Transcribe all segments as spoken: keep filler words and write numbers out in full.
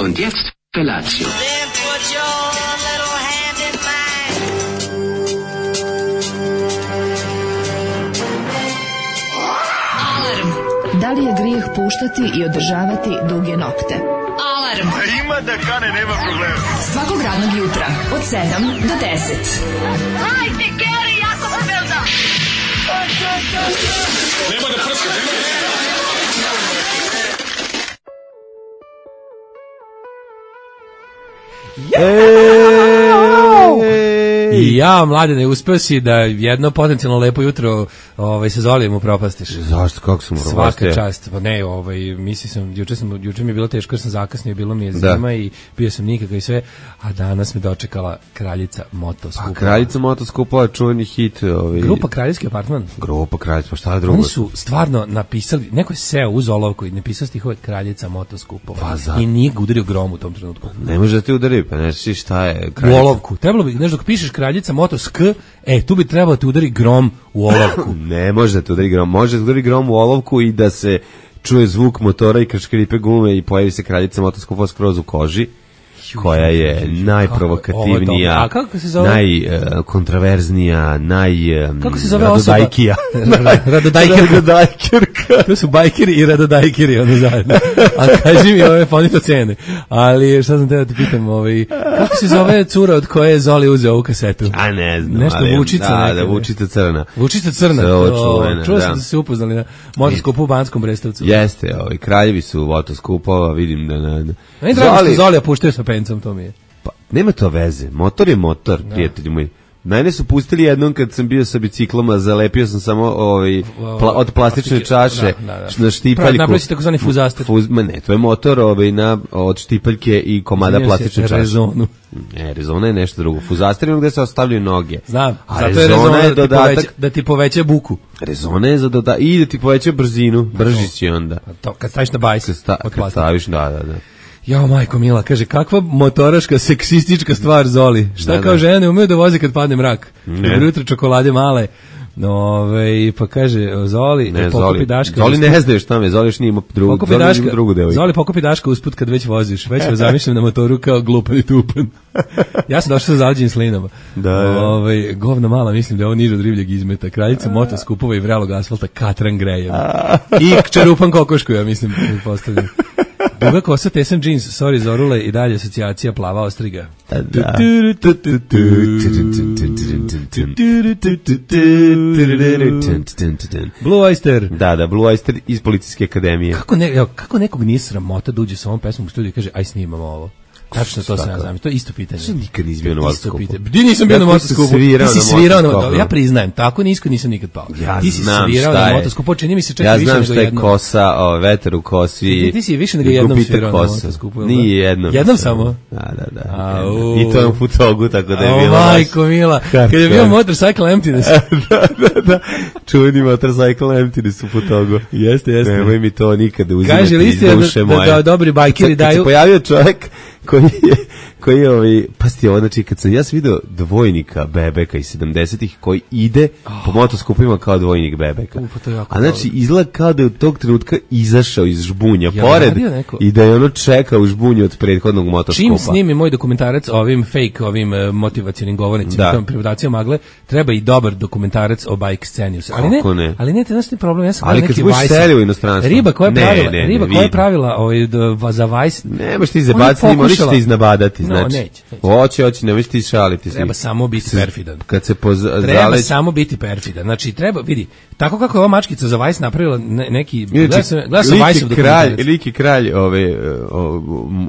Und jetzt Felatio. Then put your little hand in mine. Alarm. Da li je grijeh puštati i održavati duge nokte? Alarm. A ima da kane, nema problema. Svakog radnog jutra od sedam do deset. Hajde, Geri, jako se velda. Nema da prska, nema da... I ja, Mladene, uspeo si da jedno potencijalno lepo jutro ovaj, se Zolijem upropastiš. Zašto, kako sam upropastio? Svaka čast. Pa ne, ovaj, misli sam, juče, sam, juče mi je bilo teško jer sam zakasnio, bilo mi je zima da. I bio sam nikakav i sve, a danas me dočekala Kraljica Motoskupa. Pa Kraljica Motoskupa je čuveni hit. Ovaj... Grupa Kraljevski apartman. Grupa Kraljica, pa šta je drugo? Oni su stvarno napisali, neko je seo uz olovku i napisao stihove Kraljica Motoskupa. Pa za... I nije ga udario grom u tom trenutku. Ne može da ti udari, pa ne znaš šta je Kraljica. U olovku. Trebalo bi, znaš, dok pišeš Kraljica Motosk, e, tu bi trebalo da ti udari grom u olovku. Ne može da ti udari grom, može da udari grom u olovku i da se čuje zvuk motora i krškripe gume i pojavi se Kraljica Motoskupa skroz u koži, koja je najprovokativnija, najkontraverznija, naj kako se zove radodajkija. Radodajkirka. To su bajkeri i radodajkiri, ono zajedno. A kaži mi ove fonito cene. Ali šta sam te da ti pitam, ovaj, kako se zove cura od koje je Zoli uzeo ovu kasetu? A ne znam. Nešto ali, Vučica. Da, neka, da, Vučica crna. Vučica crna. Čuo sam da se upoznali na Motoskupu u Banskom Brestovcu. Jeste, ovaj, kraljevi su Motoskupova, vidim da... na, na. Meni drago što Zolija puštaju sa pencom, to mi je. Pa, nema to veze. Motor je motor, da. Prijatelji moji. Mene su pustili jednom kad sam bio sa biciklama, zalepio sam samo ovaj, pla, od plastične čaše da, da, da. Na štipaljku. Napravio si takozvani fuzaster. Fuz, ma ne, to je motor ovaj, na, od štipaljke i komada Zanio plastične čaše. Rezonu. Ne, rezona je nešto drugo. Fuzaster je gde se ostavljaju noge. Znam, a zato je rezona je da, dodatak, ti poveća, da ti poveća buku. Rezona je za dodatak i da ti poveća brzinu, brži si onda. To, kad staviš na bajs. Kad, sta, kad staviš, da, da, da. Jao, majko mila, kaže, kakva motoraška, seksistička stvar, Zoli. Šta da, kao da. Žene ne umeju da voze kad padne mrak? Dobro jutro, čokolade male. Ove, pa kaže, Zoli, ne, pokupi Zoli, Daška. Zoli ne znaš šta me, Zoli još nije ima drugu, pokupi Zoli Daška, drugu devojku. Zoli, pokupi Daška usput kad već voziš. Već vas zamišljam na motoru kao glupan i tupan. Ja sam došao sa zaleđenim slinama. Da, Ove, govna mala, mislim da je ovo niže od ribljeg izmeta. Kraljica Motoskupova i vrelog asfalta Katran Grejem. I čerupan kokošku, ja mislim, postavljam. Duga kosa, tesam džins, sorry Zorule, i dalje asocijacija plava ostriga. Da. Blue Oyster. Da, da, Blue Oyster iz Policijske akademije. Kako, ne, evo, kako nekog nije sramota da uđe sa ovom pesmom u studiju i kaže, aj snimamo ovo. Tačno to sam ja znam. To je isto pitanje. Što nikad nisi bio na Motoskupu? Di nisam bio na Motoskupu? Ti si svirao na Motoskupu. Ja priznajem, tako nisko nisam nikad pao. Ja ti si znam svirao šta na je. Motoskupu, čini mi se čak ja više nego jednom. Ja znam šta je kosa, o, vetar u kosi. Ti, ti si više nego jednom svirao na Motoskupu. Nije jednom. Jednom samo? Da, da, da. A, I to je u Futogu, tako da je bilo. O, majko mila. Kad je bio Motorcycle Emptiness. Da, da, da. Čuveni Motorcycle Emptiness u Futogu. Jeste, jeste. Nemoj mi to nikada uzimati iz duše moje. Kaže, da dobri bajkeri daju. Kad se pojavio čovjek koji je koji je ovaj, pasti ovo, znači kad sam ja sam vidio dvojnika Bebeka iz sedamdesetih koji ide oh. po motoskupima kao dvojnik Bebeka. Uh, pa a znači izgleda kao da je u tog trenutka izašao iz žbunja ja, pored i da je ono čeka u žbunju od prethodnog motoskupa. Čim snimi moj dokumentarac ovim fake, ovim uh, motivacionim govornicima, tom privodacijom magle, treba i dobar dokumentarac o bike sceni. Ali ne, ne, ali ne, te problem, ja sam ali kad se budeš selio u inostranstvo. Riba koja je pravila, ne, ne, riba koja je pravila ovaj, za Vice. Nemaš ti zabaciti, možeš te iznabadati. No, znači, neće, neće. Hoće, hoće, nemoj ti šaliti. Treba si. samo biti perfidan. Kad se poza, treba zaleć... samo biti perfidan. Znači, treba, vidi, tako kako je ova mačkica za Vice napravila ne, neki... Gledam sam, gledam sam Vice-ov dokumentarac. Liki kralj, ove,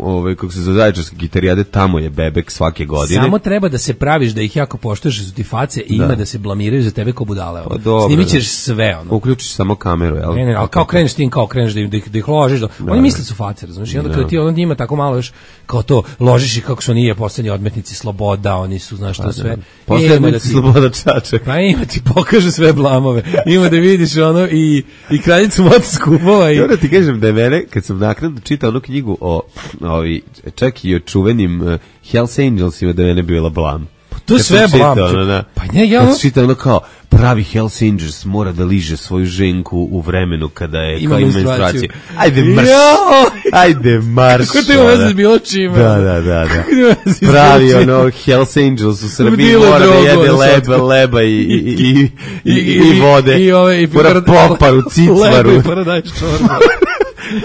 ove, kako se zove zaječarske gitarijade, tamo je Bebek svake godine. Samo treba da se praviš da ih jako poštuješ, da su ti face i da. Ima da se blamiraju za tebe ko budale. Pa dobro, snimit ćeš sve, ono. Uključiš samo kameru, jel? Ne, ne, ali kao kreneš tim, kao kreneš da ih, da ih, da ih ložiš. Da. Oni misle da su face, razumiješ? I onda kada ti on njima tako malo još kao to, ložiš i kako su nije poslednji odmetnici sloboda, oni su, znaš što sve. Poslednji da sloboda čače. Pa ima ti pokaže sve blamove. Ima da vidiš ono i, i kraljicu Motoskupova. I... Ja ti kažem da je mene, kad sam naknadno čitao onu knjigu o, ovi, čak i o čuvenim uh, Hells Angelsima, da je mene bila blam. To To Kad sve sam čitao, blam. ono, da. Pa ne, ja Kad ono- sam čitao ono kao, pravi Hells Angels mora da liže svoju ženku u vremenu kada je Ima kao ima menstruaciju. menstruaciju. Ajde marš. Joj! Ajde marš. Kako to ima veze s bilo čime? Da, da, da, da. Kako to ima veze s bilo Pravi čime? ono Hells Angels u Srbiji Dile mora da drogu, jede ono leba, slatko. leba i, i, i, i, i, I- i vode. i ove- i mora parad- poparu, cicvaru. Lepo i paradajz čorba.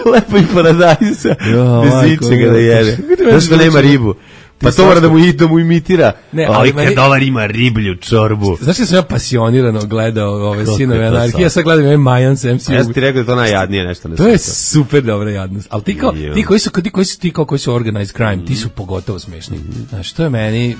Lepo i paradajza. Jo, Bez majko, ičega da jo. jede. Kako ti meni Znaš da nema zvuči? ribu. Pa Ti to mora da slatko. mu, i- da mu imitira. Ne, Ali ali meni- kad dolar ima riblju čorbu. Znaš da sam ja pasionirano gledao ove Kako Sinove je to anarhije, ja sad? sad gledam ovaj Majan M C U. Ja sam ti rekao da je to najjadnije nešto na To je svijetu. super dobra jadnost. Ali ti kao, Jo. ti koji su, ti koji su, ti kao koji su organized crime, ti su pogotovo smešni. Znaš, to je meni...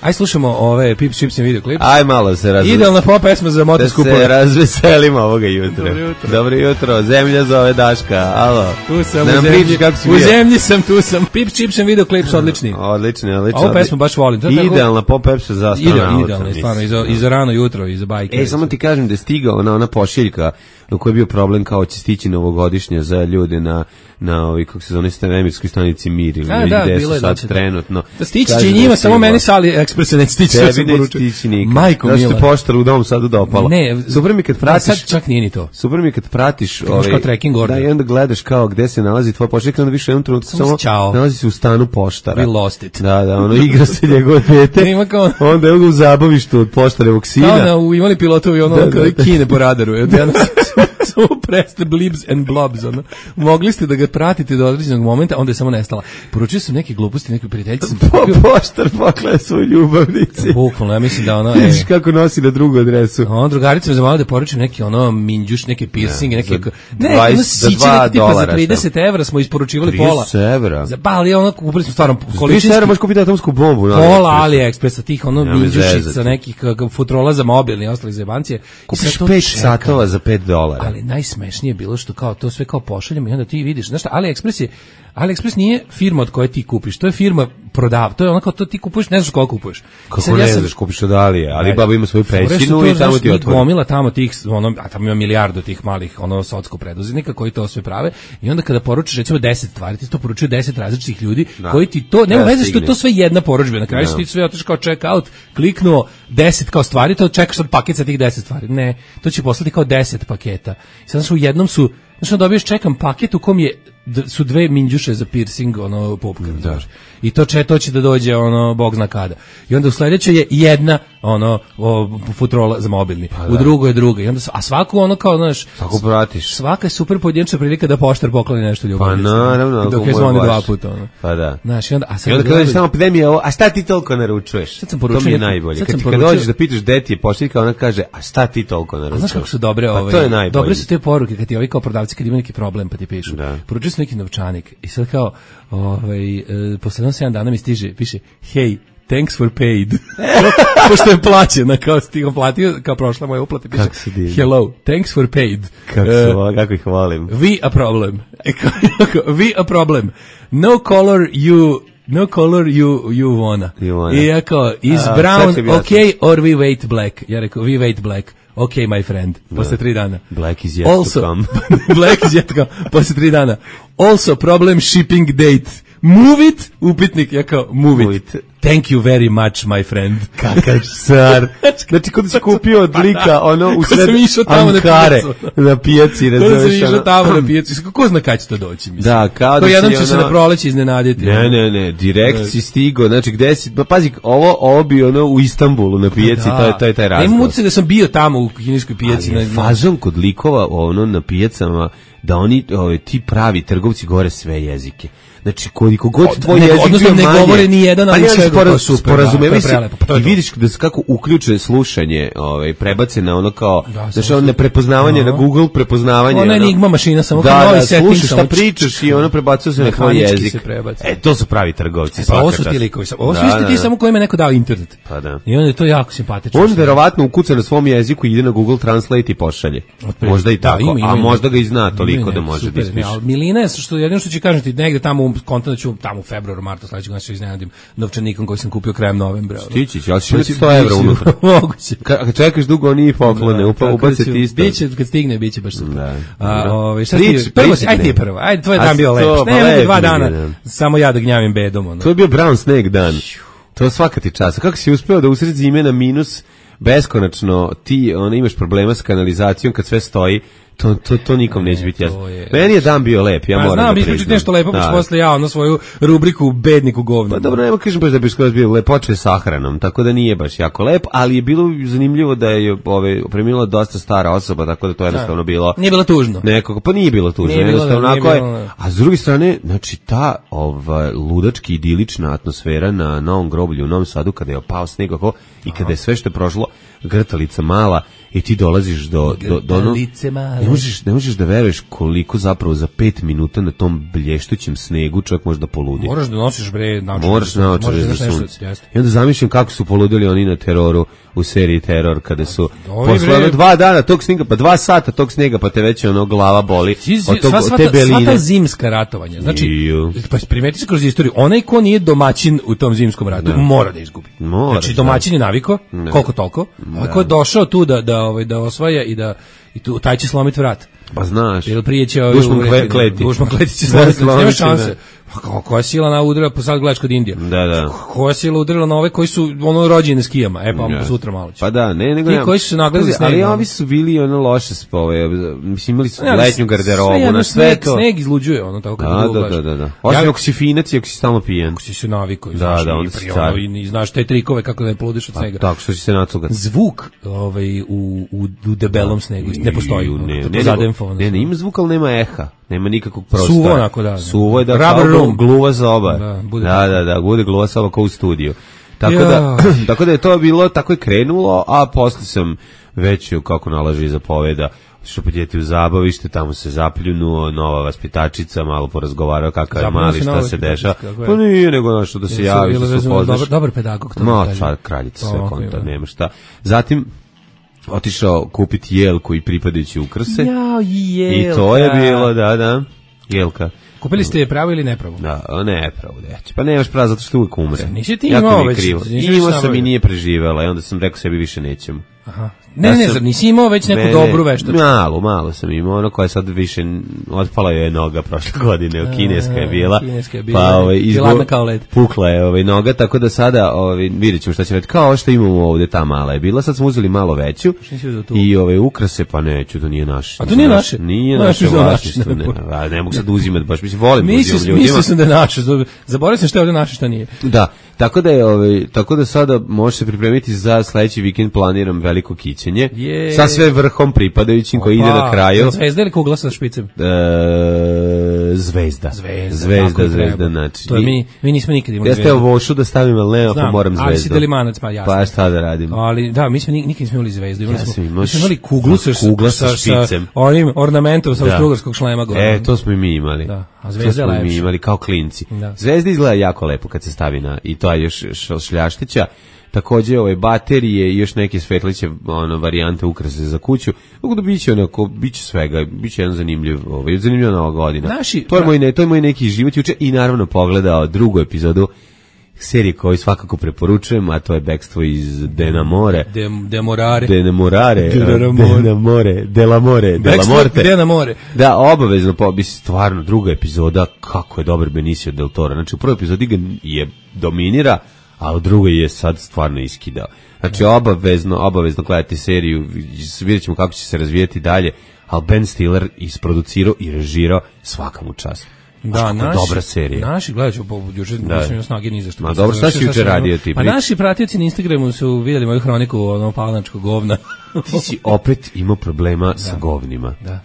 Aj slušamo ove Pips, Chips and Video Clips. Aj malo se razve... Idealna pop pesma za Da motoskupove. se razveselimo ovoga jutra. Dobro jutro. Dobro jutro. Zemlja zove Daška. Alo. Tu sam da u nam zemlji, pričaš kako si u bio. zemlji sam, tu sam. Pips, Chips and Video Clips, odlični. Odlični, odlični. Ovu pesmu baš volim. To je tako- Idealna pop pepsa za Idealno, astronauta. idealno, mislim. stvarno, i za, i za rano jutro, i za bajke. E, samo ti kažem da je stigao ona, ona pošiljka u kojoj je bio problem kao će stići novogodišnje za ljude na na ovoj, kako se zove, svemirskoj stanici Mir ili A, da, gde bilo su je sad da će- trenutno. Da stići Kaže će i da je njima, samo stiglo. meni sa AliExpressa neće stići. ja sam Tebi neće poručio. stići nikad. Majko Znaš mila. ti poštar u dom sad dopala. Ne, super mi kad da, pratiš. sad čak nije ni to. Super mi je kad pratiš imaš ovaj kao tracking order. Da, i onda gledaš kao gde se nalazi tvoja pošiljka, onda više u jednom trenutku Samo samo si ćao. nalazi se u stanu poštara. We lost it. Da, da, ono igra se njegovo dete. Ima kao- Onda evo ga u zabavištu od poštarevog Kao sina. na, u, imali pilotovi ono Da, da, kada da. kine po radaru. Evo, ja samo preste blibs and blobs. Ono. Mogli ste da ga pratite do određenog momenta, onda je samo nestala. Poručio sam neke gluposti, neke prijateljice. Sam Po, kupio- poštar poklanja svoju ljubavnici. Bukvalno, ja mislim da ono... Vidiš E, kako nosi na drugu adresu. on drugarica me zamolila da poručim neki ono minđuš, neke piercinge, neke... za Ne, dvadeset ono za siće, dva neke tipa za dolara, trideset evra smo isporučivali pola. trideset evra. Za, pa, ali ono, kupili smo stvarno Količinski količinski... sada možeš kupiti atomsku bombu. na Pola AliExpressu. AliExpressa, tih ono Nema me minđušica, zezati. nekih kakav futrola za mobilni i ostali zebancije. I Kupiš sad to pet čekam. satova za pet dolara. Ali najsmešnije je bilo što kao to sve kao pošaljamo i onda ti vidiš, znaš šta, AliExpress je, AliExpress nije firma od koje ti kupiš, to je firma prodav, to je ono kao to ti kupuješ, ne znaš koliko kupuješ. I Kako sad ne ja sam- znaš, kupiš od Alije, ali Ne. baba ima svoju Fore su pećinu to, i tamo znaš, ti njih otvori. gomila tamo tih, ono, a tamo ima milijardu tih malih, ono, socko preduzetnika koji to sve prave i onda kada poručiš, recimo, deset stvari, ti to poručuju deset različitih ljudi Da. koji ti to, nema Da, veze što je stigne. to sve jedna porudžba, na kraju Da. si ti sve otiš kao check out, kliknuo deset kao stvari, to čekaš sad paket sa tih deset stvari. Ne, to će poslati kao deset paketa. I sad, znaš, u jednom su, znaš, onda dobiješ čekam paket u kom je d- su dve minđuše za piercing, ono, popka, znaš. I to će, to će da dođe, ono, bog zna kada. I onda u sledećoj je jedna, ono, o, futrola za mobilni. U drugoj je druga. I onda, s- a svaku, ono, kao, znaš, Tako pratiš. svaka je super pojedinačna prilika da poštar pokloni nešto Pa ljubavnici. naravno, ako Dok je mu je zvoni baš. dva puta, ono. Pa da. Znaš, i onda, a sad I onda kad kad dođeš gledam- tamo, pa gde mi je ovo, a šta ti toliko naručuješ? Sad sam To poručio mi je neku- najbolje. sad Kad, sam ti- kad poručio- dođeš da pitaš gde ti je pošiljka, ona kaže, a šta ti toliko A naručuješ? znaš kako su dobre, Pa ovaj, to je najbolje. dobre su te poruke kad ti ovi kao prodavci kad imaju neki problem pa ti pišu. Da. Poručili su neki novčanik i sad kao, ovaj, e, posle sedam dana mi stiže, piše, hey, thanks for paid. Pošto je plaćena, kao stigo platio, kao prošla moja uplata, piše, Kako se divno. hello, thanks for paid. Kako, E, su, ovo, kako ih volim. we a problem. E, kao, we a problem. No color you No color you you wanna. You wanna. I ja kao, is A, sad brown će mi jasno. okay or we wait black? Ja rekao, we wait black. Okay, my friend. Posle tri dana. Black is yet to Also, come. Black is yet to come. Posle tri dana. Also, problem shipping date. Move it, upitnik. Ja kao, move, Move it. it. Thank you very much, my friend. Kakav car. Znači, kod si kupio od lika, ono, u Ko sred sam išao tamo na Ankare, pijacu. na pijaci, Kada sam razumeš, išao ono. tamo na pijacu, kako zna kad će to doći, mislim. Da, kao da Ko jednom si ću se ono- na proleće iznenaditi. Ne, ne, ne, direkt si stigo, znači gde si, pa pazi, ovo, ovo bi ono u Istanbulu na pijaci, to je, to je taj Imam razgovor. utisak da sam bio tamo u kineskoj pijaci. Ali je na- fazon kod likova ono na pijacama da oni ove, ti pravi trgovci govore sve jezike. Znači koliko god O, tvoj ne, jezik odnosno bio ne manje, govore ni jedan, ali pa ne, sve spora- to super, sporazumevaju da, to je se prelepo, pa to je i to. vidiš da se kako uključe slušanje, ovaj prebace na ono kao Da, znači samo ono su- neprepoznavanje na Aha. Google prepoznavanje. Ona je ono. enigma mašina, samo da, kao novi da, setting, slušaš šta samo pričaš i ono prebacuje se na tvoj Mehanički jezik. se prebaci. E, to su pravi trgovci. Pa ovo svaka su ti čast. likovi, ovo su Da, isti da, ti da. samo kojima je neko dao internet. Pa da. I onda je to jako simpatično. On verovatno ukuca na svom jeziku i ide na Google Translate i pošalje. Otprilike. Možda i Da, tako, ima, ima, a ima. možda ga i zna toliko Ima, da ne, može da super, ispiše. ne, ali Milina je, što jedino što će kažem ti, negde tamo, u konta da ću tamo u februaru, martu sledećeg godine se iznenadim novčanikom koji sam kupio krajem novembra. ono. Stići će, ali ćeš Biće- imati sto evra biće- unutra. Moguće. Ka- Kad čekaš dugo, oni i poklone, upa, Tako da ubace ću- ti isto. Biće, kad stigne, biće baš super. Da, A, dobro. ovaj, šta Prič- ti, prvo prič- si, ajde ti ne. prvo, ajde, tvoj A dan bio sto, lep. pa Ne, lep dva mi je dana, dan. samo ja da gnjavim bedom. Ono. To je bio Brown Snake dan. To svaka ti čast. Kako si uspeo da usred zime na minus beskonačno ti ona imaš problema s kanalizacijom kad sve stoji, to to to nikom ne, neće biti jasno. Je... Meni je dan bio lep, ja pa, moram znam, da priznam. Znam, nešto lepo, pa posle ja ono svoju rubriku bedniku govna. Pa dobro, nema kažem baš da bi skroz bio lep, počeo je sahranom, tako da nije baš jako lep, ali je bilo zanimljivo da je ove preminula dosta stara osoba, tako da to je jednostavno bilo. Nije bilo tužno. Nekako, pa nije bilo tužno, nije jednostavno onako je. A s druge strane, znači ta ova ludački idilična atmosfera na Novom groblju u Novom Sadu kada je opao sneg kako i kada je sve što je prošlo grtalica mala i ti dolaziš do do do ono, ne možeš ne možeš da veruješ koliko zapravo za pet minuta na tom blještućem snegu čovjek može da poludi. Moraš da nosiš bre naočare. Moraš naočare za sunce. I onda zamišljam kako su poludili oni na Teroru u seriji Teror kada su posle dva dana tog snega, pa dva sata tog snega, pa te već ono glava boli od tog od te beline. Sva ta zimska ratovanja. Znači pa primeti se kroz istoriju, onaj ko nije domaćin u tom zimskom ratu no. mora da izgubi. Mora, znači domaćin je naviko, no. koliko toliko. A ko je došao tu da da ovaj da osvaja i da i tu taj će slomiti vrat. Pa znaš. Jel prije će dušman kleti. Dušman kleti će slomiti. Nema šanse. Pa koja sila na udara, pa sad gledaš kod Indija. Da, da. Koja sila udarila na ove koji su ono rođeni na skijama. E pa ja. sutra malo će. Pa da, ne, nego ti koji su se nagledali sneg. Ali ovi su bili ono loše spove. Mislim imali su ja, letnju garderobu sve, na sve sneg, to. Sneg izluđuje ono tako kad da, da, da, da, da. Osim ja, ako si finac i ako si stalno pijen. Ako si se navikao, da, znaš, da, i, pri, ono, i, i znaš te trikove kako da ne poludiš od snega. Tako što će se nacugati. Zvuk ovaj, u, u, u debelom snegu ne postoji. Ne, ne, ima zvuk, ali nema eha. Nema nikakvog prostora. Suvo onako, da. Suvo je da kao gluva za oba. Da, da, da, da, bude gluva za oba kao u studiju. Tako ja. da, tako da je to bilo, tako je krenulo, a posle sam već, kako nalaže i zapoveda, što podjeti u zabavište, tamo se zapljunuo, nova vaspitačica, malo porazgovarao kakav je mali, šta se deša. Pa nije nego nešto da se javi, što se upoznaš. Dobar, dobar pedagog. No, sad kraljica, sve konta, nema šta. Zatim, otišao kupiti jelku i pripadajući ukrase. Jao, jelka. I to je bilo, da, da, jelka. Kupili ste je pravo ili nepravo? Da, nepravo, deć. Pa nemaš pravo zato što uvijek umre. Nisi ti imao već. Imao sam i nije preživela i onda sam rekao sebi više nećemo. Aha. Ne, ja ne, sam, nisi imao već neku ne, dobru veštačku? Malo, malo sam imao, ono koja sad više, otpala je noga prošle godine, kineska je bila, kineska je bila, pa ovaj, izgo, kao led. Pukla je ovaj, noga, tako da sada ovaj, vidjet ćemo šta će reći, kao što imamo ovde, ta mala je bila, sad smo uzeli malo veću i ovaj, ukrase, pa neću, to nije naše. A to nije naše? Nije naše vlasništvo, ne, ne, ne mogu sad uzimati, baš mislim, volim uzimam ljudima. Mislio sam da je naše, zaboravio sam što je ovde naše, šta nije. Da, tako da je, ovaj, tako da sada može se pripremiti za sledeći vikend, planiram veliko kićenje. Je. Sa sve vrhom pripadajućim koji ide na kraju. Zvezda ili kugla sa špicem? E, zvezda. Zvezda, zvezda, zvezda znači. To je mi, mi nismo nikad imali zvezdu. Jeste ovo vošu da stavim, ali nema, pa moram zvezdu. Ali si delimanac, pa jasno. Pa šta da radim? Ali da, mi smo nikad nismo imali zvezdu. Imali ja smo, imaš, mi smo imali kuglu sa, kugla sa, sa špicem. Sa onim ornamentom sa austrougarskog šlema gore. E, to smo i mi imali. Da. A zvezda je lepša. To smo mi imali kao klinci. Da. Zvezda izgleda jako lepo kad se stavi na, i to je još šljaštića. Takođe ove baterije i još neke svetliće ono varijante ukrase za kuću. Tako da biće onako biće svega, biće jedan zanimljiv, ovaj zanimljiva nova godina. Naši, to je moj ne, to je moj neki život juče i naravno pogledao drugu epizodu serije koju svakako preporučujem, a to je Bekstvo iz Denamore. Dem, demorare. Denamorare. Denamore. Delamore. Delamorte. Denamore. Da, obavezno, pa bi stvarno druga epizoda, kako je dobar Benicio del Toro. Znači u prvoj epizodi ga je dominira, a u drugoj je sad stvarno iskidao. Znači obavezno, obavezno gledati seriju, vidjet ćemo kako će se razvijeti dalje, ali Ben Stiller isproducirao i režirao, svaka mu čast. Da, naši, dobra serija. Naši, gledat ću, juče nisam imao snage ni za što. Ma dobro, šta si juče radio ti? Pa naši pratioci na Instagramu su vidjeli moju hroniku ono palanačkog govna. Ti si opet imao problema da. sa govnima. Da.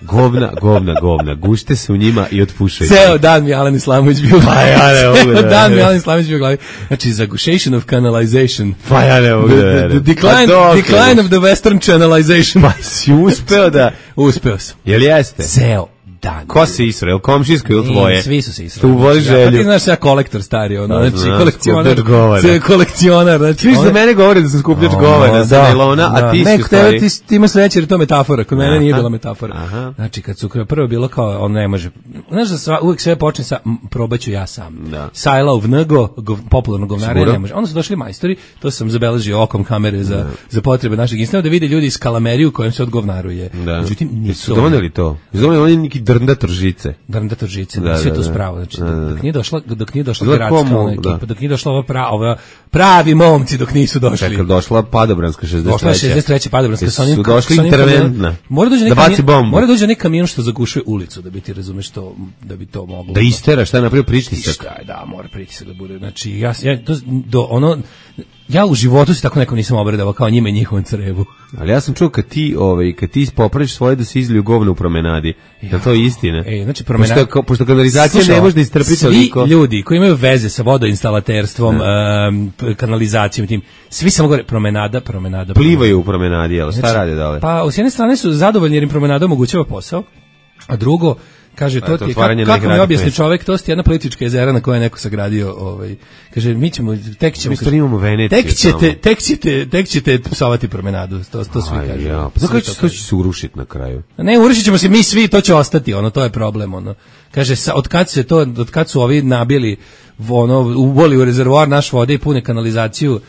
Govna, govna, govna. Gušte se u njima i otpušaju. Ceo dan mi Alen Islamović bio. Pa ja ne mogu da. Ceo dan mi Alen Islamović bio glavi. Znači, zagušation of canalization. Pa ja ne mogu da. The, the decline, pa decline of the western channelization. Pa si uspeo da. Uspeo sam. Jel jeste? Ceo dan. Ko se isro? Jel komšijsko ili tvoje? Svi su se isro. Tu voli želju. Ja, pa ti znaš ja kolektor stari, ono, da, znači kolekcionar. Sve kolekcionar, znači. Ti za mene govori da sam skupljač govana sa nailona, a ti si stvari. Ti, ti imaš sreće jer to metafora, kod mene nije bila metafora. Aha. Znači kad su prvo bilo kao on ne može. Znaš da sva, uvijek sve počne sa probaću ja sam. Da. Sajla u Vnego, gov, popularno govnare ne može. Onda su došli majstori, to sam zabeležio okom kamere za da. za potrebe našeg Instagrama da vide ljudi iz Kalameriju kojem se odgovnaruje. Međutim nisu doneli to. Doneli oni neki Drndator žice. Drndator žice, da, sve da, to da. spravo, znači da, da. dok nije došla, dok nije došla Dok gradska komu, ona ekipa, da. dok nije došla ova prava, ova pravi momci dok nisu došli. Čekaj, došla Padobranska šezdeset treća. Došla šezdeset treća Padobranska sa onim. Su došli interventna. Mora dođe da neki baci bombu. Mora dođe neki kamion što zagušuje ulicu da bi ti razumeš to, da bi to moglo. Da istera, šta je napravio pritisak? Šta je, da, mora pritisak da bude. Znači ja ja to do ono ja u životu se tako nekom nisam obradovao kao njima i njihovom crevu. Ali ja sam čuo kad ti, ovaj, kad ti popraviš svoje da se izliju govno u promenadi. Je to istina? Ej, znači promenada. Pošto, pošto kanalizacija Slušaj, ne može da istrpi toliko. Svi ljudi koji imaju veze sa vodoinstalaterstvom, um, kanalizacijom tim, svi samo govore promenada, promenada. Plivaju u promenadi, jel? Šta znači, rade dole? Pa s jedne strane su zadovoljni jer im promenada omogućava posao, a drugo kaže to ti kako, kako mi objasni čovjek, to je jedna politička jezera na kojoj je neko sagradio, ovaj kaže mi ćemo tek ćemo mi imamo Veneciju. Tek ćete, tek ćete, tek ćete psovati promenadu, to to svi kažu. Ja, pa kako će to će se urušiti na kraju? Ne, urušit ćemo se mi svi, to će ostati, ono to je problem, ono. Kaže sa, od kad se to, od kad su ovi nabili ono uboli u rezervoar naš vode i pune kanalizaciju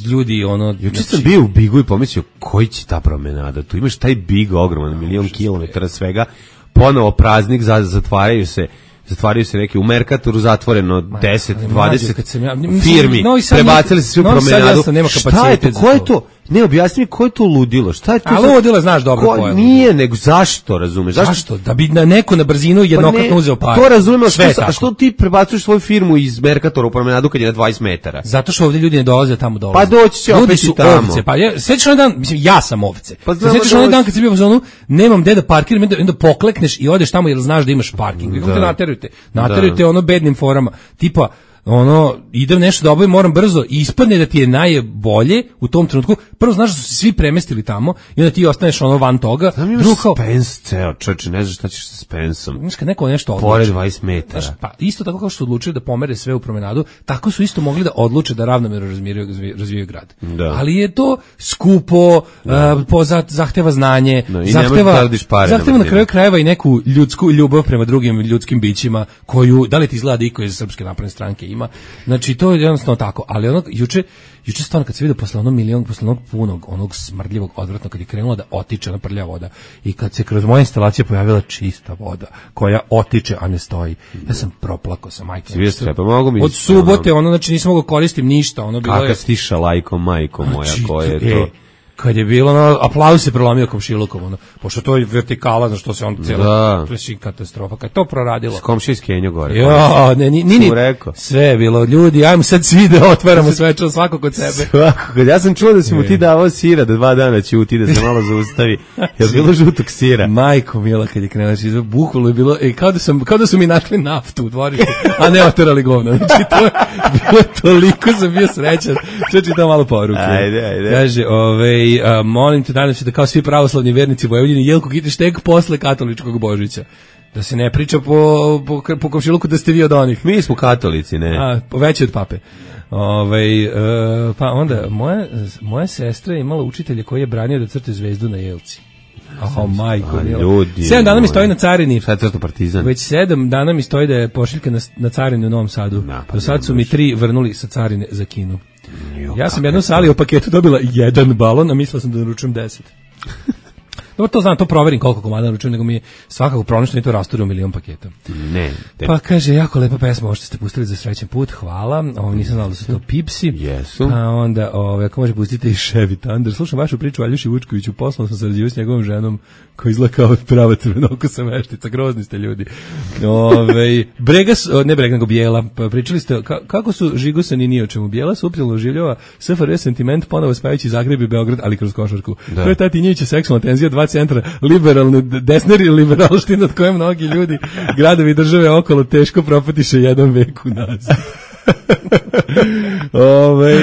ljudi ono. Juče sam bio u Bigu i pomislio koji će ta promenada. Tu imaš taj Big ogroman milion kilometara svega. Ponovo praznik, zatvaraju se zatvaraju se neki u Merkatoru zatvoreno deset dvadeset ja, firmi, prebacili se svi u promenadu. Šta je to? Ko je to? Ne, objasni mi ko je to ludilo? Šta je to? A ludilo, znaš dobro ko, ko je. Nije, nego zašto, razumeš? Zašto? zašto? Da bi na neko na brzinu jednokratno pa uzeo pare. To razumemo, a što ti prebacuješ svoju firmu iz Merkatora u promenadu kad je na dvadeset metara? Zato što ovdje ljudi ne dolaze tamo dolaze. Pa doći će opet i tamo. Ovce, pa ja, sećaš onaj dan, mislim, ja sam ovce. Pa sećaš onaj dan kad si bio u zonu, nemam gde da parkiram, onda poklekneš i odeš tamo jer znaš da imaš parking. Kako te naterujete? Naterujete ono bednim forama. Tipa, ono, idem nešto da obavim, moram brzo i ispadne da ti je najbolje u tom trenutku. Prvo znaš da su se svi premestili tamo i onda ti ostaneš ono van toga. Znam imaš Spence ceo, čoče, ne znaš šta ćeš sa Spenceom. Znaš kad neko nešto odluči. Pored dvadeset metara. Znaš, pa isto tako kao što odlučili da pomere sve u promenadu, tako su isto mogli da odluče da ravnomerno razvijaju, razvijaju grad. Da. Ali je to skupo, da. uh, po zahteva znanje, no, zahteva, zahteva na kraju krajeva i neku ljudsku ljubav prema drugim ljudskim bićima koju, da li ti izgleda iko iz Srpske napredne stranke ima. Znači to je jednostavno tako, ali ono juče juče stvarno kad se vidio posle onog milion, posle onog punog, onog smrdljivog, odvratnog, kad je krenula da otiče na prljava voda i kad se kroz moje instalacije pojavila čista voda koja otiče, a ne stoji. Ja sam proplakao sa majkom. Od subote, ono, znači nisam mogao koristim ništa, ono bilo je. Kaka stiša lajkom, majko moja, znači, koje je to? Kad je bilo, ono, aplauz se prelomio komšilukom, ono, pošto to je vertikala, znaš što se on cijelo, da. To je katastrofa, kad je to proradilo. S komšija iz Kenja gore. Jo, ne, ni, ni, ni, sve je bilo, ljudi, ajmo sad svi da otvaramo svečano, svako kod sebe. Svako kod, ja sam čuo da si mu ti davao sira, da dva dana ćuti, da se malo zaustavi, je bilo žutog sira. Majko mila, kad je krenuo, znači, bukvalo je bilo, e, kao da, sam, kao da su mi našli naftu u dvorištu, a ne otvarali govno, znači, to je bilo toliko, sam bio srećan, što čitam malo poruke. Ajde, ajde. Kaže, ovej, Uh, molim te, nadam se da kao svi pravoslavni vernici Vojvodine Jelko Kitiš tek posle katoličkog Božića. Da se ne priča po, po, po komšiluku da ste vi od onih. Mi smo katolici, ne. A, veći od pape. Ove, uh, pa onda, moja, moja sestra je imala učitelja koji je branio da crte zvezdu na jelci. Oh, majko, ljudi. Sedam dana mi stoji na carini. Sad crto Partizan. Već sedam dana mi stoji da je pošiljka na, na carini u Novom Sadu. Na, pa do sad su mi tri vrnuli sa carine za Kinu. Jo, ja sam jednom sali u paketu dobila jedan balon, a mislila sam da naručujem deset. Dobro, to znam, to proverim koliko komada naručujem, nego mi je svakako pronašno i to rasturi u milion paketa. Ne. Te... Pa kaže, jako lepa pesma, ovo što ste pustili za srećan put, hvala. Ovo nisam znala da su to Pipsi. Jesu. A onda, ovo, ako može pustiti i Chevy Thunder. Slušam vašu priču o Aljuši Vučkoviću, poslovno sam sarađivao s njegovom ženom, koja izgleda kao prava crvenokosa veštica, grozni ste ljudi. Ove, Brega, ne Brega, nego Bijela, pa pričali ste, ka, kako su žigosani ni o čemu. Bijela suptilno oživljava S F R J sentiment, ponovo spajajući Zagreb i Beograd, ali kroz košarku. Da. To je ta Tinjevića seksualna tenzija, dva centra, liberalne, desner i liberalština od koje mnogi ljudi, gradovi i države okolo teško propatiše jedan vek unazad. Ove,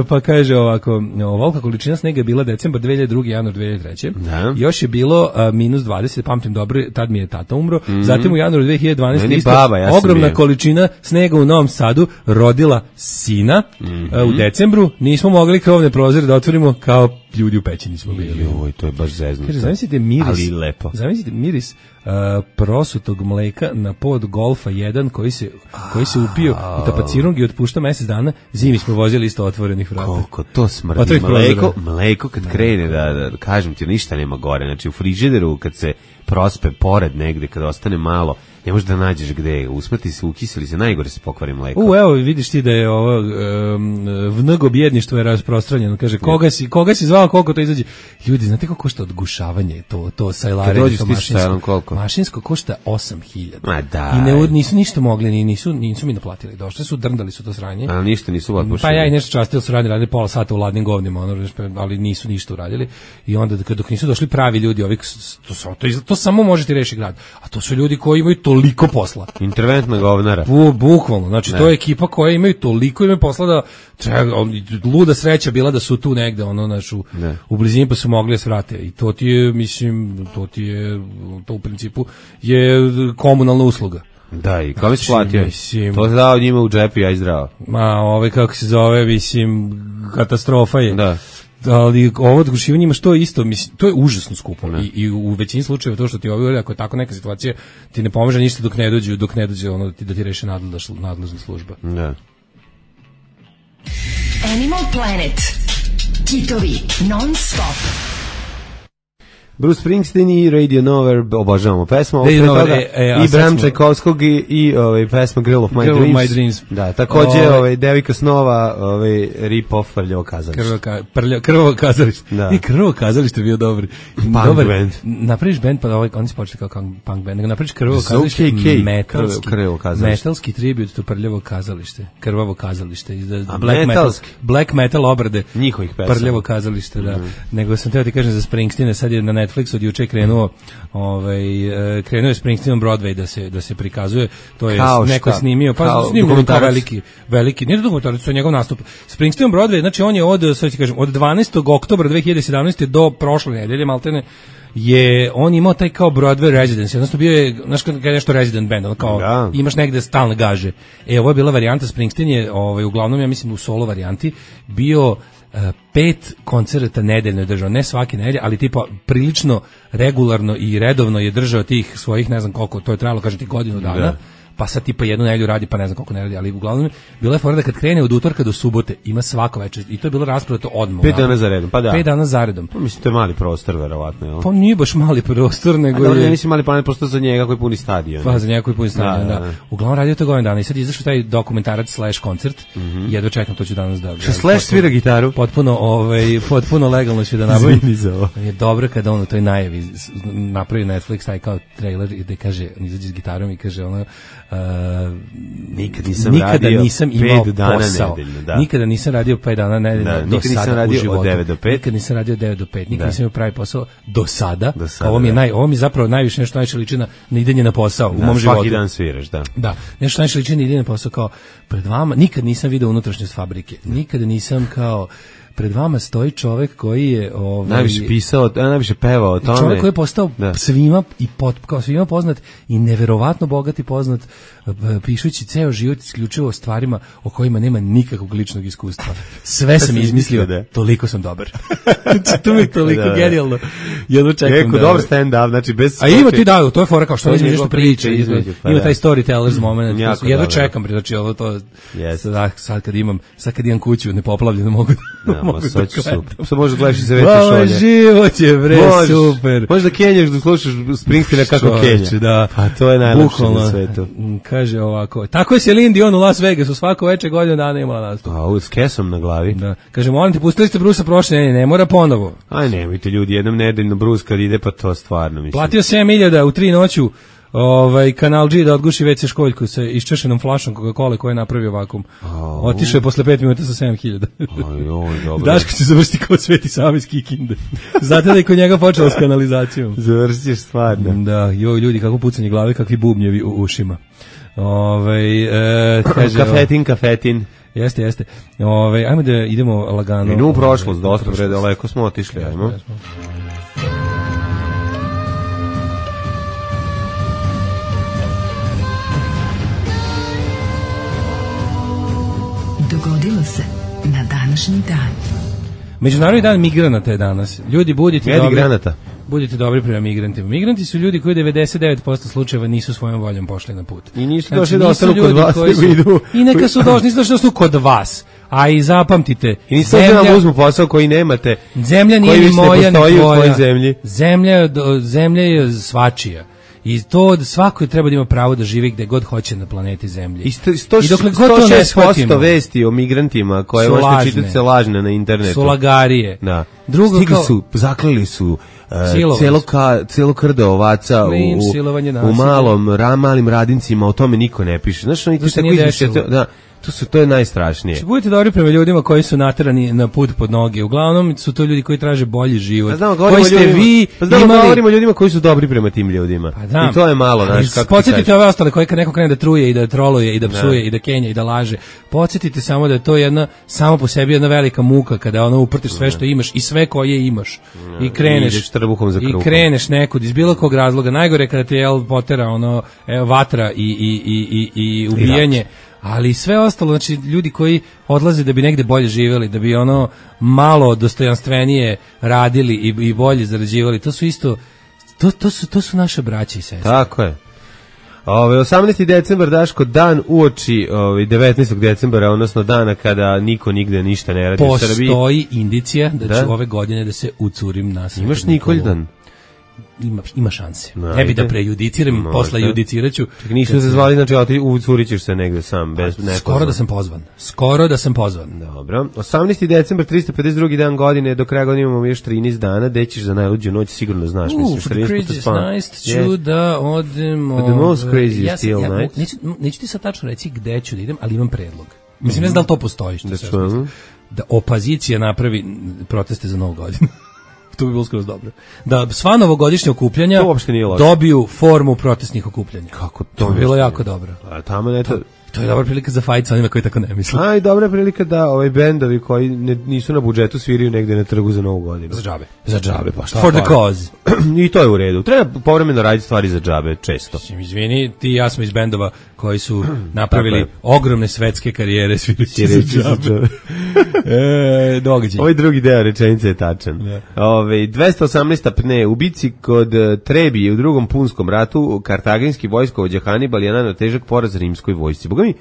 pa kaže ovako, ovolika količina snega je bila decembar dve hiljade druge. januar dve hiljade treće. Da. Još je bilo a, minus dvadeset, pamtim dobro, tad mi je tata umro. Mm-hmm. Zatim u januaru dve hiljade dvanaeste. isto, baba, ja ogromna je. Količina snega u Novom Sadu rodila sina. Mm-hmm. a, u decembru. Nismo mogli krovne prozore da otvorimo, kao ljudi u peći nismo bili. Joj, to je baš zeznuto. Kaže, zamislite miris, ali lepo. Zamislite miris Uh, prosutog mleka na pod Golfa jedan koji se, koji se upio u tapacirung i otpušta mesec dana, zimi smo vozili isto otvorenih vrata. Koliko to smrdi. Mleko, mleko kad krene, da, da, kažem ti, ništa nema gore. Znači u frižideru kad se prospe pored negde, kad ostane malo, ne možeš da nađeš gde, usmrti se, ukiseli se, najgore se pokvari mleko. U, evo, vidiš ti da je ovo um, vnego bjedništvo je rasprostranjeno. Kaže, koga si, koga si zvao, koliko to izađe? Ljudi, znate kako košta odgušavanje, to, to sajlare, to mašinsko? Koliko? Mašinsko košta osam hiljada. Ma da. I ne, nisu ništa mogli, nisu, nisu mi naplatili. Došli su, drndali su to sranje. A ništa nisu otpušili. Pa ja i nešto častili su radili, radili pola sata u ladnim govnima, ono, ali nisu ništa uradili. I onda dok nisu došli pravi ljudi, ovih, to, to, to samo možete reši grad. A to su ljudi koji imaju toliko posla. Interventna govnara. Bu, bukvalno, znači ne. To je ekipa koja imaju toliko imaju posla da treba, luda sreća bila da su tu negde, ono, znači, u, u blizini pa su mogli da se vrate. I to ti je, mislim, to ti je, to u principu je komunalna usluga. Da, i kome si platio? Mislim, to se dao njima u džepu, ja i zdravo. Ma, ove, kako se zove, mislim, katastrofa je. Da. Ali ovo odgušivanje ima što isto, mislim, to je užasno skupo. I, i u većini slučajeva to što ti ovi, ako je tako neka situacija, ti ne pomaže ništa dok ne dođe, dok ne dođe ono da ti, da ti reši nadležna, nadležna služba. Da. Animal Planet. Kitovi non stop. Bruce Springsteen i Radio Nowhere, obožavamo pesmu, ovo pre toga, e, e, i Bram Čajkovskog i, i ovaj, pesma Girl of My, Girl Dreams. Of My Dreams. Da, takođe ovaj, ovaj, Devika Snova, ovaj, Rip-Off Prljavo kazalište. Krvo, ka, prlja, krvo kazalište. Da. I Krvo kazalište je bio dobri. Punk dobar, band. Napraviš band, pa ovaj, oni se počeli kao punk band, nego napraviš Krvo kazalište, metalski, metalski tribut to Prljavo kazalište, Krvavo kazalište. A black metalski? Metal, black metal obrade. Njihovih pesama. Prljavo kazalište, da. Mm. Nego sam teo ti kažem za Springsteena, sad je na Netflix od juče krenuo, ovaj krenuo je Springsteenom Broadway da se da se prikazuje, to je kao neko šta? Snimio, pa kao, snimio kao veliki veliki, nije dokumentarac, to je njegov nastup. Springsteenom Broadway, znači on je od, sad ti kažem, od dvanaestog oktobra dve hiljade sedamnaeste do prošle nedelje maltene je on imao taj kao Broadway residence, odnosno bio je, znaš kada je nešto resident band, on kao da. Imaš negde stalne gaže. E, ovo je bila varijanta, Springsteen je ovaj, uglavnom, ja mislim, u solo varijanti bio Uh, pet koncerata nedeljno je držao, ne svake nedelje, ali tipa prilično regularno i redovno je držao tih svojih, ne znam koliko, to je trajalo, kažem ti, godinu dana. Da. Pa sad tipa jednu nedelju radi, pa ne znam koliko ne radi, ali uglavnom bila je fora da kad krene od utorka do subote ima svako večer i to je bilo rasprodato odmah. Pet dana za redom, pa da. Pet dana za redom. Pa mislim to je mali prostor verovatno, je l' Pa nije baš mali prostor, nego je. Ne mislim mali prostor za njega koji puni stadion. Pa za njega koji puni stadion, da. da. da. Uglavnom radio to godinu dana i sad izašao taj dokumentarac slash koncert. Mm -hmm. Jedva čekam, to ću danas da. Što slash svira gitaru? Potpuno, ovaj, potpuno legalno ću da nabavim. Je dobro kada on u toj najavi napravi Netflix taj kao trailer i da kaže, on izađe s gitarom i kaže ono uh, nikad nisam nikada radio nisam imao pet dana posao. Nedeljno, da. Nikada nisam radio pet dana nedeljno da, do nikad sada nisam radio u životu. Od devet do pet. Nikad nisam radio od devet do pet. Nikad da. Nisam imao pravi posao do sada. Do sada ovo mi je da. naj, ovo mi je zapravo najviše nešto najviše liči na, na idenje na posao da, u mom životu. Svaki dan sviraš, da. Da, nešto najviše liči na idenje na posao kao pred vama. Nikad nisam video unutrašnjost fabrike. Nikada nisam kao pred vama stoji čovjek koji je ovaj najviše pisao, najviše pevao o tome. Čovjek koji je postao da. svima i pot, kao svima poznat i neverovatno bogat i poznat, pišući ceo život isključivo o stvarima o kojima nema nikakvog ličnog iskustva. Sve sam izmislio, da. Toliko sam dobar. Znači, to mi je toliko da, genijalno. Jedno čekam. Neko da, dobar stand-up, znači bez... A ima ti da, to je fora kao što između nešto priče, između, pa ima taj storytellers moment. Jedno čekam, znači ovo to... Yes. Sad kad imam, sad kad imam kuću nepoplavljenu mogu da... Ma, sad ću super. Sad možeš gledaš i za veće šolje. Ovo život je, bre, Bož, super. Možeš da kenjaš, da slušaš Springsteena kako kenja. Da. Pa to je najlepše na svetu. Kaže ovako, tako je Celine Dion u Las Vegasu, svako veče godinu dana imala nastup. A, s kesom na glavi. Da. Kaže, molim te, pustili ste Brusa prošle, ne, ne mora ponovo. Aj, nemojte ljudi, jednom nedeljno Bruce kad ide, pa to stvarno mislim. Platio sedam hiljada u tri noću, ovaj Kanal G da odguši ve ce školjku sa iščešenom flašom Coca-Cola koja je napravio vakum. Otišao je posle pet minuta sa sedam hiljada. Aj, oj, dobro. Daško će završiti kao Sveti Sava iz Kikinde. Znate da je kod njega počelo s kanalizacijom. Završiš stvarno. Da, joj ljudi, kako pucanje glave, kakvi bubnjevi u ušima. Ovaj e, kaže kafetin, kafetin. Jeste, jeste. Ovaj ajmo da idemo lagano. I u prošlost, dosta bre daleko smo otišli, ajmo. Dogodilo se na današnji dan. Međunarodni dan migranata je danas. Ljudi budite dobri. Granata. budite dobri prema migrantima. Migranti su ljudi koji u devedeset devet posto slučajeva nisu svojom voljom pošli na put. I nisu došli da ostanu kod vas, nego idu. I neka su došli, nisu došli da ostanu kod vas. A i zapamtite, i niste zemlja, da nam uzmu posao koji nemate, zemlja nije ni moja, ni tvoja. Zemlji. Zemlja, zemlja je svačija. I to svako treba da ima pravo da živi gde god hoće na planeti Zemlji. I, sto, sto, I dokle god to ne shvatimo, vesti o migrantima koje možete čitati se lažne na internetu. Su lagarije. Da. Drugo Stigli kao, su, zaklali su uh, celo, ka, celo krdo ovaca Klin, u, u malom, ra, malim radincima, o tome niko ne piše. Znaš, oni tako izmišljate, da, to su to je najstrašnije. Či budete dobri prema ljudima koji su naterani na put pod noge. Uglavnom su to ljudi koji traže bolji život. Pa znamo, koji ste ljudima, vi pa znamo, imali... govorimo o ljudima koji su dobri prema tim ljudima. Pa znam. I to je malo, znaš, kako podsjetite ove ostale koji kad neko krene da truje i da troluje i da psuje da. i da kenja i da laže. Podsjetite samo da je to jedna samo po sebi jedna velika muka kada ono uprtiš sve što imaš i sve koje imaš ne. i kreneš I, za i kreneš nekud iz bilo kog razloga. Najgore kada te jel potera ono evo, vatra i i i i i ubijanje. Ali sve ostalo, znači ljudi koji odlaze da bi negde bolje živjeli, da bi ono malo dostojanstvenije radili i, i bolje zarađivali, to su isto, to, to, su, to su naše braće i sestre. Tako je. Ove, osamnaesti decembar, Daško, dan uoči ove, devetnaestog decembra, odnosno dana kada niko nigde ništa ne radi u Srbiji. Postoji indicija da, da ću ove godine da se ucurim na Svetu Imaš Nikoldan? Ima, ima šanse. Najde. Ne bi da prejudiciram, posle judiciraću. Čekaj, nisu se zvali, znači, ali ti ucurit ćeš se negde sam. Bez, skoro da sam pozvan. Skoro da sam pozvan. Dobro. osamnaesti decembar, tristo pedeset drugi dan godine, do kraja godine imamo još trinaest dana, gde ćeš za najluđu noć, sigurno znaš. Uh, mislim, for the craziest night ću yeah. da odem... For the most craziest ja, still ja, night. Neću, neću ti sad tačno reći gde ću da idem, ali imam predlog. Mislim, ne znam da li to postoji. Što se da opozicija napravi proteste za Novu godinu. To bi bilo skroz dobro. Da sva novogodišnja okupljanja dobiju formu protestnih okupljanja. Kako to? To bi bilo jako dobro. A tamo ne to... To je dobra prilika za fajt sa onima koji tako ne misle. A i dobra prilika da ovaj bendovi koji ne, nisu na budžetu sviraju negde na trgu za Novu godinu. Za džabe. Za džabe, pa šta? For the cause. I to je u redu. Treba povremeno raditi stvari za džabe, često. Izvini, ti i ja smo iz bendova koji su napravili ogromne svetske karijere svirajući za džabe. e, događaj. Ovaj drugi deo rečenice je tačan. Yeah. Ove, dvesta osamnaesta pne, u bici kod Trebije u drugom punskom ratu, kartaginski vojskovođa Hanibal je naneo težak poraz rimskoj vojsci. Boga mi,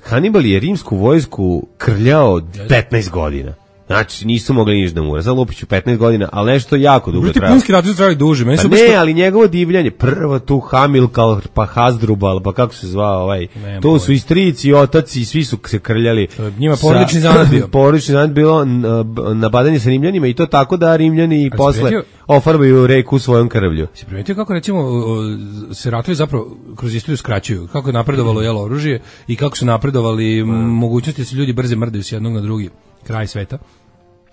Hanibal je rimsku vojsku krljao petnaest godina. Znači, nisu mogli ništa da mu ura. Zalupiću petnaest godina, ali nešto jako dugo trajalo. Punski ratovi su trajali duže. Pa ne, što... ali njegovo divljanje, prvo tu Hamilkal, pa Hasdrubal, pa kako se zvao ovaj, ne, to su i strici i otaci, svi su se krljali. Njima porodični zanat bio. Porodični zanat bilo nabadanje sa Rimljanima i to tako da Rimljani a posle primetio... ofarbaju reku svojom krvlju. Si primetio kako, recimo, se ratovi zapravo kroz istoriju skraćuju? Kako je napredovalo jelo oružje i kako su napredovali mm. mogućnosti da se ljudi brže mrdaju s jednog na drugi kraj sveta,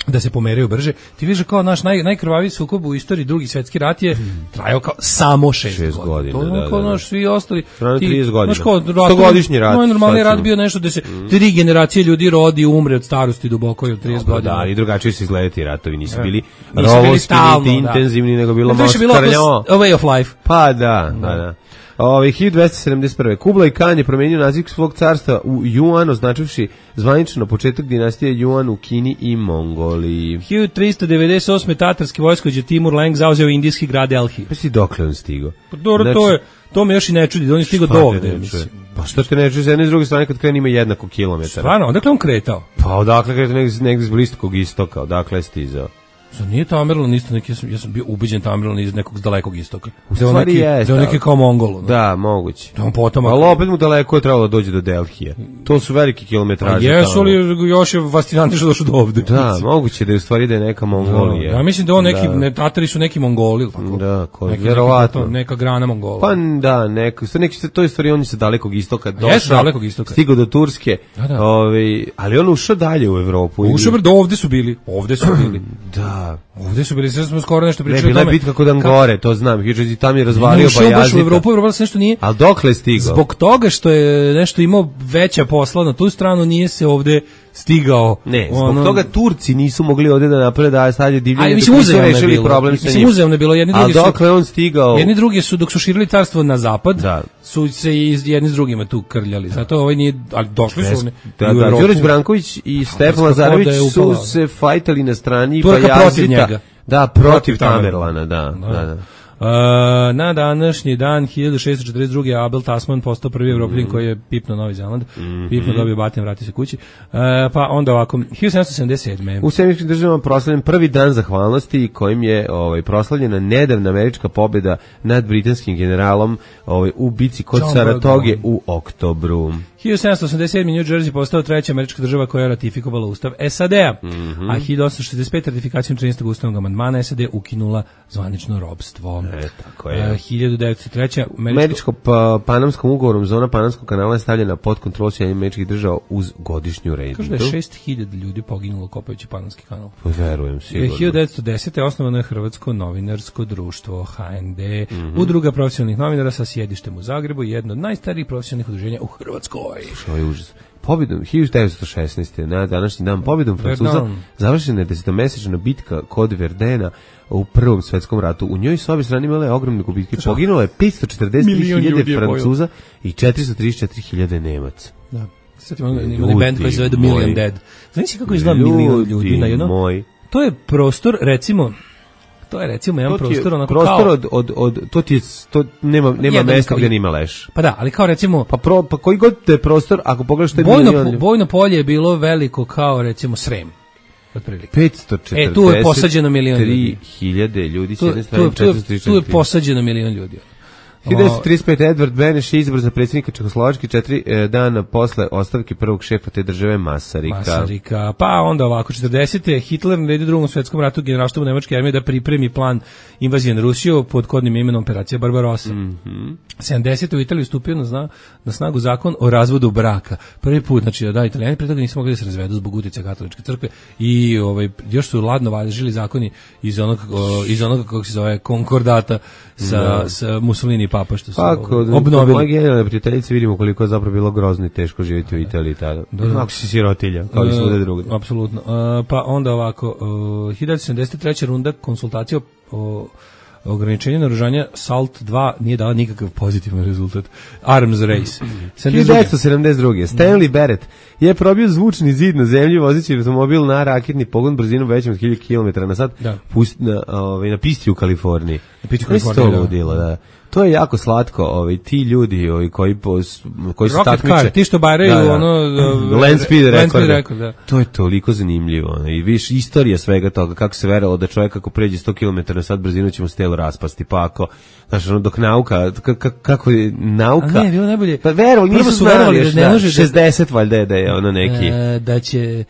da se pomeraju brže. Ti vidiš kao naš naj, najkrvaviji sukob u istoriji, drugi svetski rat je trajao kao samo šest, šest godina. godina. To je kao da, naš svi ostali. Ti, trideset godina. stogodišnji rat. Moj normalni rat bio nešto da se mm. tri generacije ljudi rodi, umre od starosti duboko i od trideset godina. Da, i drugačije su izgledati ratovi, nisu bili rovovski, niti intenzivni, da. nego bilo malo skrljao. A way of life. Pa da, da, da. Ove, hiljadu dvesta sedamdeset prve. Kublai Khan je promenio naziv svog carstva u Yuan, označivši zvanično početak dinastije Yuan u Kini i Mongoliji. hiljadu tristo devedeset osme. tatarski vojskovođa Timur Lenk zauzeo indijski grad Delhi. Pa si dokle on stigao? Pa dobro, znači, to je, to me još i ne čudi, da on je stigao do ovde. Pa što te ne čuje, s jedne i s druge strane kad krene ima jednako kilometara. Stvarno, odakle on kretao? Pa odakle kretao negdje, negdje iz Bliskog istoka, odakle je stizao. Za nije Tamerlan isto neki, ja sam, ja sam bio ubeđen Tamerlan iz nekog dalekog istoka. U stvari je. Da neki kao Mongol. Da, moguće. Da on potomak. Ali opet mu daleko je trebalo da dođe do Delhija. To su veliki kilometraže. A jesu li još je fascinantno što došao do ovde? Da, moguće da je u stvari da je neka Mongolija. Da, ja mislim da on neki, da. Ne, Tatari su neki Mongoli. Tako? Da, ko, neki, vjerovatno. Neki, neka grana Mongola. Pa da, neko, neki, to je stvari on je sa dalekog istoka došao. Jesu dalekog istoka. Stigao do Turske. Da, da. Ovaj, ali on ušao dalje u Evropu. Ušao do ovde su bili. Ovde su bili. Da. Ovde su bili, sve smo skoro nešto pričali o tome. Ne, bila je bitka kod Angore, to znam. Hiđe tamo je razvario Bajazita. Ušao u Evropu, Evropa se nešto nije. Al dokle je stigao? Zbog toga što je nešto imao veća posla na tu stranu, nije se ovde stigao. Ne, zbog ono... toga Turci nisu mogli ovde da naprave da sad je divljanje. Ali mislim uzeo je bilo. Problem sa njim. Uzeo je bilo, jedni drugi su. A dokle on stigao? Jedni drugi su dok su širili carstvo na zapad, da. su se jedni s drugima tu krljali. Zato ovaj nije, ali došli su oni. Da, da, Đurić Branković i Stefan Lazarević su se fajtali na strani Bajazita. Da, protiv Tamerlana, da, da, da. da. Uh, na današnji dan hiljadu šessto četrdeset druge. Abel Tasman postao prvi Evropljan mm. koji je pipnuo Novi Zeland. Mm-hmm. Pipnuo, dobio batin, vratio se kući. Uh, pa onda ovako, hiljadu sedamsto sedamdeset sedme. U Sjemičkim državama proslavljen prvi dan zahvalnosti kojim je ovaj, proslavljena nedavna američka pobjeda nad britanskim generalom ovaj, u bici kod John Saratoge Bergman. U oktobru. hiljadu sedamsto osamdeset sedme. New Jersey postao treća američka država koja je ratifikovala ustav S A D-a, mm-hmm. a hiljadu osamsto šezdeset pete. ratifikacijom trinaestog ustavnog amandmana S A D ukinula zvanično robstvo. E, tako je. Uh, hiljadu devetsto treće. Američko, američko pa, panamskom ugovorom zona Panamskog kanala je stavljena pod kontrolu Sjedinjenih Američkih Država uz godišnju rentu. Kaže da je šest hiljada ljudi poginulo kopajući Panamski kanal. Verujem, sigurno. hiljadu devetsto desete. osnovano je Hrvatsko novinarsko društvo H N D, mm-hmm. udruga profesionalnih novinara sa sjedištem u Zagrebu, jedno od najstarijih profesionalnih udruženja u Hrvatskoj. Što je užas. Pobjedom hiljadu devetsto šesnaeste. na današnji dan pobjedom Francuza završena je desetomesečna bitka kod Verdena u Prvom svetskom ratu. U njoj su obje strane imale ogromne gubitke. Poginulo je petsto četrdeset tri hiljade Francuza i četiristo trideset četiri hiljade Nemaca. Da. Sad imamo imali band koji se zove The Million Dead. Znači kako izgleda milion ljudi na jedno? Moj. To je prostor, recimo, to je recimo jedan prostor onako prostor kao... od, od, od, to ti je, to nema, nema mesta gdje nima leš. Pa da, ali kao recimo... Pa, pro, pa koji god te prostor, ako pogledaš što je bojno, milion... Bojno polje je bilo veliko kao recimo Srem. Otprilike. petsto četrdeset E, tu je posađeno milion ljudi. hiljade ljudi, tu, tu, tu, tu je posađeno milion ljudi. hiljadu devetsto trideset pete. Edvard Beneš je izabran za predsjednika Čehoslovačke četiri e, dana posle ostavke prvog šefa te države Masarika. Masarika. Pa onda ovako, četrdesete. Hitler naredio u Drugom svjetskom ratu generalštabu nemačke armije da pripremi plan invazije na Rusiju pod kodnim imenom Operacija Barbarossa. Mm-hmm. sedamdesete. u Italiji stupio na, zna, na snagu zakon o razvodu braka. Prvi put, znači da Italijani pre toga nisu mogli da se razvedu zbog uticaja katoličke crkve i ovaj, još su ladno važili zakoni iz onog, o, iz onog kako se zove, konkordata sa, no. sa Mussolini papa što su Ako, obnovili. Moje generalne prijateljice vidimo koliko je zapravo bilo grozno i teško živjeti u Italiji tada. Da, da. Ako si sirotilja, kao i svuda drugdje. Apsolutno. Uh, pa onda ovako, uh, hiljadu sedamdeset treće. runda konsultacija o ograničenje naoružanja SALT dva nije dala nikakav pozitivan rezultat. Arms race. hiljadu devetsto sedamdeset druge. Stanley Barrett je probio zvučni zid na zemlji vozeći automobil na raketni pogon brzinom većom od hiljadu kilometara na sat da. Pust, na, ovaj, na pisti u Kaliforniji. Na pisti u Kaliforniji, da. Udilo, da. To je jako slatko, ovaj ti ljudi ovaj koji pos, koji se takmiče, car, ti što baraju da, da. ono uh, land speed record. record da. To je toliko zanimljivo, ono, i viš istorija svega toga kako se verovalo da čovjek ako pređe sto kilometara na sat brzinu će mu se telo raspasti, pa ako znaš, ono, dok nauka, kako je nauka... A ne, bilo najbolje... Pa verovali, nisu su verovali da ne može... šezdeset valjda je da je ono neki... E, da će...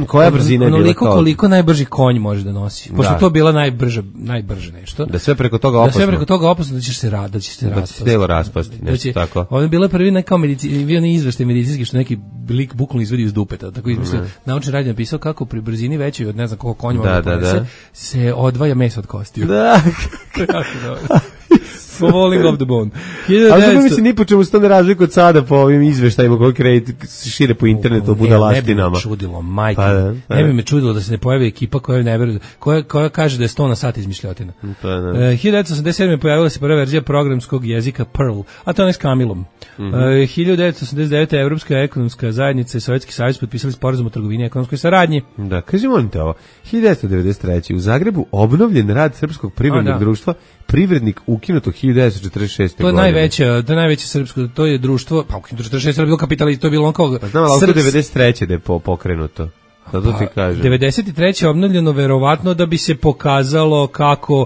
Koja brzina je bila onoliko kao... koliko najbrži konj može da nosi. Pošto da. To bila najbrža, najbrže nešto. Da sve preko toga opasno. Da sve preko toga opasno da ćeš se rad, da ćeš se raspasti. Da će se telo raspasti, nešto da će, tako. Ovo je bila prvi nekao medici, bio ne izveštaj medicinski što neki lik bukvalno izvadi iz dupeta. Tako izmislio, mm. naučni rad je napisao kako pri brzini većoj od ne znam koliko konj može da, da, da. se odvaja meso od kostiju. Da. Falling off the bone. Ali zato mislim ni po čemu se to ne razlikuje od sada po ovim izveštajima koji kredit šire po internetu o budalastinama. Ne bi me čudilo, majke. Pa da, pa ne bi me čudilo da se ne pojavi ekipa koja ne veruje, koja, koja kaže da je sto na sat izmišljotina. Pa da. Uh, hiljadu devetsto osamdeset sedme. pojavila se prva verzija programskog jezika Perl, a to je s Kamilom. Mm-hmm. Uh, hiljadu devetsto osamdeset devete. Evropska ekonomska zajednica i Sovjetski savez potpisali sporazum o trgovini i ekonomskoj saradnji. Da, kaži molim te ovo. hiljadu devetsto devedeset treće. u Zagrebu obnovljen rad Srpskog privrednog društva Privrednik ukinuto hiljadu devetsto četrdeset šeste. To je godine. najveće, to je najveće srpsko, to je društvo, pa ukinuto četrdeset šeste je bilo kapitalista, to je bilo on kao... Pa znam, ali Srps... devedeset treće da je po, pokrenuto. Da to ti kažem. devedeset treće obnovljeno verovatno da bi se pokazalo kako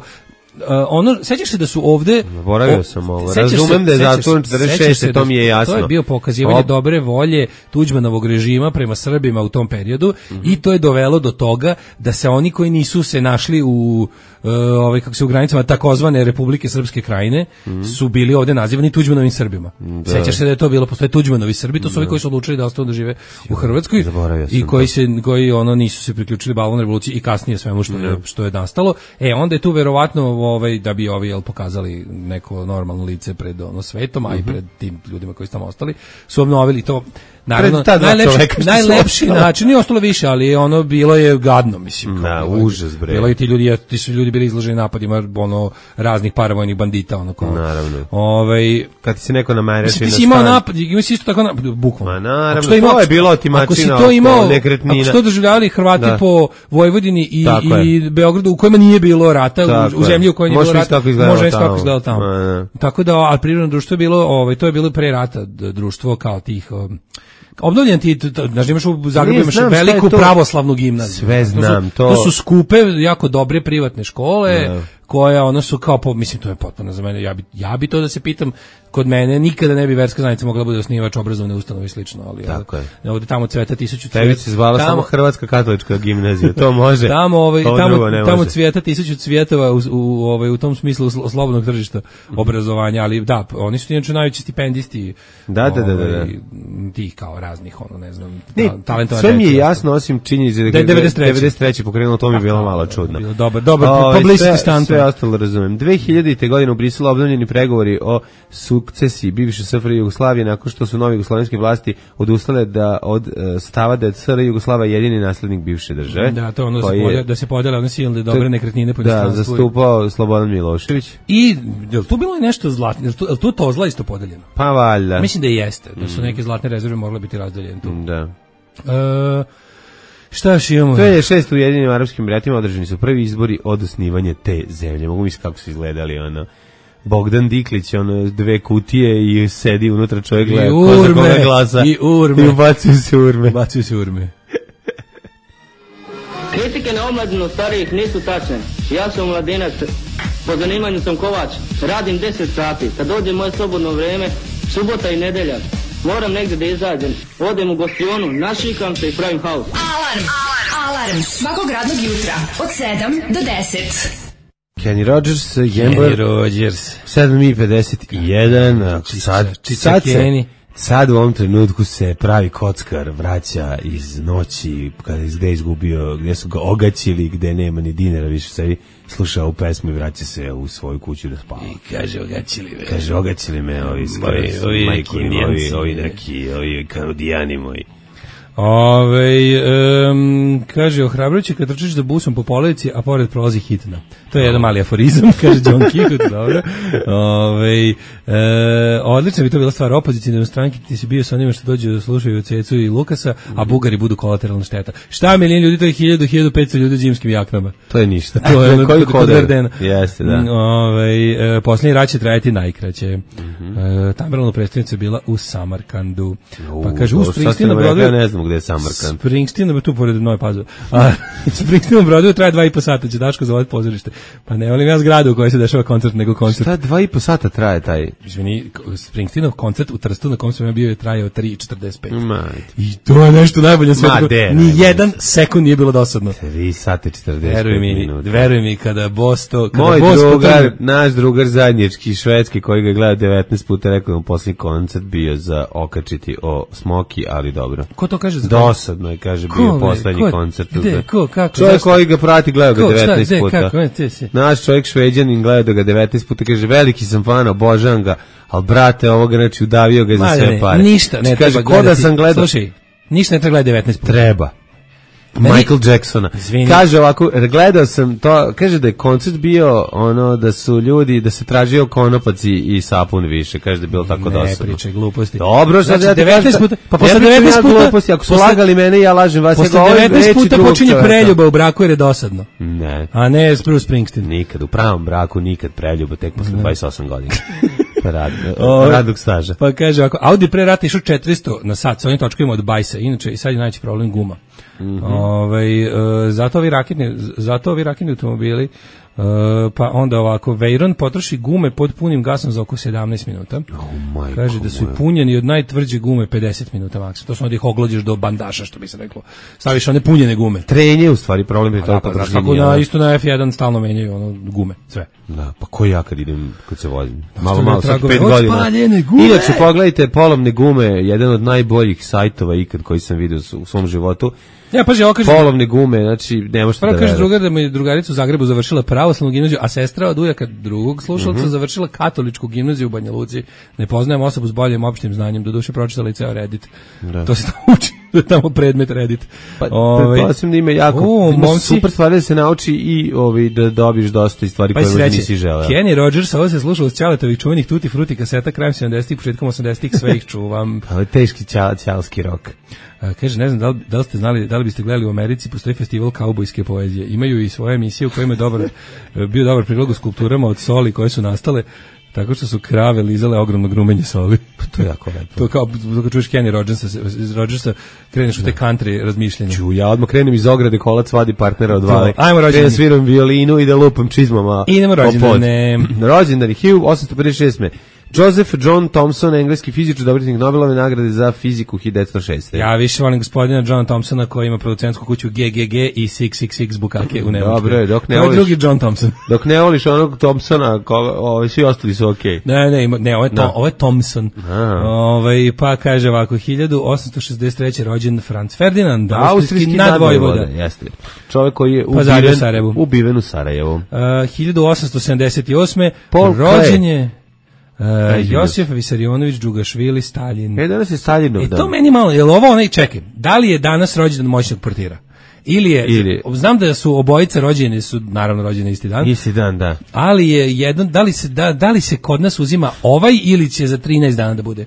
Uh, ono, sećaš se da su ovde... Boravio sam ovo, razumem da je zatvoren četrdeset šeste, to mi je jasno. To je bio pokazivanje Ob... dobre volje Tuđmanovog režima prema Srbima u tom periodu mm-hmm. i to je dovelo do toga da se oni koji nisu se našli u uh, ovaj, kako se u granicama takozvane Republike Srpske krajine mm-hmm. su bili ovde nazivani Tuđmanovim Srbima. Da. Sećaš se da je to bilo, postoje Tuđmanovi Srbi, to su da. Ovi koji su odlučili da ostanu da žive u Hrvatskoj i koji se koji ono nisu se priključili Balvan revoluciji i kasnije svemu što je, što je nastalo. E onda je tu verovatno ovaj da bi ovi jel pokazali neko normalno lice pred ono svetom, a i pred tim ljudima koji su tamo ostali, su obnovili to. Naravno, najlepši, najlepši način, nije ostalo više, ali ono bilo je gadno, mislim. Na, užas, bre. Bilo i ti ljudi, ti su ljudi bili izloženi napadima ono raznih paravojnih bandita, ono kao. Naravno. Ovaj kad se neko namerači na stan. Imao napad, ima se isto tako na bukvalno. Ma naravno, to, imao, to je bilo otimačina oko nekretnina. Ako su to doživljavali Hrvati da. po Vojvodini i, i Beogradu u kojima nije bilo rata, tako u, u zemlji u kojoj nije bilo rata, može kako izgledalo tamo. tamo. Tako da, ali prirodno društvo je bilo, ovaj, to je bilo pre rata društvo kao tih um, obnovljen ti, znaš, imaš u Zagrebu imaš veliku pravoslavnu gimnaziju. Sve znam. To su, to... to su skupe, jako dobre privatne škole, ne. koja ono su kao, po, mislim, to je potpuno za mene, ja bi, ja bi to da se pitam, kod mene nikada ne bi verska zajednica mogla bude osnivač obrazovne ustanove i slično, ali tako je. Ovde tamo cveta tisuću cvijeta. Tebi se zvala tamo, samo Hrvatska katolička gimnazija, to može. Tamo, ovaj, tamo, tamo cvijeta tisuću cvjetova u, u, ovaj, u tom smislu slobodnog tržišta obrazovanja, ali da, oni su inače najveći stipendisti da, da, da, da, da. Ovaj, tih kao raznih, ono, ne znam, ne, talentovane. sve mi je jasno, osim činjenice da je devedeset treće pokrenulo, to mi je bilo malo čudno. Dobar, dobar, publicity stunt. Sve ostalo razumem. dve hiljadite. godine u Briselu obnovljeni pregovori o sukcesiji bivše S F R J Jugoslavije nakon što su novi jugoslovenske vlasti odustale da od stava da je S R J Jugoslavija jedini naslednik bivše države. Da, to ono je, da se podele one silne dobre nekretnine po inostranstvu. Da, zastupao Slobodan Milošević. I je li tu bilo nešto zlatno? Je li tu to zla isto podeljeno? Pa valjda. Mislim da jeste, da su neke zlatne rezerve mogle biti razdeljene tu. Da. E, šta još imamo? To je šest u Ujedinjenim Arapskim Emiratima, održani su prvi izbori od osnivanja te zemlje. Mogu misliti kako su izgledali, ono, Bogdan Diklić, ono, dve kutije i sedi unutra čovjek gleda ko za koga glasa. I urme. I ubacuju se urme. Ubacuju se urme. Kritike na omladinu starijih nisu tačne. Ja sam mladinac, po zanimanju sam kovač, radim deset sati. Kad dođe moje slobodno vrijeme, subota i nedelja, moram negdje da izađem. Odem u gostionu, našikam se i pravim haos. Alarm! Alarm! Svakog radnog jutra od sedam do deset. Kenny Rogers, Kenny Rogers. sedam i pedeset jedan. Sad, sad se... Sad u ovom trenutku se pravi kockar vraća iz noći kada je gde izgubio, gde su ga ogaćili, gde nema ni dinara više, sebi sluša ovu pesmu i vraća se u svoju kuću da spava. I kaže ogaćili me. Kaže ogaćili me ovi ovi, ovi neki ovi, ovi neki, ovi kanadijani moji. Ove, um, kaže, ohrabrujuće kad trčiš za busom po polici, a pored prolazi hitna. To je jedan mali aforizam, kaže John Kihut, dobro. Ove, e, odlično bi to bila stvar opozicijne stranke, ti si bio sa onima što dođe da slušaju Cecu i Lukasa, a Bugari budu kolateralna šteta. Šta milijon ljudi, to je hiljadu do hiljadu petsto ljudi u zimskim jaknama. To je ništa. To je ono kod, kod Verdena. Jeste, da. Ove, e, posljednji rat će trajati najkraće. Mm-hmm. E, Tamerlana predstavnica bila u Samarkandu. Pa kaže, u Springsteen na Broadwayu, ne znam gde je Samarkand. Springsteen tu pored Nove Pazove. A Springsteen na Broadwayu traje dva i po sata, će Daško zavodi pozorište. Pa ne volim ja zgradu u kojoj se dešava koncert nego koncert. Šta dva i po sata traje taj? Izvini, Springsteenov koncert u Trstu na kom sam ja bio je trajao tri i četrdeset pet. I to je nešto najbolje na svijetu. Ni jedan sekund nije bilo dosadno. tri sata i četrdeset pet minuta. Veruj mi, kada Bosto, kada moj Bosto drugar, potrebe... naš drugar zajednički švedski koji ga gleda devetnaest puta, rekao da mu posljednji koncert bio za okačiti o Smoki, ali dobro. Ko to kaže za dosadno je, kaže, bio ko, poslednji ko, koncert. Gde, ko, kako? Čovjek koji ga prati gleda ga devetnaest šta, puta. Kako, ne, si. Naš čovjek Šveđanin gleda ga devetnaest puta, kaže, veliki sam fan, obožavam ga, ali brate, ovoga, znači, udavio ga za sve ne, pare. Ništa ne kaže, treba gledati. Sam gledao, slušaj, ništa ne treba gledati devetnaest puta. Treba. Michael Jacksona. Izvini. Kaže ovako, gledao sam to, kaže da je koncert bio ono da su ljudi, da se tražio konopac i, i sapun više, kaže da je bilo tako dosadno. Ne pričaj gluposti. Dobro, sad znači, ja devetnaest puta, pa posle devetnaest puta, gluposti, ako su posle, lagali mene, ja lažem vas. Posle ja devetnaest puta počinje preljuba u braku jer je dosadno. Ne. A ne Bruce Springsteen. Nikad, u pravom braku nikad preljuba, tek posle dvadeset osam godina. Rad, radnog staža. Pa kaže ovako, Audi pre rata išao četiristo na sat, sa ovim točkovima od bajsa, inače i sad je najveći problem guma. Mm-hmm. Ove, e, zato ovi raketni, zato ovi raketni automobili, e, pa onda ovako, Veyron potroši gume pod punim gasom za oko sedamnaest minuta. Oh, kaže da su i punjeni od najtvrđe gume pedeset minuta maksimum. To su onda ih oglođeš do bandaša, što bi se reklo. Staviš one punjene gume. Trenje u stvari problem je to pa, pa, tako na isto na F jedan stalno menjaju ono gume, sve. Da, pa ko ja kad idem, kad se vozim? Malo, malo, sad pet godina. Inače, pogledajte polovne gume, jedan od najboljih sajtova ikad koji sam vidio u svom životu. Ja, paži, ovo kaže... Polovne gume, znači, ne možete da kaže verati. Drugar da mu je drugarica u Zagrebu završila pravoslavnu gimnaziju, a sestra od ujaka drugog slušalca mm-hmm. završila katoličku gimnaziju u Banja Luci. Ne poznajem osobu s boljim opštim znanjem, do duše pročitala i ceo Reddit. Da. To se tamo uči. da je tamo predmet Reddit. Pa, pretpostavljam da ima jako o, ima momci, super stvari da se nauči i ovi, da dobiješ dosta stvari pa koje možda nisi želeo. Kenny Rogers, ovo se slušao uz Ćaletovih čuvenih Tutti Frutti kaseta krajem sedamdesetih, početkom osamdesetih, sve ih čuvam. Pa je teški ćal, ćalski rok. A, kaže, ne znam, da li, da li ste znali, da li biste gledali u Americi, postoji festival kaubojske poezije. Imaju i svoje emisije u kojima je dobar, bio dobar prilog u skulpturama od soli koje su nastale tako što su krave lizale ogromno grumenje soli. To je jako lepo. To kao, dok čuješ Kenny Rogersa, Rogersa kreneš u te country razmišljenja. Ču, ja odmah krenem iz ograde, kolac vadi partnera od vale. Ajmo rođendani. Krenem sviram violinu i da lupam čizmama. Idemo rođendane. Rođendani, hiljadu osamsto pedeset šeste. Joseph John Thomson, engleski fizičar, dobitnik Nobelove nagrade za fiziku hiljadu devetsto šeste. Ja više volim gospodina Johna Thomsona koji ima producentsku kuću G G G i šest šest šest bukake u Nemačkoj. Dobro je, dok ne voliš. To je drugi John Thompson. Dok ne voliš onog Thompsona, ovi svi ostali su okej. Okay. Ne, ne, ima, ne, ovo je, to, ovo je Thompson. Ove, pa kaže ovako, hiljadu osamsto šezdeset treće rođen Franz Ferdinand, austrijski nadvojvoda. Jeste. Čovjek koji je ubiven, ubiven u Sarajevu. Uh, hiljadu osamsto sedamdeset osme rođen je Uh, Josif Visarionović Džugašvili, Stalin. E, danas je Staljinov dan. E, to meni malo, je li ovo onaj, čekaj, da li je danas rođendan moćnog portira? Ili je, Ili. znam da su obojice rođene, su naravno rođene isti dan. Isti dan, da. Ali je jedan, da li se, da, da li se kod nas uzima ovaj ili će za trinaest dana da bude?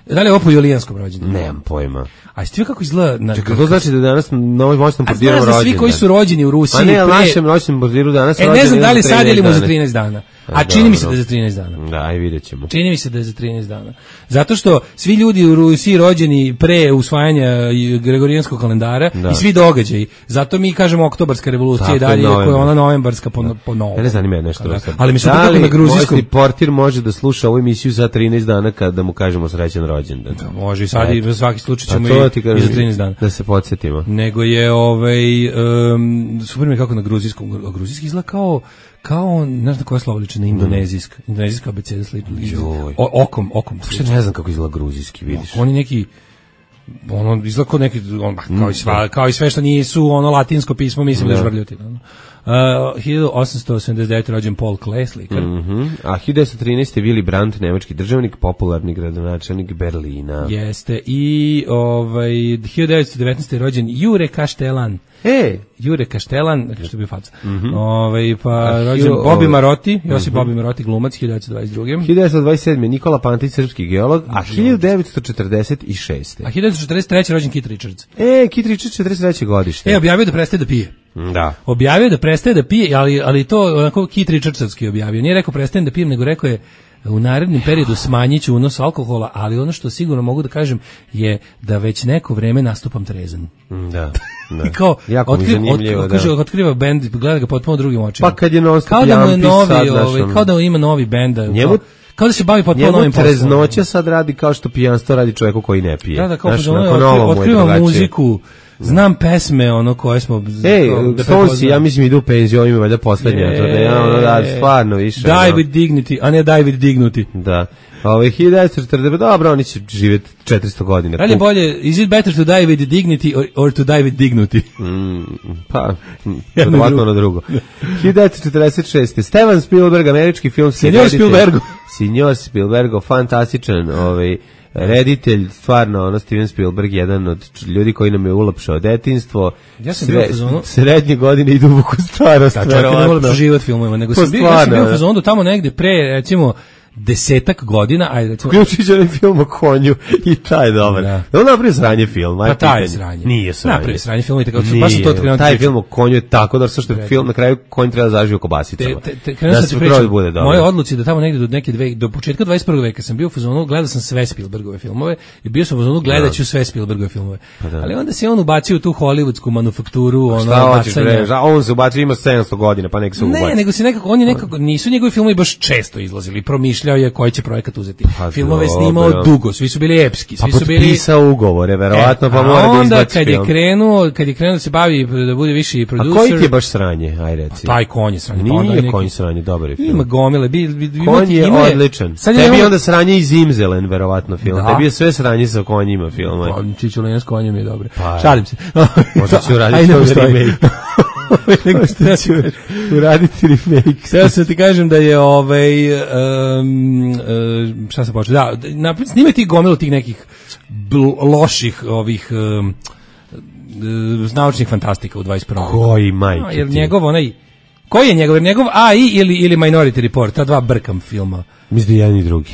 Da li je ovo po julijanskom rođendanu? Nemam pojma. A jeste vi kako izgleda? Na, Čekaj, to znači da danas na ovoj moćnom portiru rođendan? A znaš da svi koji su rođeni u Rusiji... A ne, ali pre... našem moćnom portiru danas e, rođendan... E, ne znam da li sad ili mu za trinaest dana. A, A čini mi se da je za trinaest dana. Da, aj vidjet ćemo. Čini mi se da je za trinaest dana. Zato što svi ljudi u Rusiji rođeni pre usvajanja Gregorijanskog kalendara da. I svi događaji. Zato mi kažemo oktobarska revolucija i dalje, iako je ona novembarska po, po novom. Ja ne zanima je nešto. Da. Ali mi se da na gruzijskom... Da portir može da sluša ovu emisiju za trinaest dana kada mu kažemo srećan rođendan. Da, može i sad i za svaki slučaj ćemo i, i za trinaest dana. Da se podsjetimo. Nego je ovaj um, super mi kako na gruzijskom, a gruzijski izgleda kao kao ne znam koja slova liči na indonezijska, mm. indonezijska abeceda sliči okom, okom. Što ne znam kako izgleda gruzijski, vidiš. Oni neki ono izgleda kao neki on, kao i sva, kao i sve što nisu ono latinsko pismo, mislim da je žvrljotina. Ono. Uh, hiljadu osamsto osamdeset devete rođen Paul Klee, slikar. Mm -hmm. A hiljadu devetsto trinaeste. Willy Brandt, nemački državnik, popularni gradonačelnik Berlina. Jeste. I ovaj hiljadu devetsto devetnaeste. rođen Jure Kaštelan. E, Jure Kaštelan, što bi faca. Mm -hmm. Ovaj pa rođen Bobby Marotti, Josip mm -hmm. Bobby Marotti, glumac, hiljadu devetsto dvadeset druge. hiljadu devetsto dvadeset sedme. Nikola Pantić, srpski geolog, a hiljadu devetsto četrdeset šeste. A hiljadu devetsto četrdeset treće. rođen Keith Richards. E, Keith Richards, četrdeset treće godište. E, objavio da prestaje da pije. Da. Objavio da prestaje da pije, ali ali to onako Keith Richardsovski objavio. Nije rekao prestajem da pijem, nego rekao je u narednom periodu smanjiću unos alkohola, ali ono što sigurno mogu da kažem je da već neko vreme nastupam trezan. Da. Da. Kao otkriva, otkriva, kaže, da. otkriva bend, gleda ga potpuno drugim očima. Pa kad je non stop kao da mu je novi, ovaj, kao da ima novi bend, njemu, kao, kao da se bavi potpuno novim poslom. Njemu treznoća sad radi kao što pijanstvo radi čovjeku koji ne pije. Da, da, kao znaš, otkriva, otkriva muziku. Znam pesme ono koje smo Ej, Stonesi, ja mislim idu u penziju, ima valjda poslednja, to ne, ono da stvarno više. Die ono. With dignity, a ne die with dignity. Da. Ove hiljadu devetsto četrdeset, dobro, oni će živjeti četiristo godina. Ali bolje, is it better to die with dignity or, or to die with dignity? Mm, pa, ovako ono drugo. hiljadu devetsto četrdeset šeste. Steven Spielberg, američki film. Signor Spielbergo. Signor Spielbergo, fantastičan, ovaj, reditelj, stvarno, ono, Steven Spielberg, jedan od ljudi koji nam je ulapšao detinjstvo. Ja sam Sre, bio u fazonu... Srednje godine i duboku starost. Da, čak ne ulapšao život filmovima, nego sam bio, ja sam bio u fazonu tamo negde pre, recimo, desetak godina, ajde recimo... Ključić onaj film o konju i taj je dobar. Da. On napravio sranje film. Pa taj je sranje. Nije sranje. Napravio sranje film i tako, baš to krenuo... Taj film o konju je tako, da što je film, na kraju konj treba da zaživi u kobasicama. Te, te, te, da se pričam, bude dobro. Moje odluci da tamo negde do neke dve, do početka dvadeset prvog veka sam bio u fazonu, gledao sam sve Spielbergove filmove i bio sam u fazonu, gledat ću sve Spielbergove filmove. Pa da. Ali onda se on ubacio u tu hollywoodsku manufakturu, ono, bacanje. Šta on se ubacio, ima sedamsto godina, pa nek se ubacio. Ne, nego se nekako, on je nekako, nisu njegovi filmovi baš često izlazili, promišljao je koji će projekat uzeti. Pa, filmove snimao dobro. Dugo, svi su bili epski, svi pa su bili potpisao ugovore, verovatno, e, pa mora da izbaci kad film. Onda kad je krenuo, kad je krenuo da se bavi da bude viši producer. A koji ti je baš sranje, aj reci. Pa taj konj je sranje. Nije pa neki, konj sranje, dobar je film. Ima gomile, bi, bi, bi konj je odličan. Tebi je onda sranje iz Zimzelen, verovatno film. Da. Tebi je sve sranje sa konjima filma. Pa Čičulina s konjem je dobro. Pa, šalim se. Možda ću raditi remake. nego šta ću uraditi remake. Sada se ti kažem da je ovaj um, uh, šta se počeo, da, na, snime ti gomilu tih nekih bl- loših ovih um, uh, naučnih fantastika u dvadeset prvom. Koji majke? A, jer njegov onaj, koji je njegov, jer njegov A I ili, ili Minority Report, ta dva brkam filma. Mislim da jedan i drugi.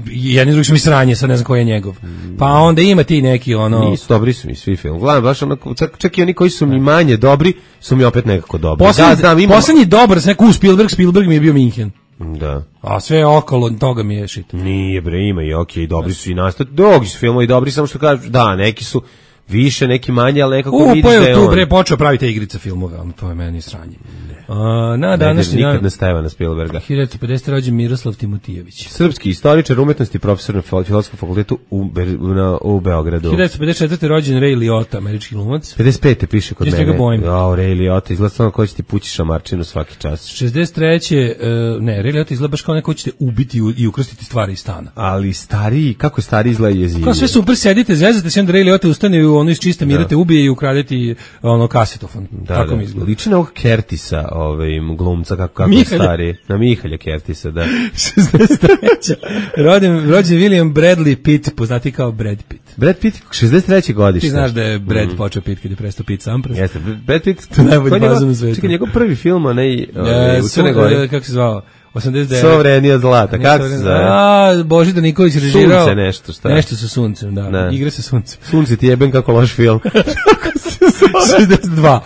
Jedni drugi su mi sranje, sad ne znam koji je njegov. Pa onda ima ti neki ono... Nisu dobri su mi svi film. Gledam, baš onako, čak, čak i oni koji su mi manje dobri, su mi opet nekako dobri. Poslednji, da, znam, imam... poslednji dobar, sve ku Spielberg, Spielberg mi je bio Minhen. Da. A sve okolo toga mi je shit. Nije bre, ima i okej, okay, dobri su i nastav. Drugi su filmovi dobri, samo što kažu, da, neki su više, neki manje, ali nekako U, vidiš pa da je tu on. bre počeo praviti igrice filmove, ono to je meni sranje. Uh, na današnji nikad dan ne Stevana Spielberga. hiljadu pedesete rođen Miroslav Timotijević. Srpski istoričar umetnosti, profesor na Filozofskom fakultetu u, Be, na, u Beogradu. hiljadu pedeset četvrte rođen Ray Liotta, američki glumac. pedeset pete piše kod Čist mene. ga bojim. Jao, Ray Liotta, izgleda samo ko će ti pući šamarčinu svaki čas. šezdeset treće Uh, ne, Ray Liotta izgleda baš kao neko ćete ubiti i ukrstiti stvari iz stana. Ali stariji, kako stari izgleda jezivije. Kao sve super sedite, zezate se, onda Ray Liotta ustane i ono iz čiste mira te ubije i ukradeti ono kasetofon. Da, Tako da. mi izgleda. Liči na ovog Kertisa, ovaj, glumca, kako, kako Mihalja. stari. Na Mihalja Kertisa, da. šezdeset treće Rođen, rođen William Bradley Pitt, poznati kao Brad Pitt. Brad Pitt, šezdeset treće godište. Ti znaš da je Brad mm. počeo Pitt kad je prestao Pitt sam prst. Jeste, Brad Pitt, to je najbolji bazen na svetu. Čekaj, njegov prvi film, onaj, ovaj, u Crne Gore. Kako se zvao? osamdeset devete Sovrenija zlata, kako se zove? A, Božidar Nikolić režirao. Sunce nešto, šta? Nešto sa suncem, da. Ne. Igre sa suncem. Sunce ti jebem kako loš film. šezdeset dva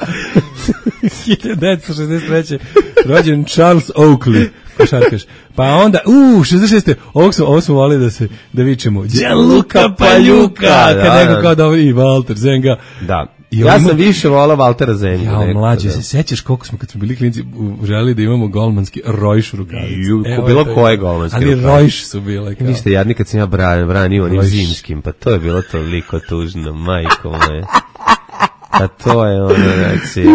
hiljadu devetsto šezdeset treće rođen Charles Oakley, košarkaš. Pa onda, u, šezdeset šeste Ovog smo, ovo smo volili da se, da vičemo Gianluca Pagliuca, da, kad neko da. kao da i Walter Zenga. Da. I ja ima... sam više volao Valtera Zenga. Ja, mlađe, se sećaš koliko smo kad smo bili klinci želeli da imamo golmanski Rojš rukavice. Bilo koje golmanski rukavice. Ali Rojš su bile. Kao. Ništa, jadni kad sam ja branio, branio onim zimskim, pa to je bilo toliko tužno, majko moje. A to je ono, znači...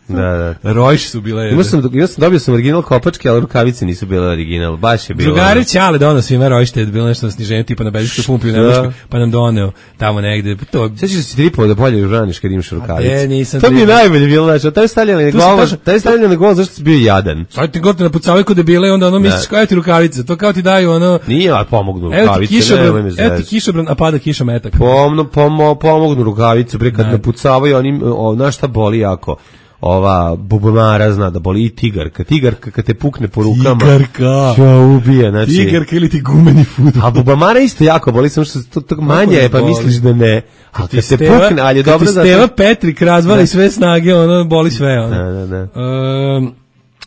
Da, da. Rojš su bile... Imao sam, imao sam, dobio sam original kopačke, ali rukavice nisu bile original, baš je bilo... Drugari Ćale donao svima Rojšte, je bilo nešto na sniženju, tipa na Bežičkoj pumpi u Nemačkoj, pa nam doneo tamo negde. To... Sjećaš da si tripovao da bolje žraniš kad imaš rukavice? A, nisam to mi je najbolje bilo, znači, taj stavljali na gol, taj stavljali na gol, zašto si bio jadan? Sad ti gotovo napucavaju kod debile, onda ono misliš kao ti rukavice, to kao ti daju ono... Nije, ali pomognu rukavice, nemoj me zezati. Evo ti kišobran, a pada kiša metak. Pomno, pomo, pomognu rukavice, bre, kad napucavaju, oni, znaš šta boli jako? Ova bubamara zna da boli i tigarka. Tigarka kad te pukne po rukama. Tigarka. Čo ubije, znači. Tigarka ili ti gumeni fudbal. A bubamara isto jako boli, samo što to, to manje je, pa boli. Misliš da ne. A kad te pukne, ali je dobro da... Kad ti Steva Petrik razvali sve snage, ono boli sve. Ono. Da, da, da. Um,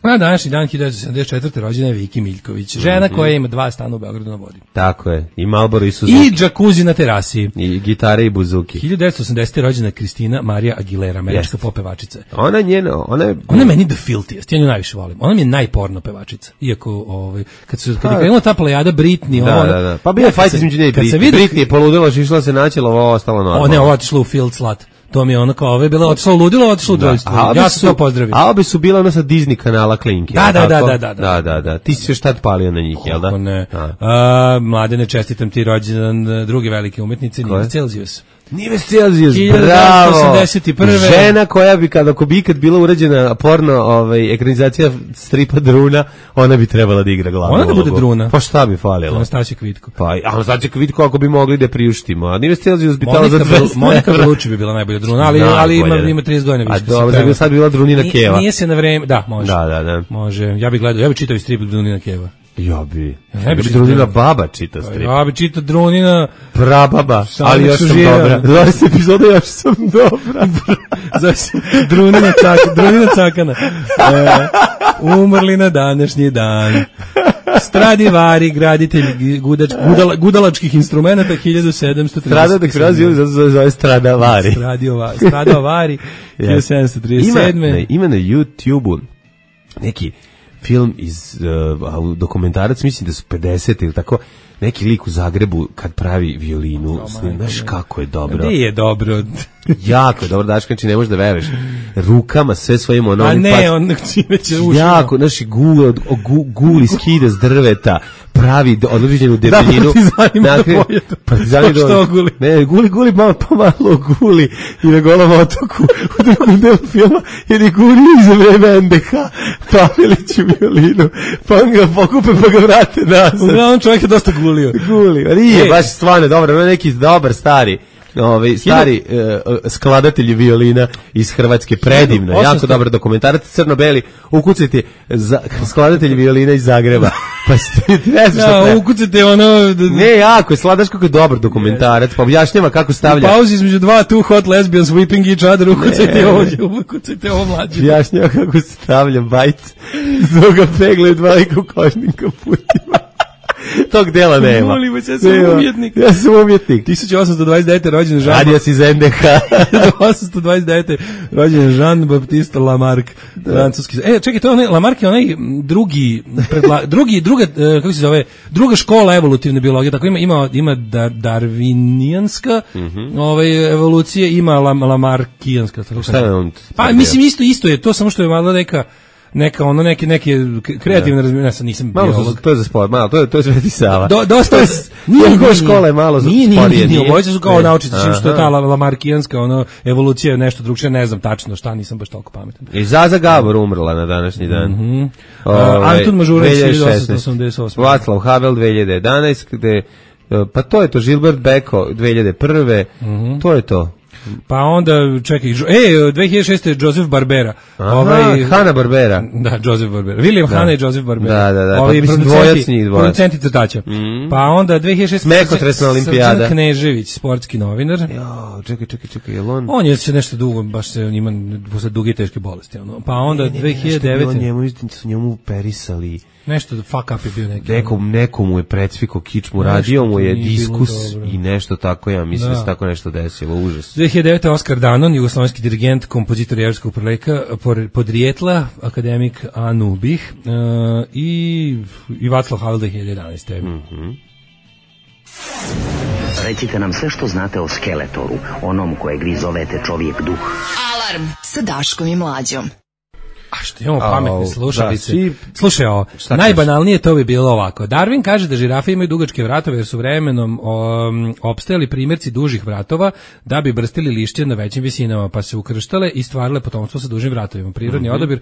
na današnji dan hiljadu sedamdeset četvrte rođena je Viki Miljković, žena koja ima dva stana u Beogradu na vodi. Tako je, i Marlboro i Suzuki. I džakuzi na terasi. I gitare i buzuki. hiljadu devetsto osamdesete rođena Kristina Marija Aguilera, američka pop pevačica. Ona njena, ona je... Ona je meni the filthiest, ja nju najviše volim. Ona mi je najporno pevačica. Iako, ovaj, kad, su, kad je krenula ta plejada Britney... Da, ona, da, da. Pa bio je fajt između nje i Britney. Vidio... Britney je poludila, išla se naćela, ovo ostalo normalno. O ne, ovo otišla u field slut. To mi je ono kao, ove je bila otišla u ludilo, otišla u dvojstvo. Ja sam to pozdravio. A obe su bila ono sa Disney kanala Klinke. Da, da, da, da, da, da, da, da. Ti si još tad palio na njih, jel da? Kako ne. A, Mladene, čestitam ti rođendan druge velike umetnice, Nive Celzijus. Nive Celzijus, bravo! Žena koja bi, kada ako bi ikad bila urađena porno ovaj, ekranizacija stripa Druna, ona bi trebala da igra glavnu ulogu. Ona da bude Druna. Pa šta bi falilo? Anastasija Kvitko. Pa, Anastasija Kvitko ako bi mogli da priuštimo. A Nive Celzijus bi tala za dvesta. Monika Belucci bi bila najbolja Druna, ali, ali ima, ima trideset godina više. A dobro, sad bi bila Drunina Keva. Nije se na vreme, da, može. Da, da, da. Može, ja bih gledao, ja bih čitao strip Drunina Keva. Ja bi. Ja bi Drunina baba čita strip. Ja bi čitao Drunina prababa, ali još sam dobra. dvadeset epizoda još sam dobra. Zove se Drunina Cakana. Drunina Cakana. E, umrli na današnji dan. Stradivari, graditelj gudač, gudala, gudalačkih instrumenta hiljadu sedamsto trideset sedam. Strada da kroz zove, zove Stradavari. Stradavari hiljadu sedamsto trideset sedam. Ima, ima na YouTubeu neki film iz uh, dokumentarac, mislim da su pedeset ili tako, neki lik u Zagrebu kad pravi violinu, znaš kako je dobro. Gde je dobro? Jako je dobro, Daško, znači ne možeš da veruješ. Rukama sve svojim onom... A ne, pač, on čime će ušao. Jako, znaš, gul, gu, guli skida s drveta, pravi određenu debeljinu. Da, partizanima da pojedu. Partizani pa što guli? Ne, guli, guli, malo pomalo guli i na Golom otoku u drugom delu filma, jer je guli za vreme en de ha Paveliću violinu, pa on ga pokupe pa ga vrate nazad. Uglavnom čovjek je dosta gulio. Guli, a nije, e. baš stvarno dobro, neki dobar stari. Ovaj stari uh, skladatelj violina iz Hrvatske, predivno, osamsto jako dobar dokumentarac, crno-beli, ukucajte za skladatelj violina iz Zagreba. Pa ste ne znaš šta. Ja, ukucajte ono ne, jako je sladaš, kako je dobar dokumentarac, pa objašnjava kako stavlja. U pauzi između dva two hot lesbians whipping each other, ukucajte ovo, ukucajte ovo mlađe. Objašnjava kako stavlja bajt, zbog pegle dva lika u kožnim kaputima. Tog dela nema. Molim vas, ja sam nema. umjetnik. Ja sam umjetnik. tisuća osamsto dvadeset devete rođen Jean. Radio si iz en de ha. tisuća osamsto dvadeset devete rođen Jean Baptiste Lamarck, francuski. E, čekaj, to je onaj, Lamarck je onaj drugi, predla, drugi, druga, kako se zove, druga škola evolutivne biologije, tako ima, ima, ima dar, darwinijanska, mm -hmm. ovaj, evolucije, ima lam, lamarkijanska. Šta je on? Pa, mislim, isto, isto je, to samo što je malo neka, neka ono neke neke kreativne razmišljanja, ja nisam malo biolog. To je za sport, malo to je to je Sveti Sava. Do, dosta je nije škola je malo za nije, sporije. Nije, nije, nije, su kao naučnici, čim što je ta lamarkijanska ono evolucija je nešto drugčije, ne znam tačno šta, nisam baš toliko pametan. I Zaza Gabor umrla na današnji dan. Mm -hmm. uh, Antun Mažuranić hiljadu osamsto osamdeset osam. Václav Havel dve hiljade jedanaeste, gde pa to je to, Gilbert Beko dve hiljade prve. Mm -hmm. To je to. Pa onda, čekaj, e, dve hiljade šeste. Joseph Barbera. Aha, ovaj, Hanna Barbera. Da, Joseph Barbera. William da. Hanna i Joseph Barbera. Da, da, da. Ovi pa, producenti, producenti crtača. Mm. Pa onda dve hiljade šeste. Smekotresna olimpijada. Srđan Knežević, sportski novinar. Jo, čekaj, čekaj, čekaj, je on? On je se nešto dugo, baš se, on ima posle duge teške bolesti. Ono. Pa onda ne, ne, dve hiljade devete. On njemu, su njemu perisali. Nešto fuck up je bio neki. Nekom, nekomu je precvikao kičmu, radio mu je diskus i nešto tako, ja mislim da, da se tako nešto desilo, užas. dve hiljade devete. Oskar Danon, jugoslovenski dirigent, kompozitor jevrijskog podrijetla, akademik Anubih, uh, i, i Václav Havel dve hiljade jedanaeste. Mm -hmm. Recite nam sve što znate o Skeletoru, onom kojeg vi zovete čovjek duh. Alarm sa Daškom i Mlađom. A što imamo pametne slušalice. Da, slušaj ovo, najbanalnije to bi bilo ovako. Darwin kaže da žirafe imaju dugačke vratove jer su vremenom um, opstajali primjerci dužih vratova da bi brstili lišće na većim visinama, pa se ukrštale i stvarile potomstvo sa dužim vratovima. Prirodni mm -hmm. odabir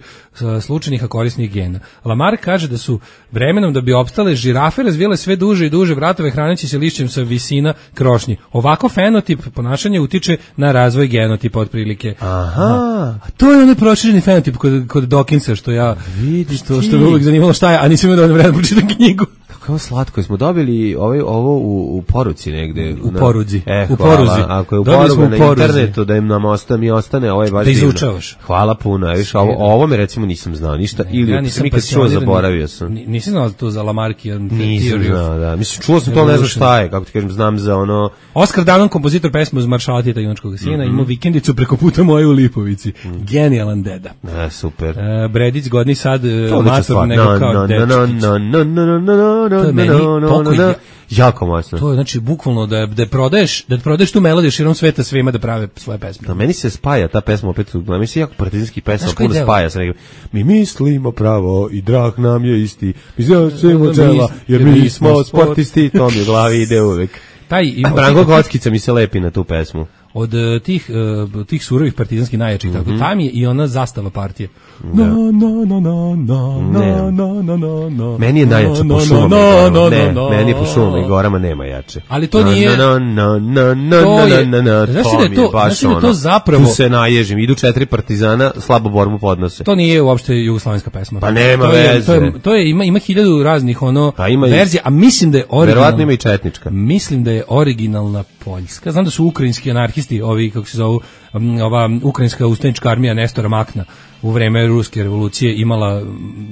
slučajnih a korisnih gena. Lamarck kaže da su vremenom da bi opstale žirafe razvijale sve duže i duže vratove hraneći se lišćem sa visina krošnji. Ovako fenotip ponašanja utiče na razvoj genotipa otprilike. Aha. A to je onaj prošireni fenotip kod kod Dawkinsa, što ja vidiš što, što me uvijek zanimalo šta je, a nisam imao dovoljno vremena pročitam knjigu. Kako slatko, smo dobili ovaj, ovo u, u poruci negde. U poruci. E, u poruzi. Ako je u poruci na poruzi. Internetu da im nam ostane, mi ostane, ovo je baš da izučavaš. Hvala puno. Viš, ovo, ovo me recimo nisam znao ništa, ne, ili ja nisam nikad čuo, zaboravio sam. Nisam znao to za Lamarckian theory. Nisam znao, da. Mislim, čuo sam to, ne znam šta je, kako ti kažem, znam za ono... Oskar Danon, kompozitor pesme uz Maršala Tita junačkog sina, mm -hmm. imao vikendicu preko puta moje u Lipovici. Mm. Genijalan deda. E, super. E, Bredić, godni sad, mator nego kao dečkić. To je meni pokoj. Jako moćno. To je znači bukvalno da da prodaješ, da prodaješ tu melodiju širom sveta svima da prave svoje pesme. Da meni se spaja ta pesma opet, na mi se jako partizanski pesma puno spaja sa nekim. Mi mislimo pravo i drag nam je isti. Mi znamo čela jer mi smo sportisti, to mi u glavi ide uvek. Taj ima Branko Kockica mi se lepi na tu pesmu. Od uh, tih uh, tih surovih partizanskih najjačih, mm -hmm. tako tam je i ona zastava partije. Da. No no no no no no no no no no. Meni je najjače po šumama. No, no, ne, no, meni po šumama i gorama nema jače. Ali to nije. No no no no no no no. Znaš da je to, znaš da to zapravo. Tu se naježim, idu četiri partizana, slabo borbu podnose. To nije uopšte jugoslovenska pesma. Pa nema to veze. Je, to, je, to je ima ima hiljadu raznih ono verzija, a mislim da je originalna. Verovatno ima i četnička. Mislim da je originalna poljska. Znam da su ukrajinski anarhisti, ovi kako se zovu, ova ukrajinska ustanička armija Nestora Makna u vreme ruske revolucije imala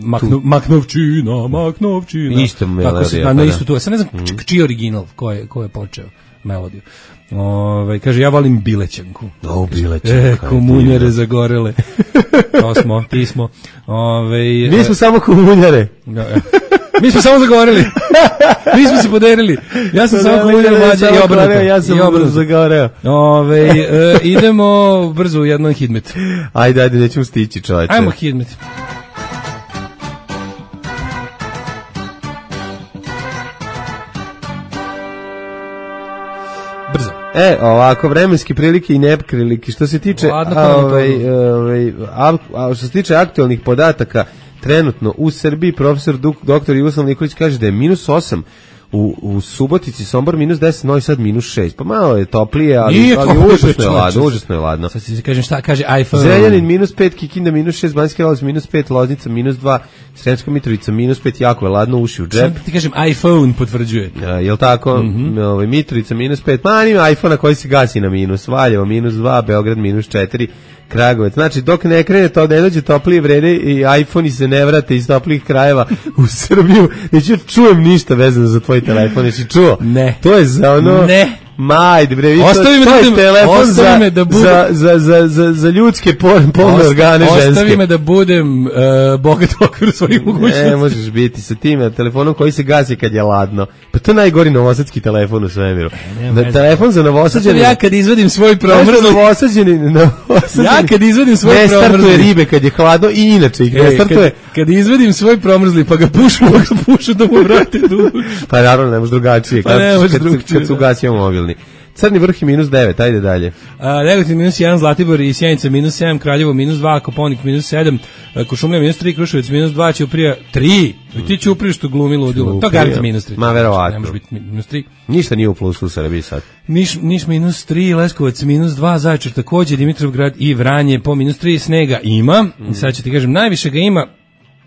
makno, Maknovčina, Maknovčina. Isto melodija. Se, na, na isto tu. Sad ne znam mm. čiji original, ko je, ko je počeo melodiju. Ove, kaže, ja volim Bilećanku. O, Bilećanka. E, komunjare zagorele. To smo, ti smo. Ove, mi smo e, samo komunjare. Da, Mi smo samo zagovorili. Mi smo se poderili. Ja sam samo komunjeno mlađe i obrnuto. Ja sam obrnuto zagoreo. Ove, e, idemo brzo u jedan hidmet. Ajde, ajde, nećemo stići, čovječe. Ajmo hidmet. Brzo. E, ovako, vremenske prilike i neprilike. Što se tiče, ovaj, ovaj, a, a, što se tiče aktualnih podataka, trenutno u Srbiji profesor doktor Jugoslav Nikolić kaže da je minus osam, u, u Subotici, Sombor minus deset, Novi Sad minus šest. Pa malo je toplije, ali, ali užasno je ladno, užasno je ladno. Sad ti kažem šta kaže iPhone. Zrenjanin minus pet, Kikinda minus šest, Banjski Karlovac minus pet, Loznica minus dva, Sremska Mitrovica minus pet, jako je ladno, uši u džep. Sad ti kažem iPhone potvrđuje. Ja, jel tako? Mm-hmm. Ovaj, Mitrovica minus pet, ma nima iPhone-a koji se gasi na minus, Valjevo minus dva, Beograd minus četiri, Kragujevac. Znači, dok ne krene to, ne dođe toplije vrede i iPhone-i se ne vrate iz toplih krajeva u Srbiju, neću čujem ništa vezano za tvoj telefon, jesi čuo? Ne. To je za ono... Ne. Majde, bre, vi ostavi to, to je da, telefon za, me da budem, za, za, za, za, za ljudske polne organe ženske. Ostavi me da budem uh, bogat u okviru svojih mogućnosti. Ne, možeš biti sa tim telefonom koji se gasi kad je ladno. Pa to je najgori novosadski telefon u svemiru. Na telefon za novosađeni... Ja kad izvadim svoj promrzli... Novosađeni, novosađeni... Ja kad izvadim svoj ne promrzli... Ne startuje ribe kad je hladno i inače ih ne startuje... Kad, kad izvadim svoj promrzli pa ga pušu, pa ga pušu da mu vrate dušu. Pa naravno, ne može drugačije. Pa ne može kad, drugačije. Kad su ugasio mobilni. Crni vrh je minus devet, ajde dalje. Negotin minus jedan, Zlatibor i Sjenica minus sedam, Kraljevo minus dva, Koponik minus sedam, Košumlija minus tri, Kruševac minus dva, Ćuprija tri. I ti Ćuprija što glumi ludilo. To garant minus tri. Ma verovatno. Ne može biti minus tri. Ništa nije u plusu u Srbiji sad. Niš, Niš minus tri, Leskovac minus dva, Zaječar takođe, Dimitrovgrad i Vranje po minus tri, snega ima. Mm. Sad ću ti kažem, najviše ga ima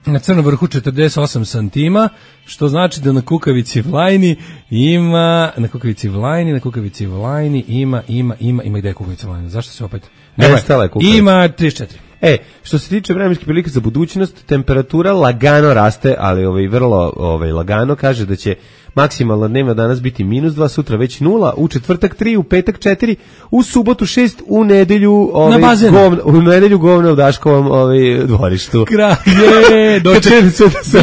na Crnom vrhu četrdeset osam santima, što znači da na Kukavici Vlajni ima, na Kukavici Vlajni, na Kukavici Vlajni ima, ima, ima, ima gde je Kukavica Vlajna? Zašto se opet? Nestala je Kukavica. Ima trideset četiri. E, što se tiče vremenske prilike za budućnost, temperatura lagano raste, ali ovaj vrlo ovaj lagano, kaže da će maksimalna dnevna danas biti minus dva, sutra već nula, u četvrtak tri, u petak četiri, u subotu šest, u nedelju ovaj govna, u nedelju govna u Daškovom ovaj dvorištu. Kraje, doček,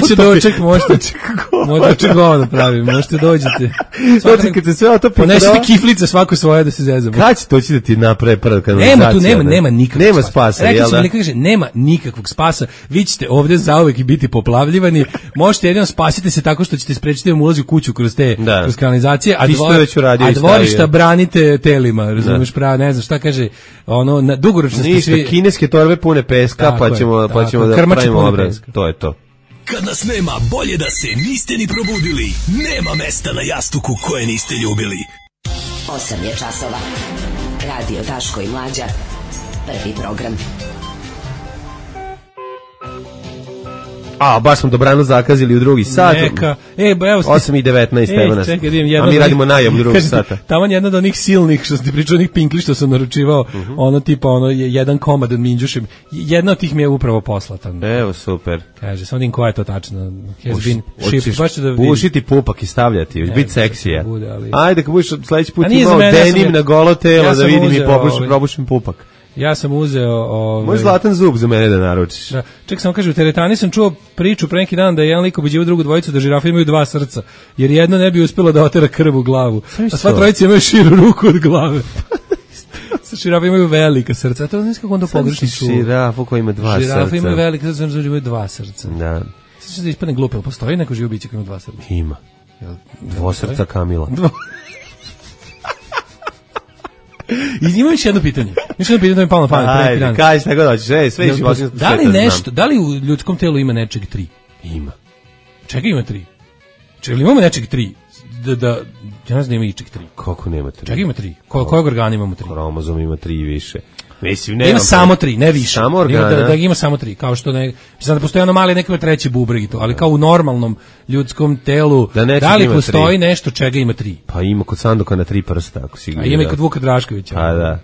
biće doček, možete, možete govna pravi, možete dođete. Dočekajte se sve otopi. Ponesite kiflice svako svoje da se zezamo. Kad će doći da ti naprave prva kanalizacija? Nema tu, nema, nema nikakvog nema spasa, jel da? Kaže, nema nikakvog spasa, vi ćete ovde zauvek biti poplavljivani, možete jedino spasiti se tako što ćete sprečiti da vam ulazi u kuću kroz te da. kroz kanalizacije, a, dvor, a dvorišta branite telima, razumeš, pravo, ne znam šta kaže, ono, na, dugoročno ništa, svi... kineske torbe pune peska, tako pa ćemo, je, pa ćemo da pravimo obraz, to je to. Kad nas nema, bolje da se niste ni probudili, nema mesta na jastuku koje niste ljubili. osam je časova, radio Daško i Mlađa, prvi program. A, baš smo dobrano zakazili u drugi sat. Neka. E, ba, evo osam i devetnaest, e, evo nas. Čekaj, da a mi radimo najavu drugog sata. Tamo jedna od onih silnih, što sam ti pričao, onih pinkli što sam naručivao, uh-huh. ono tipa, ono, jedan komad od minđušem. Jedna od tih mi je upravo poslata. Evo, super. Kaže, sam vidim koja je to tačno. Bušiti pupak i stavljati, još biti seksija. Bude, ali... Ajde, kad budeš sledeći put imao denim na golo telo, ja da vidim i probušim pupak. Ja sam uzeo... Ovaj... Moj zlatan zub za mene da naručiš. Da. Ček, samo kaže, u teretani sam čuo priču pre neki dan da je jedan lik obuđivao drugu dvojicu da žirafe imaju dva srca, jer jedna ne bi uspela da otera krv u glavu. A sva trojica imaju širu ruku od glave. Sa žirafe imaju velika srca. A to ne znam kako onda pogrešno čuo. Žirafu koja ima dva žirafe srca. Žirafe imaju velika srca, imaju dva srca. Da. Sad će da ispadne glupo, ali postoji neko živo biće koja ima dva srca? Ima. Dvosrca Kamila. I ima još jedno pitanje. Još jedno pitanje da mi palo na pamet pre neki dan. Ajde, kaži šta god hoćeš. Ej, sve ću vas da li nešto, da li u ljudskom telu ima nečeg tri? Ima. Čega ima tri? Čega imamo nečeg tri? Da, da, ja ne znam da ima ičeg tri. Kako nema tri? Čega ima tri? Ko, kojeg organa imamo tri? Kromozom ima tri i više. Mislim, ne ima samo tri, ne više. Samo organa. Da, da ima samo tri, kao što ne, mislim da postoji ono mali neki treći bubreg i to, ali kao u normalnom ljudskom telu, da, da li postoji tri. Nešto čega ima tri? Pa ima kod Sandoka na tri prsta, ako si gleda. A ima i kod Vuka Draškovića. Pa da.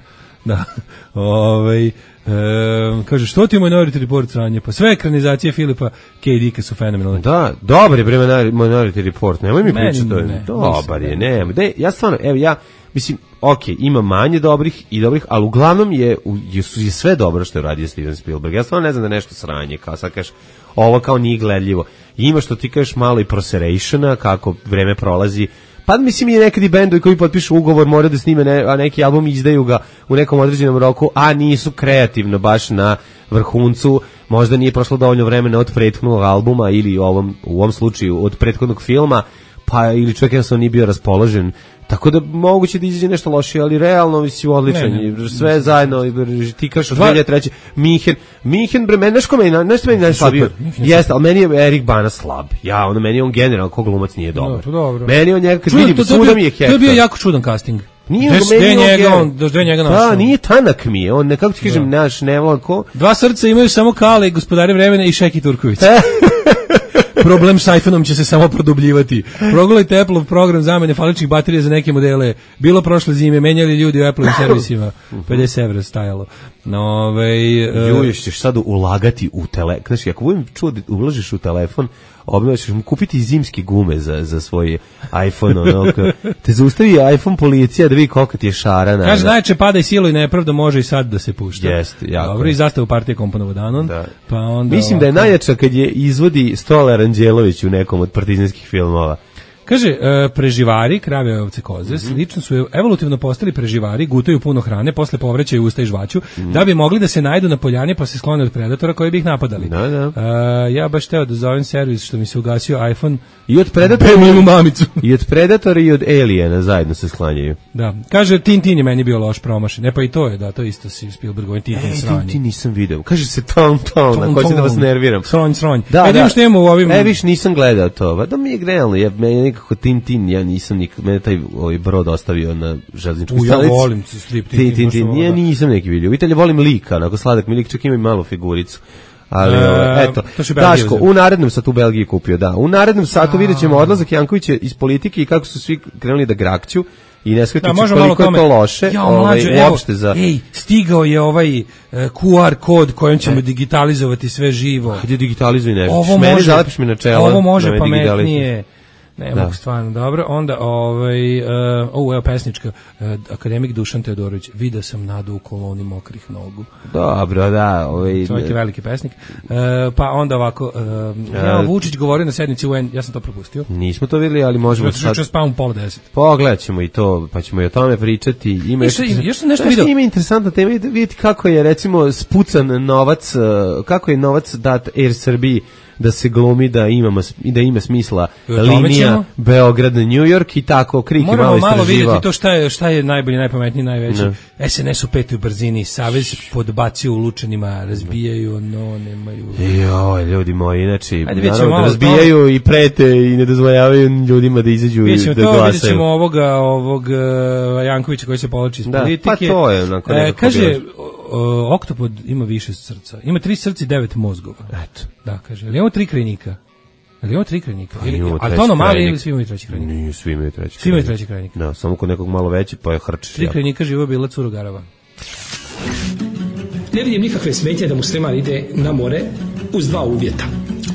Da. Ovaj e, kaže, što ti je Minority Report sranje? Pa sve ekranizacije Filipa K. Dicka su fenomenalne. Da, dobar je bre Minority Report, nemoj mi pričati to. Ne, dobar je, ne. ne. Ja stvarno, evo ja, mislim, ok, ima manje dobrih i dobrih, ali uglavnom je, je, je sve dobro što je radio Steven Spielberg. Ja stvarno ne znam da nešto sranje, kao sad kažeš, ovo kao nije gledljivo. ima što ti kažeš malo i proserationa, kako vreme prolazi. Pa mislim i nekad i bendovi koji potpišu ugovor moraju da snime ne, a neki album izdaju ga u nekom određenom roku, a nisu kreativno baš na vrhuncu, možda nije prošlo dovoljno vremena od prethodnog albuma ili u ovom, u ovom slučaju od prethodnog filma, pa ili čovjek jednostavno nije bio raspoložen. Tako da moguće da izađe nešto lošije, ali realno mislim odličan. Ne, ne, sve ne, zajedno, ti kažeš od dvije hiljade treće. Minhen, Minhen, bre, meni nešto meni, nešto meni najslabio. Jeste, ali meni je Erik Bana slab. Ja, ono, meni je on generalno, ko glumac nije dobar. No, dobro. Meni on njega, kad vidim, to, to, svuda mi je hektar. To je bio jako čudan casting. Nije Des, meni njega, on, do njega našao. Da, nije tanak mi je, on nekako ti kažem, naš nevlako. Dva srca imaju samo Kale, Gospodari vremena i Šeki Turković. Problem s iPhone-om će se samo produbljivati. Progledajte Apple-ov program zamene faličnih baterija za neke modele. Bilo prošle zime, menjali ljudi u Apple-ovim servisima. pedeset evra stajalo. No, ovaj uh, ćeš sad ulagati u telefon. Znači, ako budem čuo da ulažeš u telefon, obnoviš, ćeš mu kupiti zimske gume za, za svoj iPhone. Ono, te zaustavi iPhone policija da vidi koliko ti je šarana. Kaže, najče pada i silo i nepravda može i sad da se pušta. Jeste, jako. Dobro, i zastavu partije komponovo Danon. Da. Pa onda mislim ovako, da je najjača kad je izvodi Stolar Anđelović u nekom od partizanskih filmova. Kaže, e, preživari, krave, ovce, koze, mm-hmm. slično su evolutivno postali preživari, gutaju puno hrane, posle povraćaju usta i žvaću, mm-hmm. da bi mogli da se najdu na poljani pa se sklone od predatora koji bi ih napadali. Da, da. E, ja baš teo da zovem servis što mi se ugasio iPhone. I od predatora i, mamicu. I od predatora i od Aliena zajedno se sklanjaju. Da. Kaže, Tintin je meni bio loš promašen. Ne, pa i to je, da, to isto si Spielbergovin Tintin sranje. Tintin nisam video. Kaže se ton, ton, ako hoće da vas nerviram. Sronj, sronj. Da, e, da. Što imamo u ovim... E, viš, nisam gledao to. Da mi je realno, ja, meni nekako Tintin, ja nisam nik, mene taj ovaj brod ostavio na železničkoj stanici. Ja volim strip Tintin. Tintin, ja nisam neki vidio. Vidite, volim lika, onako sladak mi lik, čak ima i malu figuricu. Ali, e, eto, Daško, u narednom satu u Belgiji kupio, da. U narednom satu vidjet ćemo odlazak Jankovića iz politike i kako su svi krenuli da grakću i ne shvatiti da, koliko je to loše. Ja, ovaj, mlađo, uopšte za... Ej, stigao je ovaj uh, Q R kod kojim ćemo e. digitalizovati sve živo. Hajde digitalizuj nešto. Ovo meni može, zalepiš mi na čelo. Ovo može pametnije. Ne mogu stvarno, dobro. Onda, ovaj, uh, ovo je pesnička, uh, akademik Dušan Teodorović, vidio sam Nadu u koloni mokrih nogu. Dobro, da. Ovaj, čovjek je veliki pesnik. Uh, pa onda ovako, uh, ja, Vučić govorio na sednici U N, ja sam to propustio. Nismo to vidjeli, ali možemo sad... Juče spavam pola deset. Pogledat ćemo i to, pa ćemo i o tome pričati. Ima još, još sam nešto vidio. Ima interesantna tema, vidjeti kako je, recimo, spucan novac, kako je novac dat Air Srbiji da se glumi da ima da ima smisla linija Beograd New York i tako Krik moramo malo malo vidjeti to šta je šta je najbolji, najpametniji, najveći. Ne. S N S u petoj brzini, Savez podbacio u Lučanima, razbijaju, no nemaju. Joj, ljudi moji, znači naravno, razbijaju to... i prete i ne dozvoljavaju ljudima da izađu i da to, glasaju. Vidjet ćemo ovoga, ovog uh, Jankovića koji se povlači iz da, politike. Pa to je onako e, kaže, o, oktopod ima više srca. Ima tri srca i devet mozgova. Eto. Da, kaže. Ali imamo tri krajnika. Ali imamo tri krajnika. Pa, ili, ali to ono mali ili svi imaju treći krajnik? Nije, svi imaju treći krajnik. Svi imaju treći krajnik. Da, samo kod nekog malo veći pa je hrčiš. Tri krajnika živo bila Curogarava. Ne vidim nikakve smetnje da musliman ide na more uz dva uvjeta.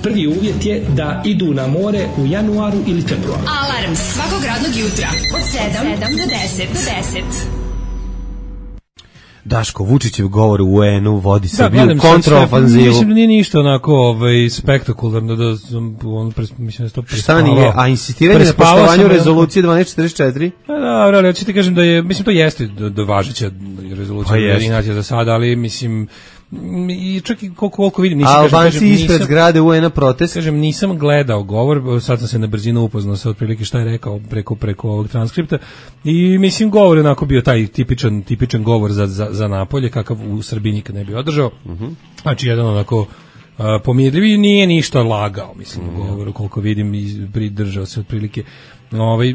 Prvi uvjet je da idu na more u januaru ili februaru. Alarm svakog radnog jutra od sedam do deset. Daško Vučićev govor u U N-u vodi se da, u kontrofanzivu. Mislim da nije ništa onako ovaj, spektakularno, da on, mislim da to prespavao. Šta nije, a insistiranje na poštovanju rezolucije dvanaest četrdeset četiri? Da, da, ali hoćete kažem da je, mislim to jeste do, do važeća rezolucija Ujedinjenih za sada, ali mislim i čak i koliko, koliko vidim nisam, Albanci kažem, ispred nisam, zgrade U N-a protest. Kažem, nisam gledao govor, sad sam se na brzinu upoznao sa otprilike šta je rekao preko, preko ovog transkripta i mislim govor je onako bio taj tipičan, tipičan govor za, za, za Napolje, kakav u Srbiji nikad ne bi održao. Uh-huh. Znači jedan onako uh, pomirljivi, nije ništa lagao, mislim, uh-huh. govoru koliko vidim i pridržao se otprilike. Ovaj,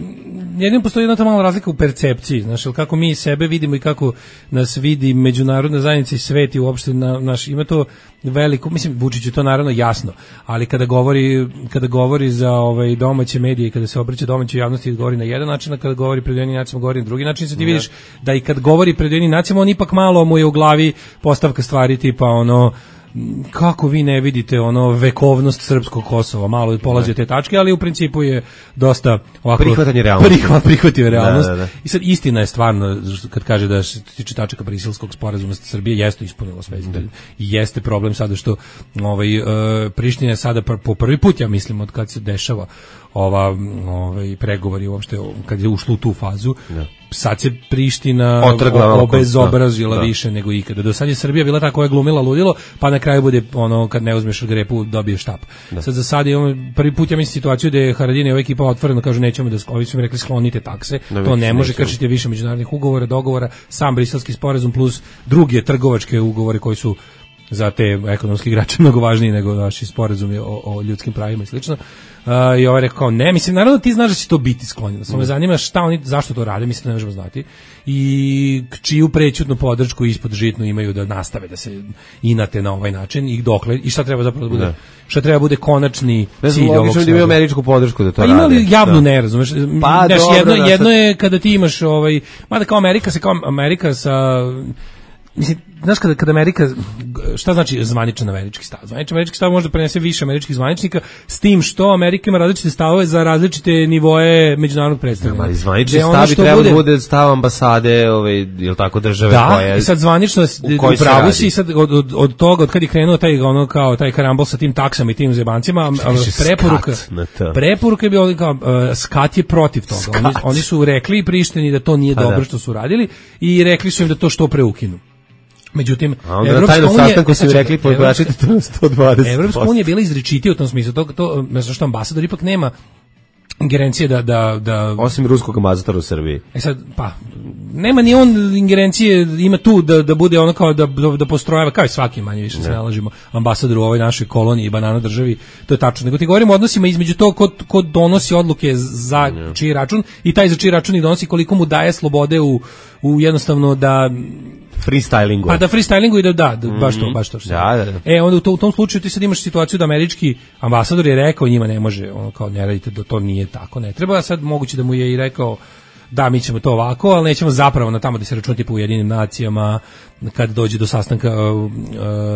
jedino postoji jedna ta mala razlika u percepciji, znaš, kako mi sebe vidimo i kako nas vidi međunarodna zajednica i svet i uopšte na, naš, ima to veliko, mislim, Vučić je to naravno jasno, ali kada govori, kada govori za ovaj, domaće medije i kada se obraća domaćoj javnosti govori na jedan način, a kada govori pred Ujedinjenim nacijama govori na drugi način, se ti vidiš da i kad govori pred Ujedinjenim nacijama on ipak malo mu je u glavi postavka stvari tipa ono kako vi ne vidite ono vekovnost srpskog Kosova, malo polazi od te tačke, ali u principu je dosta ovako prihvatanje realnosti. Prihvat, prihvatio realnost. Da, da, da. I sad istina je stvarno kad kaže da što se tiče tačaka Briselskog sporazuma Srbije jeste ispunila sve. Da. I jeste problem sada što ovaj uh, Priština je sada pr po prvi put, ja mislim, od kad se dešava ova ovaj pregovori uopšte kad je ušlo u tu fazu. Da. Sad se Priština obezobrazila da. više nego ikada. Do sad je Srbija bila ta koja je glumila ludilo, pa na kraju bude ono kad ne uzmeš grepu dobiješ štap. Da. Sad za sad imamo prvi put ja mislim situaciju da je Haradinaj i ova ekipa otvoreno kažu nećemo da ovi su mi rekli sklonite takse. Da, to ne može kršiti više međunarodnih ugovora, dogovora, sam Briselski sporazum plus druge trgovačke ugovore koji su za te ekonomski igrače mnogo važniji nego naši sporazumi o, o ljudskim pravima i slično. Uh, I ovaj rekao, ne, mislim, naravno ti znaš da će to biti sklonjeno. Samo me zanima šta oni, zašto to rade, mislim da ne možemo znati. I čiju prećutnu podršku ispod žitnu imaju da nastave da se inate na ovaj način i dokle, i šta treba zapravo da bude, ne. šta treba bude konačni ne cilj ovog svega. Da imaju američku podršku da to pa rade. Pa imali javnu da. ne, razumeš? Pa, Znaš, dobro, jedno, da, jedno je kada ti imaš, ovaj, mada kao Amerika se, kao Amerika sa... Mislim, znaš kada, kada Amerika, šta znači zvaničan američki stav? Zvaničan američki stav može da prenese više američkih zvaničnika, s tim što Amerika ima različite stavove za različite nivoe međunarodnog predstavljanja. Ali zvanični stav bi trebalo bude... bude stav ambasade, ovaj, ili tako države da, koja... Da, i sad zvanično u pravu si, sad od, od, od toga, od kad je krenuo taj, ono, kao, taj karambol sa tim taksama i tim zebancima, preporuka, preporuka je bilo kao, uh, skat je protiv toga. Oni, oni su rekli Prištini da to nije pa dobro da. što su radili i rekli su im da to što preukinu. Međutim, Evropska unija, sastanku su rekli pojačati to na sto dvadeset posto. Evropska unija je bila izričitija u tom smislu. To to znači što ambasador ipak nema ingerencije da da da osim ruskog ambasadora u Srbiji. E sad pa nema ni on ingerencije, ima tu da da bude ono kao da da, da postrojava kao i svaki manje više se nalažimo ambasador u ovoj našoj koloniji i banana državi, to je tačno. Nego ti govorimo o odnosima između tog ko, ko donosi odluke za ne. čiji račun i taj za čiji račun i donosi, koliko mu daje slobode u u jednostavno da freestylingu. Pa da freestylingu i da da, da baš to, baš to. Što da, da, da. E, onda u, to, u tom slučaju ti sad imaš situaciju da američki ambasador je rekao njima ne može, ono kao ne radite, da to nije tako, ne treba, sad moguće da mu je i rekao da mi ćemo to ovako, ali nećemo zapravo na tamo da se računa tipa u Ujedinjenim nacijama kad dođe do sastanka uh,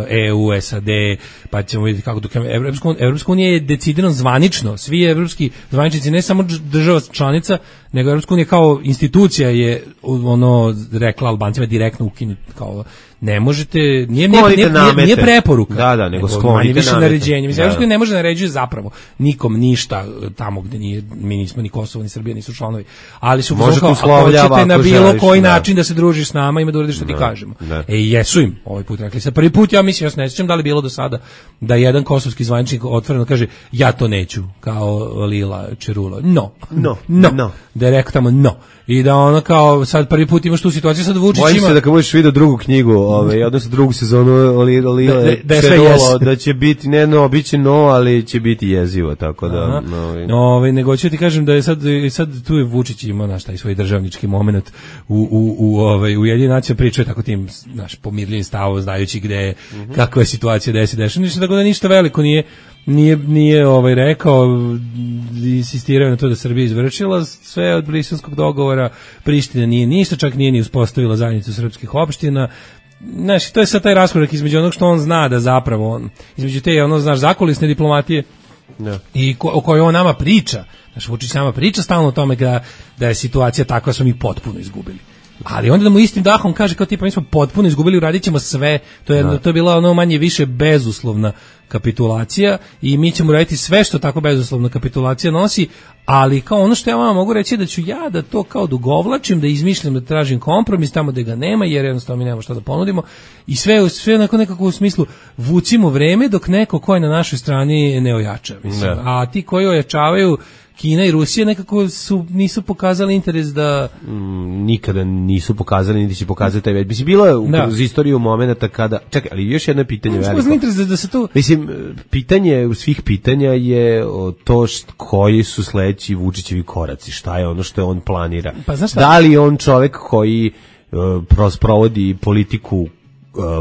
E U, S A D, pa ćemo vidjeti kako dok Evropska, Evropska unija je decidirano zvanično, svi evropski zvaničnici, ne samo država članica, nego Evropska unija kao institucija je ono rekla Albancima direktno ukinuti, kao ne možete, nije, nije, nije, nije, nije preporuka, da, da, nego sklonite više naređenje. Mislim, Evropska unija ne može naređuje zapravo nikom ništa tamo gde nije, mi nismo ni Kosovo ni Srbija nisu članovi, ali su kao, ako hoćete na bilo želiš, koji da. način da se družiš s nama, ima da uradiš što ti kažemo. Da. E, jesu im ovaj put rekli. Sa prvi put, ja mislim, ja se ne sjećam da li bilo do sada da jedan kosovski zvaničnik otvoreno kaže ja to neću, kao Lila Čerulo. No. No. No. no. Da je rekao tamo no. I da ono kao sad prvi put imaš tu situaciju, sad Vučić ima... Bojim se da kad budeš vidio drugu knjigu, ovaj, odnosno drugu sezonu Lila Lila da, da, Čerulo, da će biti, ne no, bit će no, ali će biti jezivo, tako da... No, ovaj. no nego ću ti kažem da je sad, sad tu je Vučić imao naš taj svoj državnički moment u, u, u, ovaj, u Ujedinjenim nacijama, pričao tako tim naš pomirljivim stavom, znajući gde je, mm -hmm. kakva je situacija, gde se dešava, ništa, tako da ništa veliko nije nije nije ovaj rekao, insistirao na to da Srbija izvršila sve od Briselskog dogovora, Priština nije ništa, čak nije ni uspostavila zajednicu srpskih opština. Znaš, to je sad taj raskorak između onog što on zna da zapravo on, između te, ono, znaš, zakulisne diplomatije no. i ko, o kojoj on nama priča. Znaš, Vučić nama priča stalno o tome da, da je situacija takva, smo mi potpuno izgubili. Ali onda da mu istim dahom kaže kao tipa mi smo potpuno izgubili, uradit ćemo sve, to je, no. to je bila ono manje više bezuslovna kapitulacija i mi ćemo raditi sve što tako bezuslovna kapitulacija nosi, ali kao ono što ja vama mogu reći da ću ja da to kao dugovlačim, da izmišljam, da tražim kompromis tamo gde ga nema, jer jednostavno mi nemamo šta da ponudimo i sve, sve onako nekako u smislu vucimo vreme dok neko ko je na našoj strani ne ojača, mislim. No. A ti koji ojačavaju, Kina i Rusija, nekako su nisu pokazali interes da mm, nikada nisu pokazali, niti će pokazati taj. Mislim, bilo je kroz istoriju momenata kada, čekaj, ali još jedno pitanje no, veliko. Interes da, da se to... Mislim, pitanje u svih pitanja je to št, koji su sledeći Vučićevi koraci, šta je ono što on planira. Pa, da li je on čovek koji uh, provodi politiku uh,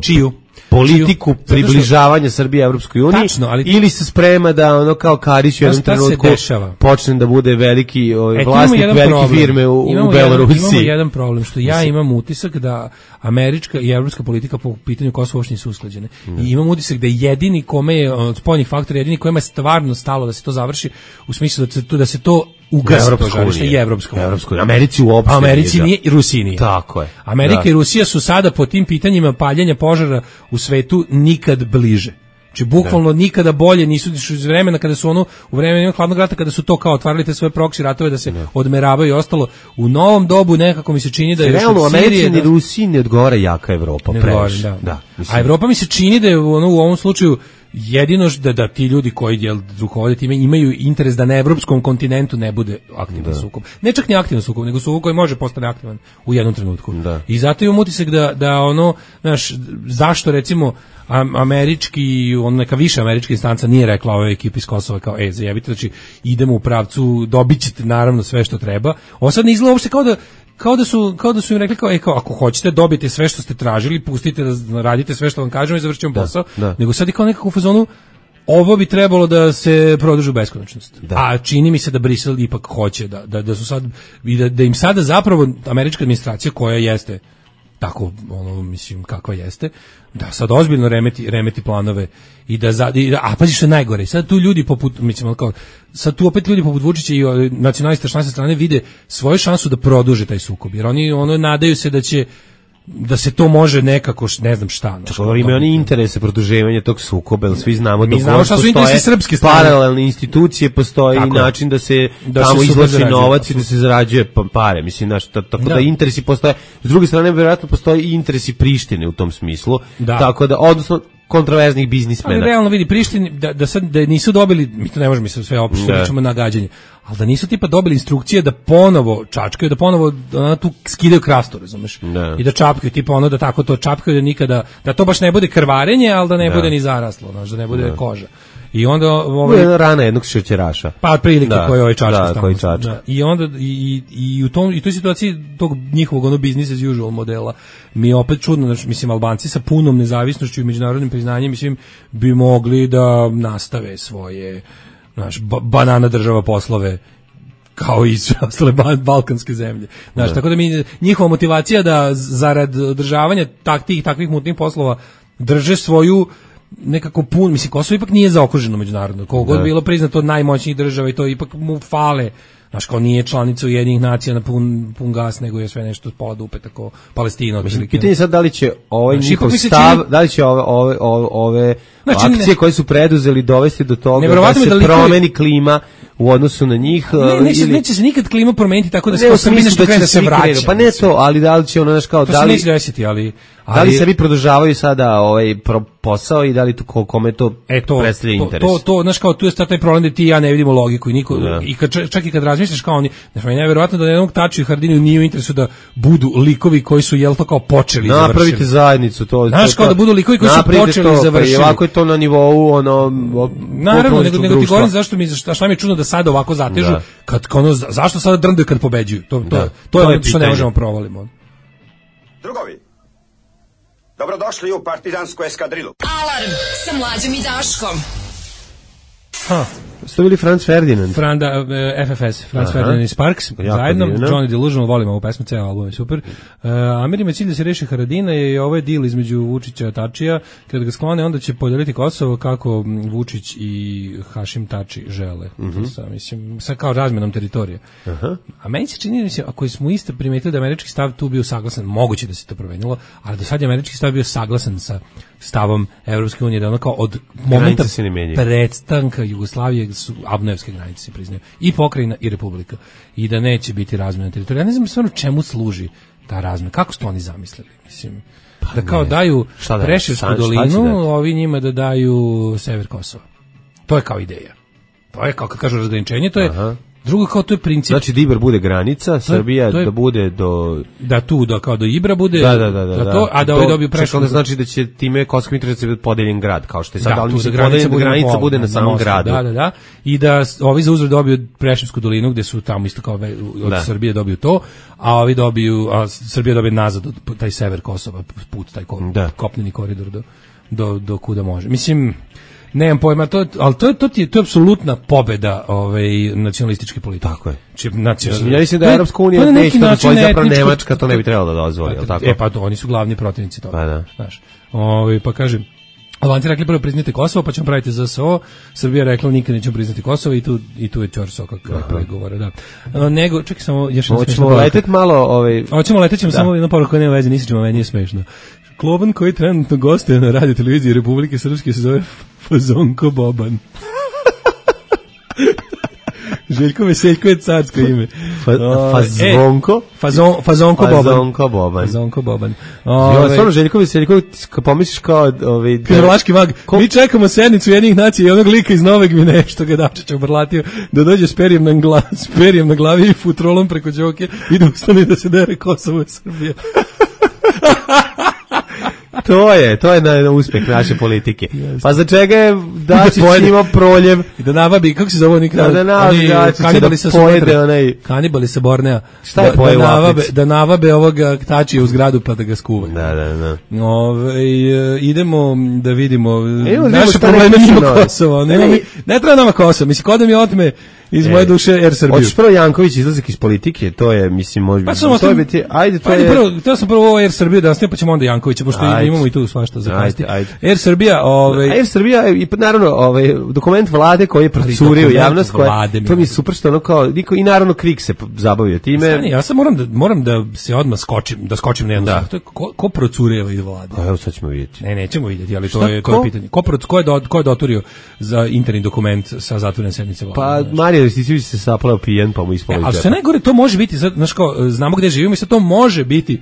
čiju? politiku čiju, približavanja što, Srbije Evropskoj uniji, tačno, ali, ili se sprema da ono kao Karić u jednom trenutku počne da bude veliki ovaj, e, vlasnik velike problem. firme u, u Belorusiji. Imamo jedan problem, što ja imam utisak da američka i evropska politika po pitanju Kosova uopšte nisu usklađene. Mm. I imam utisak da jedini kome je od spoljnih faktora, jedini kojima je stvarno stalo da se to završi, u smislu da se to, da se to ugasi to žarište i Evropska unija. Americi uopšte. Americi nije i Rusiji nije. Tako je. Amerika da. i Rusija su sada po tim pitanjima paljenja požara u svetu nikad bliže. Znači bukvalno da. nikada bolje nisu iz vremena kada su ono u vremenu hladnog rata kada su to kao otvarali te svoje proksi ratove da se da. odmeravaju i ostalo. U novom dobu nekako mi se čini da je realno u Americi ni Rusiji ne odgovara jaka Evropa previše. Da. Da, a Evropa mi se čini da je ono u ovom slučaju jedino da, da ti ljudi koji jel, rukovode time imaju interes da na evropskom kontinentu ne bude aktivan sukob. Ne čak ni aktivan sukob, nego sukob koji može postane aktivan u jednom trenutku. Da. I zato imam utisak da, da ono, znaš, zašto recimo američki, on neka više američka instanca nije rekla ovoj ekipi iz Kosova kao, e, zajebite, znači idemo u pravcu, dobit ćete naravno sve što treba. Ovo sad ne izgleda uopšte kao da Kao da su kao da su im rekli kao, e, kao ako hoćete dobijete sve što ste tražili, pustite da radite sve što vam kažemo i završimo posao. Da. Nego sad je kao nekako u fazonu ovo bi trebalo da se produži u beskonačnost. Da. A čini mi se da Brisel ipak hoće da da da su sad i da, da im sada zapravo američka administracija koja jeste tako ono mislim kakva jeste, da sad ozbiljno remeti remeti planove i da za, i da a pazi što je najgore, sad tu ljudi poput mislim kao sad tu opet ljudi poput Vučića i nacionalista s naše strane vide svoju šansu da produže taj sukob, jer oni ono nadaju se da će da se to može nekako, ne znam šta. Tako, imaju oni interese produživanja tog sukoba, jer svi znamo da znamo šta su interesi srpske strane. Paralelne institucije, postoji tako, način da se da tamo izvlači novac i da se zarađuje pare. Mislim, znaš, tako da. da interesi postoje. S druge strane, vjerojatno postoji i interesi Prištine u tom smislu. Da. Tako da, odnosno, kontroverznih biznismena. Ali realno vidi Prištini da da sad da nisu dobili, mi to ne možemo misliti sve opšte, pričamo nagađanje, ali da nisu tipa dobili instrukcije da ponovo čačkaju, da ponovo da tu skidaju krastu, razumeš? Da. I da čapkaju tipa ono da tako to čapkaju da nikada da to baš ne bude krvarenje, al da ne da. bude ni zaraslo, znači da ne bude da. koža. I onda ovaj jedna rana jednog šećeraša. Pa otprilike da, koji ovaj čačka da, koji čačka. Da. I onda i, i, i u tom i toj situaciji tog njihovog ono business as usual modela mi je opet čudno, znači mislim Albanci sa punom nezavisnošću i međunarodnim priznanjem mislim bi mogli da nastave svoje naš ba, banana država poslove kao i sve ostale balkanske zemlje. Znaš, da. tako da mi njihova motivacija da zarad održavanja takvih takvih mutnih poslova drže svoju nekako pun, mislim, Kosovo ipak nije zaokruženo međunarodno, koliko god bilo priznato od najmoćnijih država i to ipak mu fale, znaš, kao nije članica Ujedinjenih nacija na pun, pun gas, nego je sve nešto pola dupe, tako Palestina. Mislim, pitanje sad da li će ovaj znači, njihov stav, čini, da li će ove, ove, ove, ove znači, akcije ne, koje su preduzeli dovesti do toga da se da li promeni koji, klima u odnosu na njih. Ne, neće, ili, neće se nikad klima promeniti tako da se kao Srbi nešto krene da se vraća. Pa ne to, ali da li će ono, znaš, kao, to da li, desiti, ali, ali, da li se vi produžavaju sada ovaj posao i da li to, kome to, e, to predstavlja interes? To, to, znaš, kao, tu je taj problem da ti i ja ne vidimo logiku i niko, da. i kad, čak i kad razmišljaš kao oni, znaš, meni je nevjerovatno da jednog Taču i Haradiniju nije u interesu da budu likovi koji su, jel to kao počeli i završili. Napravite zajednicu, to. Znaš, kao da budu likovi koji su počeli i završili. Ovako je to na nivou, ono, naravno, nego, nego ti govorim zašto mi, šta mi je čudno da sada ovako zatežu, da. kad, ono, zašto sada drndaju kad pobeđuju? To, to, da. to je ono što ne možemo provalimo. Drugovi, dobrodošli u partizansku eskadrilu. Alarm sa Mlađom i Daškom. Ha. Ste bili Franz Ferdinand? Franda, F F S, Franz Aha. Ferdinand i Sparks, jako zajedno, divno. Johnny Delusional, volimo ovu pesmu, ceo album je super. Uh, Amerima je cilj da se reši Haradina i ovo je deal između Vučića i Tačija, kada ga sklone, onda će podeliti Kosovo kako Vučić i Hašim Tači žele. Mm-hmm. Sa, mislim, sa kao razmenom teritorije. Aha. A meni se čini, mislim, ako smo isto primetili da američki stav tu bio saglasan, moguće da se to promenilo, ali do sad je američki stav bio saglasan sa stavom Evropske unije, da ono kao od momenta predstanka Jugoslavije su abnojevske granice se priznaju i pokrajina i republika i da neće biti razmjena teritorija. Ja ne znam stvarno čemu služi ta razmjena, kako su to oni zamislili, mislim, pa da kao ne. daju Preševsku dolinu, ovi njima da daju sever Kosova. To je kao ideja. To je kao kad kažu razgraničenje, to je Aha. Drugo, kao to je princip. Znači da Ibar bude granica, Srbija je, da bude do... Da tu, da kao do Ibra bude... Da, da, da. da, da to, a da ovi dobiju prešlo... Čekaj, znači da će time Kosovska Mitrovica biti podeljen grad, kao što je sad, da, ali tu da granica, bude, granica pol, bude na samom mostu, gradu. Da, da, da. I da ovi za uzvrat dobiju Preševsku dolinu, gde su tamo isto kao od da. Srbije dobiju to, a ovi dobiju, a Srbija dobije nazad od taj sever Kosova, put, taj ko, da. kopneni koridor do, do, do kuda može. Mislim... Nemam pojma, to, ali to je to je to je apsolutna pobeda ovaj nacionalističke politike. Tako je. Či nacional. Ja mislim da Evropska unija neće da dozvoli, zapravo Nemačka to ne bi trebalo da dozvoli, al tako. E pa to, oni su glavni protivnici toga. Pa da. Znaš. Ovaj pa kažem Albanci rekli prvo priznajte Kosovo, pa ćemo praviti Z S O. Srbija rekla nikad nećemo priznati Kosovo i tu i tu je Ćorso kako pregovora, da. A, nego čekaj samo još jedno. Hoćemo leteti malo, ovaj Hoćemo leteti samo jedno poruku, nema veze, nisi ćemo, meni je smešno. Kloban koji trenutno gostuje na radio televiziji Republike Srpske se zove Fazonko Boban. Željko Veseljko je carsko ime. Fa, fazonko? E, fazon, fazonko Boban. Fazonko Boban. Fazonko Boban. Jo, stvarno Željko Veseljko, kad pomisliš kao... Ovaj, Krvlaški mag. Ko... Mi čekamo sednicu jednih nacija i onog lika iz Nove Gvineje što ga Dačić obrlatio da dođe s perijem na, gla, s perijem na glavi i futrolom preko Đoke i da ustane da se dere Kosovo i Srbija. To je, to je na, na uspeh naše politike. Pa za čega je Dačić imao proljev? I da navabi, kako se zove oni da, da navabi Dačić, kanibali da pojede onaj... Kanibali sa Bornea. Šta je pojeo da, navabe, da navabe ovoga tačija u zgradu pa da ga skuva. Da, da, da. Ove, idemo da vidimo e, naše probleme mimo Kosova. Ne, ne, ne treba nama Kosovo. Mislim, kod da mi otme iz e, moje duše Er Srbiju. Hoćeš prvo Janković izlazak iz politike, to je, mislim, može pa biti... To je biti, ajde, to ajde, je... Prvo, to sam prvo Er Srbiju da nasnije, pa ćemo onda Jankovića, pošto ajde. Imamo i tu svašta za kasti. Er Srbija, ovaj... Er Srbija, i naravno, ovaj, dokument vlade koji je procurio javnost, koja, to mi je super što ono kao, niko, i naravno Krik se zabavio time. Stani, ja sam moram da, moram da se odmah skočim, da skočim na jednu da. To je ko, ko procureva iz vlade? A evo sad ćemo vidjeti. Ne, nećemo vidjeti, ali to je, to je pitanje. Ko, ko, je do, ko je doturio za interni dokument sa zatvorene sednice vlade? Pa, Marija Ristićević se saplao pijen, pa mu ispalo iz džepa. A što najgore, to može biti, znaš kao, znamo gde živimo i sad to može biti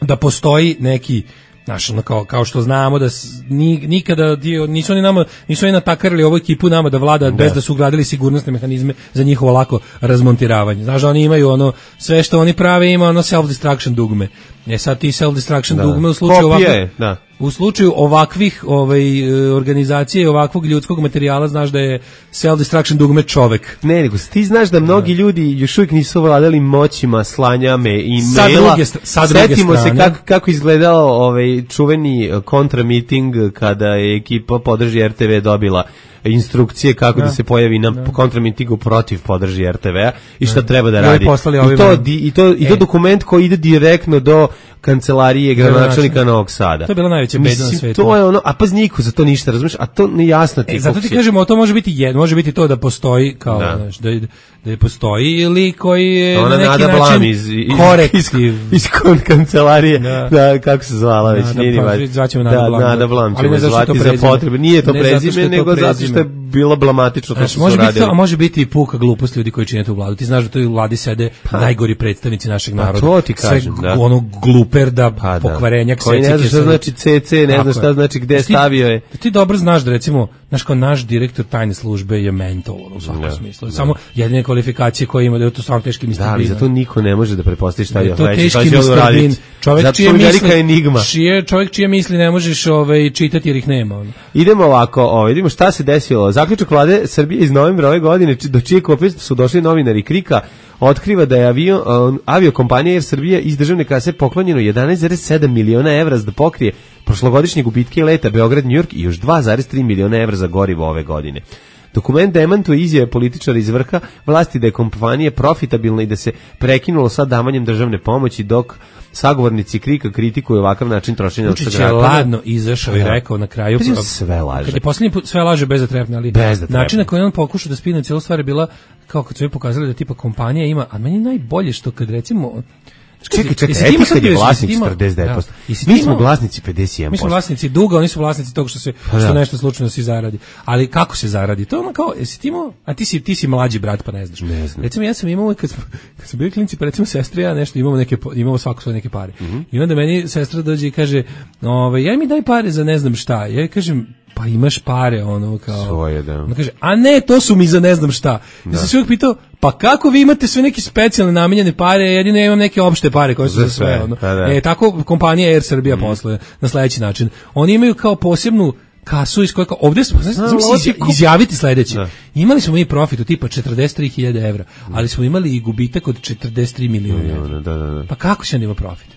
da postoji neki, znaš, ono kao, kao što znamo da ni, nikada nisu oni nama, nisu oni natakarili ovu ekipu nama da vlada da. Bez da su ugradili sigurnosne mehanizme za njihovo lako razmontiravanje. Znaš, oni imaju ono, sve što oni prave ima ono self-destruction dugme. E sad ti self-destruction da. Dugme u slučaju Kopije, ovakvih, da. U slučaju ovakvih ovaj, organizacije i ovakvog ljudskog materijala znaš da je self-destruction dugme čovek. Ne, nego ti znaš da mnogi da. Ljudi još uvijek nisu vladali moćima slanja me i sa maila. Druge, sa druge Setimo strane. se kako, kako izgledao ovaj čuveni kontramiting kada je ekipa Podrži R T V dobila instrukcije kako da, da se pojavi na da. Kontramitingu protiv Podrži R T V-a i šta da. Treba da radi. I to, i to, i to e. dokument koji ide direktno do kancelarije gradonačelnika Novog Sada. To je bila najveća beda na svetu. To je ono, a pa niko za to ništa, razumeš, a to nejasno ti. E, zato ti kažemo, to može biti jedno, može biti to da postoji kao, da, znaš, da, da je postoji ili koji je ona na neki Nada način iz, iz, korektiv. Iz, iz kancelarije, da. Da, kako se zvala već, Nada, nije pa, zvaćemo Nada da, Blam. Nada Blam ćemo zvati za potrebe. Nije to prezime, nego zato što je bilo blamatično to što su radili. A može biti i puka glupost ljudi koji čine tu vladu. Ti znaš da tu u vladi sede najgori predstavnici našeg naroda. To ti kažem, da. Ono gluperda, pokvarenjak, koji ne zna šta znači C C, ne zna šta znači gde stavio je. Ti dobro znaš da recimo, znaš kao naš direktor tajne službe je mentol u svakom smislu. Samo jedine kvalifikacije koje ima da je to stvarno teški mister Bean. Da, ali zato niko ne može da pretpostavi šta je to teški mister Bean. Čovjek čije misli enigma. Čije čovjek čije misli ne možeš ovaj čitati jer ih nema. Ono. Idemo ovako, ovaj vidimo šta se desilo. Zaključak vlade Srbije iz novembra ove godine do čije kopije su došli novinari Krika otkriva da je avion, uh, aviokompanija Er Srbija iz državne kase poklonjeno jedanaest zarez sedam miliona evra da pokrije prošlogodišnje gubitke leta Beograd-New York i još dva zarez tri miliona evra za gorivo ove godine. Dokument demantuje izjave političara iz vrha vlasti da je kompanija profitabilna i da se prekinulo sa davanjem državne pomoći, dok sagovornici Krika kritikuju ovakav način trošenja novca građana. Vučić je ladno izašao i rekao na kraju pa sve laže. Kad je poslednji put sve laže bez da trepne, ali način na koji on pokušao da spine cijelu stvar je bila kao kad su joj pokazali da tipa kompanija ima, a meni najbolje što kad recimo Čekaj, čekaj, Etihad je vlasnik četrdeset devet posto. Mi smo vlasnici pedeset jedan posto. Mi smo vlasnici duga, oni su vlasnici toga što se što da. Nešto slučajno se zaradi. Ali kako se zaradi? To je ono kao, jesi ti imao, a ti si, ti si mlađi brat pa ne znaš. Ne znam. Recimo ja sam imao, kad smo, kad smo bili klinci, pa recimo sestra ja nešto, imamo, neke, imamo svako svoje neke pare. Mm -hmm. I onda meni sestra dođe i kaže, ovaj, ja mi daj pare za ne znam šta. Ja kažem, pa imaš pare, ono, kao... Svoje, da. Ono kaže, a ne, to su mi za ne znam šta. Da. Ja sam se uvijek pitao, pa kako vi imate sve neke specijalne namenjene pare, jedino ja imam neke opšte pare koje su za sve, ono. Da, da. E, tako kompanija Air Srbija mm. posluje na sledeći način. Oni imaju kao posebnu kasu iz koje, ovdje smo, znači, znači, izjaviti sledeće. Da. Imali smo mi profit od tipa četrdeset tri hiljade evra, ali smo imali i gubitak od četrdeset tri miliona evra. Da, da, da. Pa kako se onda ima profit?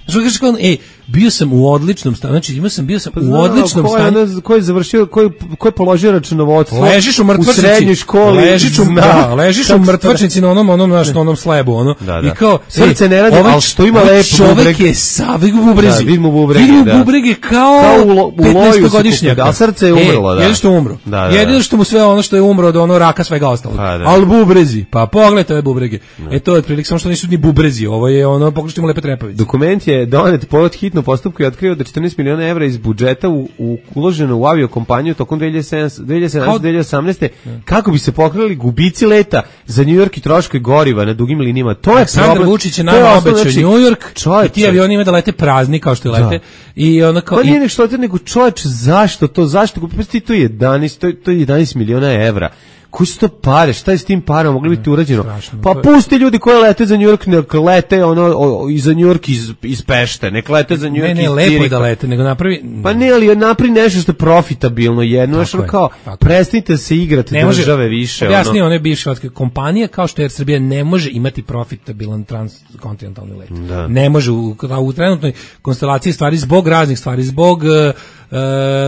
Znači, kažeš kao, ej, bio sam u odličnom stanju, znači imao sam, bio sam pa u odličnom ko stanju. Je, ko je završio, ko je, ko je položio računovodstvo ležiš u mrtvačnici, u srednjoj školi, ležiš u, da, ležiš u mrtvačnici na onom, onom, naš, na onom slebu, ono, da, da. I kao, srce ne radi, ovaj, ali što ima lepo čovek bubreg. je sa, vidi mu bubrezi, da, vidi mu bubrege, vidi mu da. bubrege kao, kao petnaestogodišnjak, a srce je umrlo, e, da. Jedino što umro, da, da, jedino što mu sve ono što je umro od ono raka svega ostalog, pa, da. ali bubrezi, pa pogledajte ove bubrege, e to je otprilike samo što nisu ni bubrezi, ovo je ono, pogledajte mu lepe trepavice. Dokument je donet pod hitno postupku i otkrio da četrnaest miliona evra iz budžeta u, u uloženo u aviokompaniju tokom dve hiljade sedamnaeste do dve hiljade osamnaeste kako bi se pokrili gubici leta za New York i troškovi goriva na dugim linijama. To je Aleksandar problem. Vučić je nama obećao znači, New York i ti avioni ima da lete prazni kao što lete. Da. I ona kao, pa nije nešto lete, nego čovječ, zašto to, zašto? Pa ti to je jedanaest, to je, to je jedanaest miliona evra. Koji su to pare, šta je s tim parama, mogli biti urađeno? Pa pusti ljudi koji lete za New York, nek lete ono, o, i za New York iz, iz Pešte, nek lete za New York iz Cirika. Ne, ne, lepo je da lete, nego napravi... Pa ne, ali napravi nešto što je profitabilno jedno, što kao, prestanite se igrati ne države može, više. Objasni ono, one bivše kompanije, kao što Air Srbija ne može imati profitabilan transkontinentalni let. Da. Ne može, u, u trenutnoj konstelaciji stvari, zbog raznih stvari, zbog... Uh, Uh,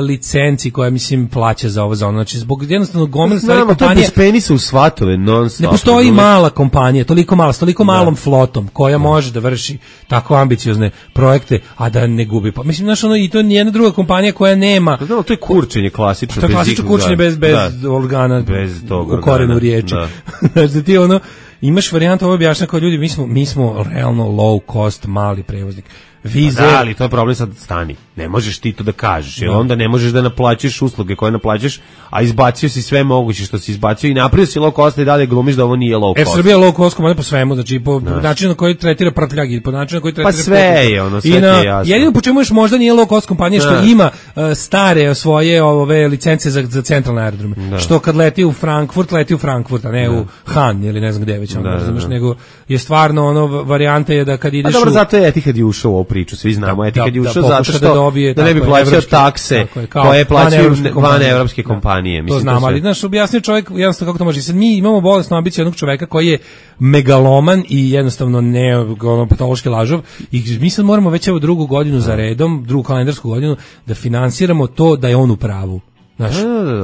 licenci koja mislim plaća za ovo za ono, znači zbog jednostavno gomile stvari kompanije. To je bez penisa u svatove non stop. Ne postoji mala kompanija, toliko mala, s toliko malom da. flotom koja da. može da vrši tako ambiciozne projekte, a da ne gubi. Pa mislim znaš ono i to nije jedna druga kompanija koja nema. Da, to je kurčenje klasično, to je klasično kurčenje bez bez da. organa, bez tog u korenu riječi. Da. Znači ti ono imaš varijantu ovo objašnjava kao ljudi, mi smo mi smo realno low cost mali prevoznik. Vize. Da, ali to je problem sad stani. Ne možeš ti to da kažeš, jer onda ne možeš da naplaćuješ usluge koje naplaćaš, a izbacio si sve moguće što si izbacio i napravio si low cost i dalje glumiš da ovo nije low cost. E, Srbija low cost kompanija po svemu, znači po no. načinu na koji tretira prtljagi, po načinu na koji tretira... Pa sve je, ono, sve na, je jasno. Jedino po čemu još možda nije low cost kompanija što no. ima uh, stare svoje ove licence za, za centralne aerodrome. No. Što kad leti u Frankfurt, leti u Frankfurt, a ne no. u Han ili ne znam gde već, ono, no, razumeš, no. nego je stvarno ono, varijanta je da kad ideš a dobro, u... zato je Etihad je ušao u ovu priču, svi znamo, Etihad je ušao zato što da, dobije, da ne bi plaćao takse koje plaćaju van evropske kompanije. Mislim, to znam, to ali znaš, objasnio čovjek jednostavno kako to može. Sad mi imamo bolesnu ambiciju jednog čoveka koji je megaloman i jednostavno ne ono, patološki lažov i mi sad moramo već evo drugu godinu za redom, drugu kalendarsku godinu, da finansiramo to da je on u pravu. Znaš,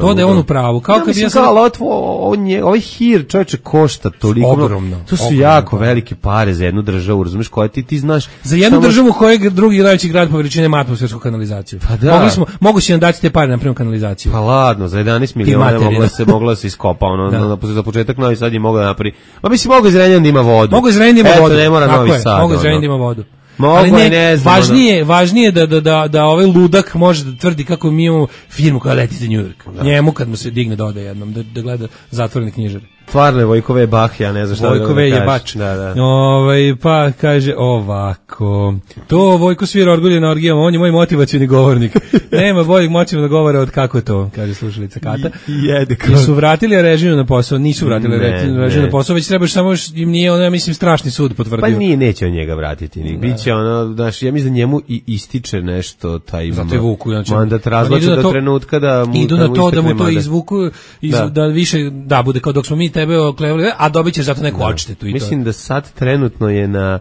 to da je on u pravu. Kao ja, kad ja sam... kao, on je, ovaj hir čovječe košta toliko. Ogromno. To su ogromno, jako ogromno. velike pare za jednu državu, razumiješ, koja ti, ti znaš... Za jednu samo... državu koja je drugi najveći grad po veličini ima atmosfersku kanalizaciju. Pa da. Mogli smo, mogu si nam dati te pare na primjer kanalizaciju. Pa ladno, za jedanaest miliona mogla se, mogla se iskopa, ono, da. na, za početak Novi Sad je mogla napravi. Ma mislim, mogu iz Renjana da ima vodu. Mogu iz Renjana da ima vodu. Eto, ne mora Novi Sad. Mogu iz Renjana da ima vodu. Mogu, ali ne, ne znam, važnije, važnije da, da, da, da ovaj ludak može da tvrdi kako mi imamo firmu koja leti za New York. Da. Njemu kad mu se digne da ode jednom, da, da gleda zatvorene knjižare. Stvarno je Vojkove Bah, ja ne znam šta Vojkove da je bač. Da, da. Ovaj, pa kaže ovako. To Vojko svira orgulje na orgijama, on je moj motivacioni govornik. Nema boljeg motivacionog govora od kako to, kaže slušalica Kata. I, jede I su vratili režiju na posao, nisu vratili režiju na posao, već trebaš samo im nije ono, ja mislim, strašni sud potvrdio. Pa nije, neće on njega vratiti. Ni. Biće ono, znaš, ja mislim da njemu i ističe nešto taj zato je Vuku, znači, mandat razlače do trenutka da mu idu na to da mu to izvuku, iz, da. da više, da, bude kao dok smo mi tebe oklevali, a dobit ćeš zato neku odštetu i to. Mislim da sad trenutno je na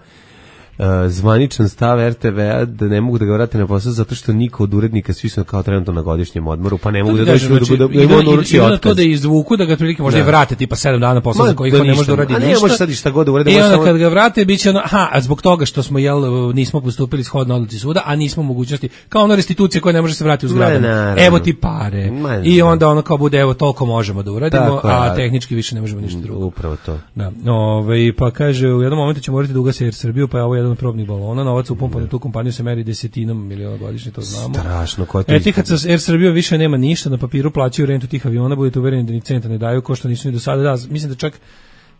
uh, zvaničan stav er te ve-a da ne mogu da ga vrate na posao zato što niko od urednika, svi su kao trenutno na godišnjem odmoru, pa ne mogu da dođu da da da on uruči otkaz. To da izvuku, da ga otprilike možda i vrate tipa sedam dana posla za koji ne može da uradi ništa. A ne može sad i šta god da uradi. I onda kad ga vrate biće ono, aha, a zbog toga što smo jel nismo postupili shodno odluci suda, a nismo mogućnosti kao ona restitucija koja ne može se vratiti u zgradu. Evo ti pare. I onda ono kao bude evo toliko možemo da uradimo, a tehnički više ne možemo ništa drugo. Upravo to. Da. Ovaj pa kaže u jednom momentu ćemo morati da ugase Air Srbiju, pa je ovo jedan od probnih balona, novac upumpan u tu kompaniju se meri desetinom miliona godišnje, to znamo. Strašno, ko to. Etihad sa Air Srbijom više nema ništa, na papiru plaćaju rentu tih aviona, budete uvereni da ni centa ne daju, ko što nisu ni do sada. Da, mislim da čak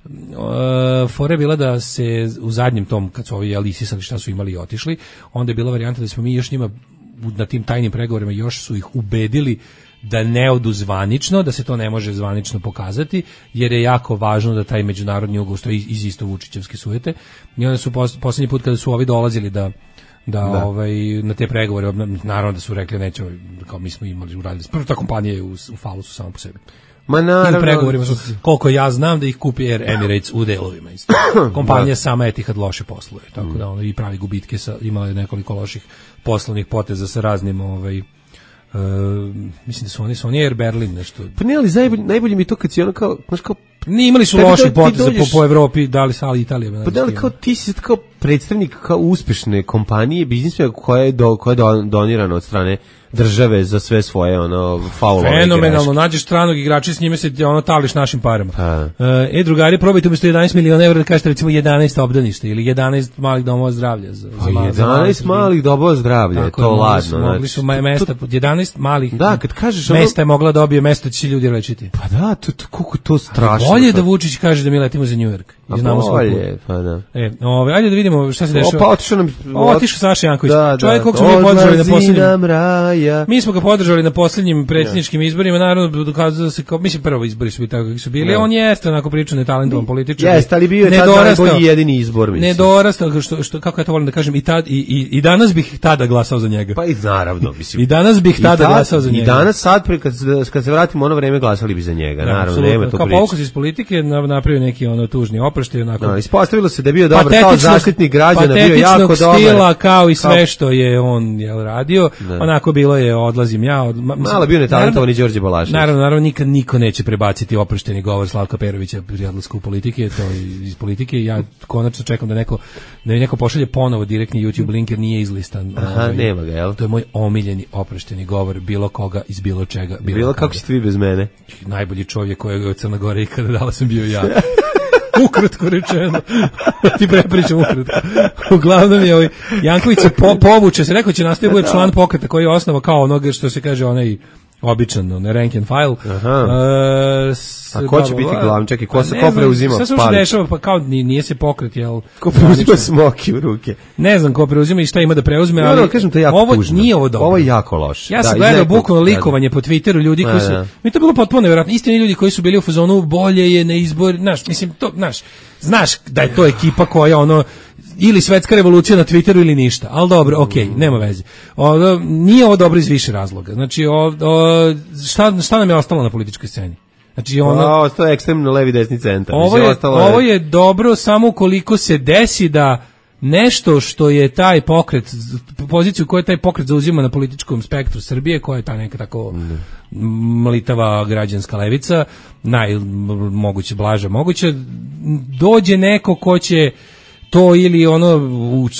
Uh, fora je bila da se u zadnjem tom, kad su ovi jeli isisali šta su imali i otišli, onda je bila varijanta da smo mi još njima na tim tajnim pregovorima još su ih ubedili da ne odu zvanično, da se to ne može zvanično pokazati, jer je jako važno da taj međunarodni ugovor stoji iz isto Vučićevske sujete. I onda su pos, posljednji put kada su ovi dolazili da da, da. Ovaj, na te pregovore, naravno da su rekli neće, kao mi smo imali uradili. Prvo ta kompanija je u, u falusu samo po sebi. Ma naravno. I u pregovorima su, koliko ja znam da ih kupi Air Emirates u delovima isto. Kompanija sama Etihad loše posluje, tako da ono i pravi gubitke, sa, imala je nekoliko loših poslovnih poteza sa raznim ovaj Uh, mislim da su oni, su oni Air Berlin nešto. Pa ne, ali najbolje, najbolje mi to kad si ono kao, znaš kao, ni imali su loši poteze po, po Evropi, dali sa ali Italija. Pa da li kao ti si kao predstavnik kao uspešne kompanije, biznismena koja je, do, koja je do, donirana od strane države za sve svoje ono faulove. Fenomenalno, nađeš stranog igrača, s njime se ono tališ našim parama. Uh, e, drugari, probajte umjesto jedanaest miliona evra da kažete recimo jedanaest obdaništa ili jedanaest malih domova zdravlja. Za, pa za jedanaest malih domova zdravlja, je to ladno. Mogli su znači, mesta, to, jedanaest malih da, kad kažeš mesta je mogla dobije mesto će ljudi lečiti. Pa da, to, to, koliko to strašno. A bolje da Vučić kaže da mi letimo za New York. I znamo bolje, pa da. E, ove, ajde da vidimo šta se dešava. Opa, otišao nam... Otišao Saša Janković. Da, čovjek kog smo mi podržali na posljednjim... Mi smo ga podržali na posljednjim predsjedničkim izborima, naravno dokazalo se kao, mislim prvo izbori su bili tako kako su bili, ja. On jeste onako pričao netalentovan političar. Jeste, ali bio je tad najbolji jedini izbor, mislim. Nedorastao, što, što, kako ja to volim da kažem, i, tad, i, i, i danas bih tada glasao za njega. Pa i naravno, mislim. I danas bih tada tad, glasao za njega. I danas sad, kad, kad se vratimo ono vreme, glasali bi za njega, da, naravno, nema to kao priče. Kao povukus iz politike, napravio neki ono tužni oproštaj, onako. No, ispostavilo se da je bio dobar kao zaštitnik građana, bio jako dobar. Stila, kao i sve kao... što je on jel, radio, da. Onako bilo je odlazim ja. Od, malo bio netalentovani Đorđe Balašević. Naravno, naravno, nikad niko neće prebaciti oprošteni govor Slavka Perovića pri odlasku u politike, to iz politike. Ja konačno čekam da neko, da neko pošalje ponovo direktni YouTube link jer nije izlistan. Aha, ovaj, nema ga, jel? To je moj omiljeni oprošteni govor bilo koga iz bilo čega. Bilo, bilo kako ćete vi bez mene? Najbolji čovjek kojeg je od Crne Gore ikada dala sam bio ja. Ukratko rečeno. Ti prepričam ukratko. Uglavnom je ovaj Janković se po, povuče, se rekao će nastaviti bude član pokreta koji je osnova kao onoga što se kaže onaj običan, onaj rank and file. Aha. Uh, s, a ko će biti glavni? Čekaj, ko se ko preuzima? Sve se što dešava, pa kao nije se pokret, jel? Ko preuzima smoki u ruke? Ne znam ko preuzima i šta ima da preuzme, ali no, no, kažem to jako ovo tužno. Nije ovo dobro. Ovo je jako loše. Ja sam da, gledao bukvalno likovanje po Twitteru ljudi koji su, mi to bilo potpuno nevjerojatno, istini ljudi koji su bili u fazonu bolje je na izbor, znaš, mislim to, znaš, znaš da je to ekipa koja ono ili svetska revolucija na Twitteru ili ništa, ali dobro, okej, okay, nema veze. O, nije ovo dobro iz više razloga. Znači, o, o, šta, šta nam je ostalo na političkoj sceni? Znači, ono, o, ostalo je ekstremno levi desni centar. Ovo je, ovo je dobro samo ukoliko se desi da nešto što je taj pokret, poziciju koju taj pokret zauzima na političkom spektru Srbije, koja je ta neka tako mlitava građanska levica, najmoguće blaža moguće, dođe neko ko će to ili ono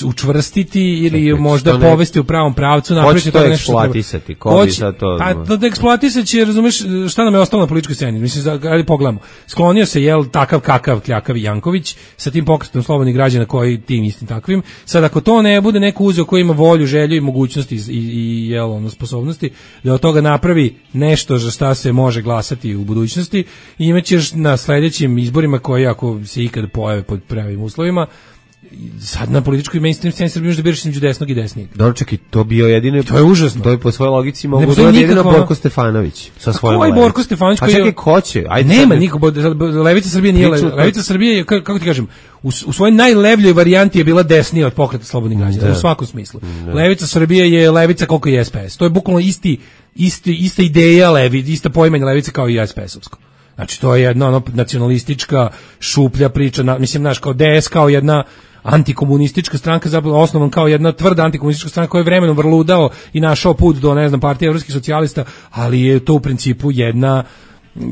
učvrstiti ili čekaj, možda ne, povesti u pravom pravcu, napraviti to nešto eksploatisati, ko bi sad to... Pa da eksploatisati će, razumeš, šta nam je ostalo na političkoj sceni, mislim, ajde pogledamo, sklonio se, jel, takav kakav kljakav Janković sa tim pokretom slobodnih građana koji tim istim takvim, sad ako to ne bude neko uzeo koji ima volju, želju i mogućnosti i, i, i jel, ono, sposobnosti, da od toga napravi nešto za šta se može glasati u budućnosti, i imaćeš na sledećim izborima koji, ako se ikad pojave pod pravim uslovima, sad na političkoj mainstream sceni Srbije možda biraš između desnog i desnijeg. Dobro, čekaj, to bio jedino... To je užasno. To je po svojoj logici mogu da je jedino Borko Stefanović sa svojom levicom. Koji Borko Stefanović? A čekaj, ko će? Ajde, nema niko, levica Srbije nije levica. Levica Srbije je, kako ti kažem, u, u svojoj najlevljoj varijanti je bila desnija od pokreta slobodnih građana, u svakom smislu. Da. Levica Srbije je levica koliko je S P S. To je bukvalno isti, isti, ista ideja levi, ista poimanje levice kao i S P S-ovsko. Znači, to je jedna ono, nacionalistička šuplja priča, na, mislim, znaš, kao D S kao jedna antikomunistička stranka, zapravo osnovan kao jedna tvrda antikomunistička stranka koja je vremenom vrludao i našao put do, ne znam, partije evropskih socijalista, ali je to u principu jedna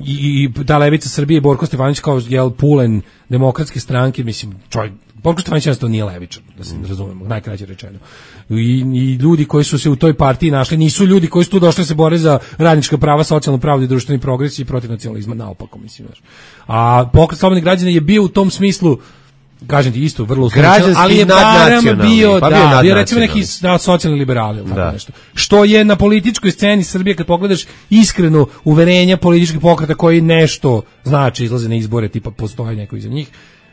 i, i ta levica Srbije i Borko Stefanović kao jel pulen demokratske stranke, mislim, čovjek, Borko Stefanović jednostavno nije levičar, da se razumemo, najkraće rečeno. I, I ljudi koji su se u toj partiji našli nisu ljudi koji su tu došli se bore za radnička prava, socijalnu pravdu i društveni progres i protiv nacionalizma, naopako, mislim. A pokret slobodnih građana je bio u tom smislu, kažem ti isto, vrlo uslovno, ali je barem bio, pa da, bio recimo neki da, socijalni liberali, ili tako nešto. Što je na političkoj sceni Srbije, kad pogledaš iskreno uverenja političkih pokreta koji nešto znači, izlaze na izbore, tipa postoji neko iza njih,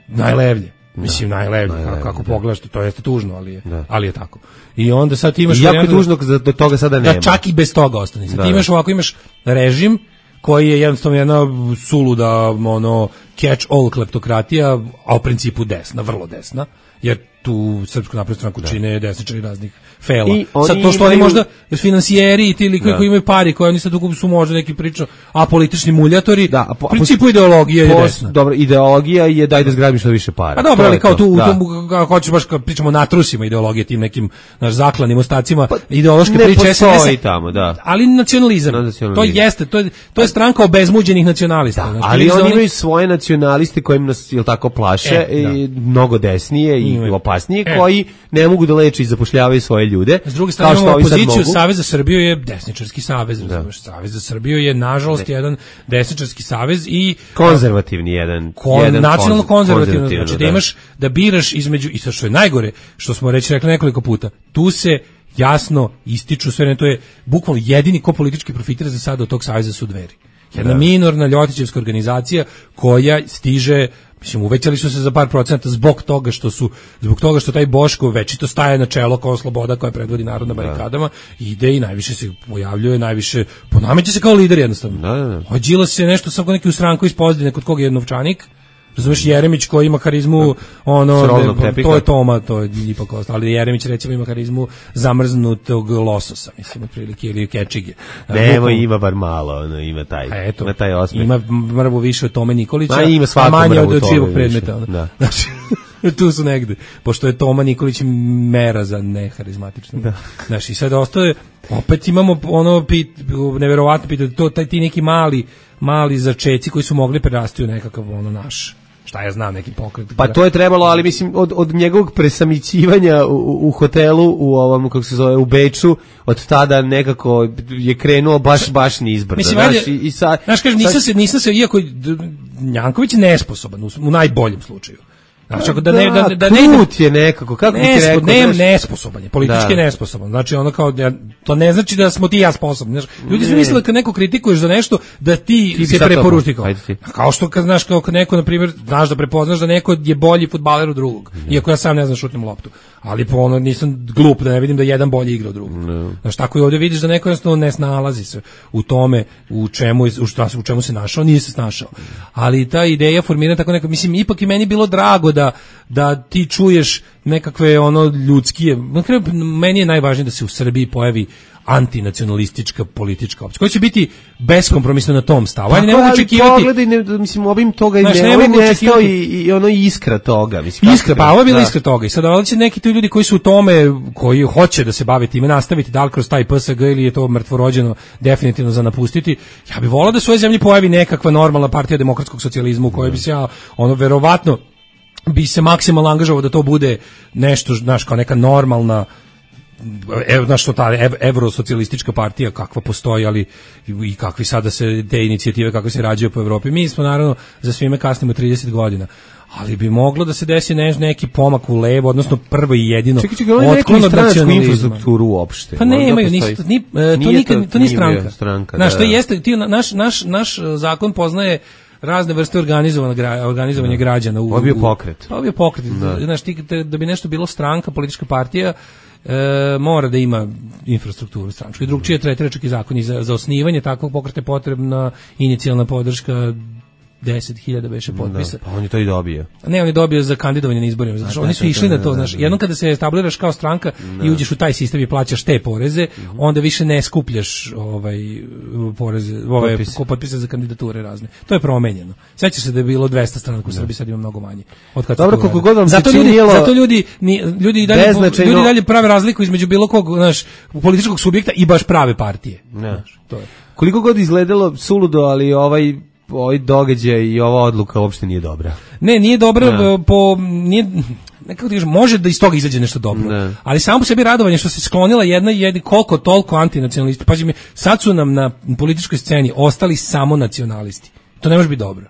najlevlje. Mislim, najlevi, kako, kako pogledaš, to jeste tužno, ali je, ali je tako. I onda sad ti imaš... I jako je tužno da do toga sada nema. Da čak i bez toga ostane. Sad ti imaš ovako, imaš režim koji je jednostavno jedna suluda, ono, catch-all kleptokratija, a u principu desna, vrlo desna, jer tu Srpsku naprednu stranku čine desničari raznih fela. Sad to što oni možda finansijeri i ti likovi koji imaju pari, koji oni sad su možda neki priča apolitični muljatori, da, a po, u principu ideologija je desna. Dobro, ideologija je daj da zgrabim što više para. A dobro, ali kao tu, u tom, kako hoćeš baš kad pričamo natrusima ideologije, tim nekim naš zaklanim ostacima, pa, ideološke priče S N S tamo, da. Ali nacionalizam, nacionalizam. To jeste, to je, to je stranka obezmuđenih nacionalista. Da, znači, ali oni imaju svoje nacionaliste kojim nas, jel tako, plaše, e, i mnogo desnije i opasnije, e. koji ne mogu da leče i zapošljavaju svoje ljude. S druge strane, imamo opoziciju, Savez za Srbiju je desničarski savez, razumiješ, Savez za Srbiju je, nažalost, ne. jedan desničarski savez i... Konzervativni jedan. Kon, jedan nacionalno konzervativno, znači da, da imaš, da biraš između, i što je najgore, što smo reći rekli nekoliko puta, tu se jasno ističu sve, ne, to je bukvalno jedini ko politički profitira za sada od tog saveza su Dveri. Jedna da. minorna ljotićevska organizacija koja stiže, mislim, uvećali su se za par procenta zbog toga što su, zbog toga što taj Boško večito staje na čelo kao sloboda koja predvodi narod na barikadama, ide i najviše se pojavljuje, najviše ponameće se kao lider jednostavno. Da, da, da. Ođila se nešto samo neki u stranku iz Pozdine kod koga je novčanik. Razumeš, Jeremić koji ima harizmu, ono, ne, to je Toma, to je ipak ostalo, ali Jeremić recimo ima harizmu zamrznutog lososa, mislim, otprilike, ili kečige. Nevo, ima bar malo, ono, ima taj, a eto, ima taj osmeh. Ima mrvu više od Tome Nikolića, a, ima a manje od živog predmeta. Ono. Da. Znači, tu su negde, pošto je Toma Nikolić mera za neharizmatično. Da. Znači, i sad ostaje, opet imamo ono, pit, neverovatno pitanje, to, taj ti neki mali, mali začeci koji su mogli prerasti u nekakav ono naš, šta ja znam, neki pokret. Pa to je trebalo, ali mislim od od njegovog presamićivanja u, u hotelu u ovom, kako se zove, u Beču, od tada nekako je krenuo baš baš nizbrdo. Mislim, znaš, i, i sad, znaš, kažem, nisam se, nisam se, iako Janković je nesposoban u, u najboljem slučaju. Znači, da, da ne da da ne je nekako, kako ti rekao, ne, nesposoban je, politički da. nesposoban. Znači ono kao ja, to ne znači da smo ti ja sposobni, znači ljudi su mislili kad neko kritikuješ za nešto da ti, ti se preporuči kao. Kao što kad znaš kao kad neko na primjer znaš da prepoznaš da neko je bolji fudbaler od drugog, ne. iako ja sam ne znam šutnem loptu. Ali po ono nisam glup da ne vidim da jedan bolji igra od drugog. Ne. Znači tako i ovdje vidiš da neko jednostavno ne snalazi se u tome u čemu u, šta, u čemu se našao, nije se snašao. Ali ta ideja formira tako neko, mislim ipak i meni bilo drago da da ti čuješ nekakve ono ljudskije, na kraju meni je najvažnije da se u Srbiji pojavi antinacionalistička politička opcija koja će biti beskompromisno na tom stavu. Ajde, ne mogu očekivati. Pogledaj, ne, mislim, ovim toga znaš, ne, ne mogu očekivati i, i ono iskra toga. Mislim, iskra, pa ovo je bila iskra toga. I sad ovdje će neki tu ljudi koji su u tome, koji hoće da se bave time, nastaviti da li kroz taj P S G ili je to mrtvorođeno definitivno za napustiti. Ja bih volao da se u ovoj zemlji pojavi nekakva normalna partija demokratskog socijalizma u kojoj bi se ja, ono, verovatno bi se maksimalno angažovao da to bude nešto, znaš, kao neka normalna, evo, znaš, što ta ev, evrosocijalistička partija kakva postoji, ali i kakvi sada se te inicijative kakve se rađaju po Evropi. Mi smo naravno za svime kasnimo trideset godina, ali bi moglo da se desi ne, neki pomak u levo, odnosno prvo i jedino otklon od nacionalizma. Infrastrukturu uopšte. Pa ne, imaju, nisu, ni, to, nije nikad, to, to nije stranka. stranka znaš, da, to jeste, ti, naš, naš, naš zakon poznaje razne vrste organizovanja građana. Ovo je bio pokret. Ovo je pokret. Znaš, ti, da bi nešto bilo stranka, politička partija, e, mora da ima infrastrukturu stranačku. I drugčije tretira čak i zakon. I za, za osnivanje takvog pokreta je potrebna inicijalna podrška deset hiljada beše potpisa. Da, pa on je to i dobio. Ne, on je dobio za kandidovanje na izborima. Znači, oni su išli na to, znaš. Jednom kada se establiraš kao stranka i uđeš u taj sistem i plaćaš te poreze, onda više ne skupljaš ovaj poreze, ove potpise za kandidature razne. To je promenjeno. Sećaš se da je bilo dvesta stranaka u Srbiji, sad ima mnogo manje. Od kad dobro, koliko god vam zato ljudi, činjelo, zato ljudi, ni, ljudi i dalje ljudi dalje prave razliku između bilo kog, znaš, političkog subjekta i baš prave partije. Znaš, to je. Koliko god izgledalo suludo, ali ovaj ovaj događaj i ova odluka uopšte nije dobra. Ne, nije dobra ne. po nije nekako ti kažem, može da iz toga izađe nešto dobro. Ne. Ali samo po sebi radovanje što se sklonila jedna jedni koliko toliko antinacionalisti. Pazi mi, sad su nam na političkoj sceni ostali samo nacionalisti. To ne može biti dobro.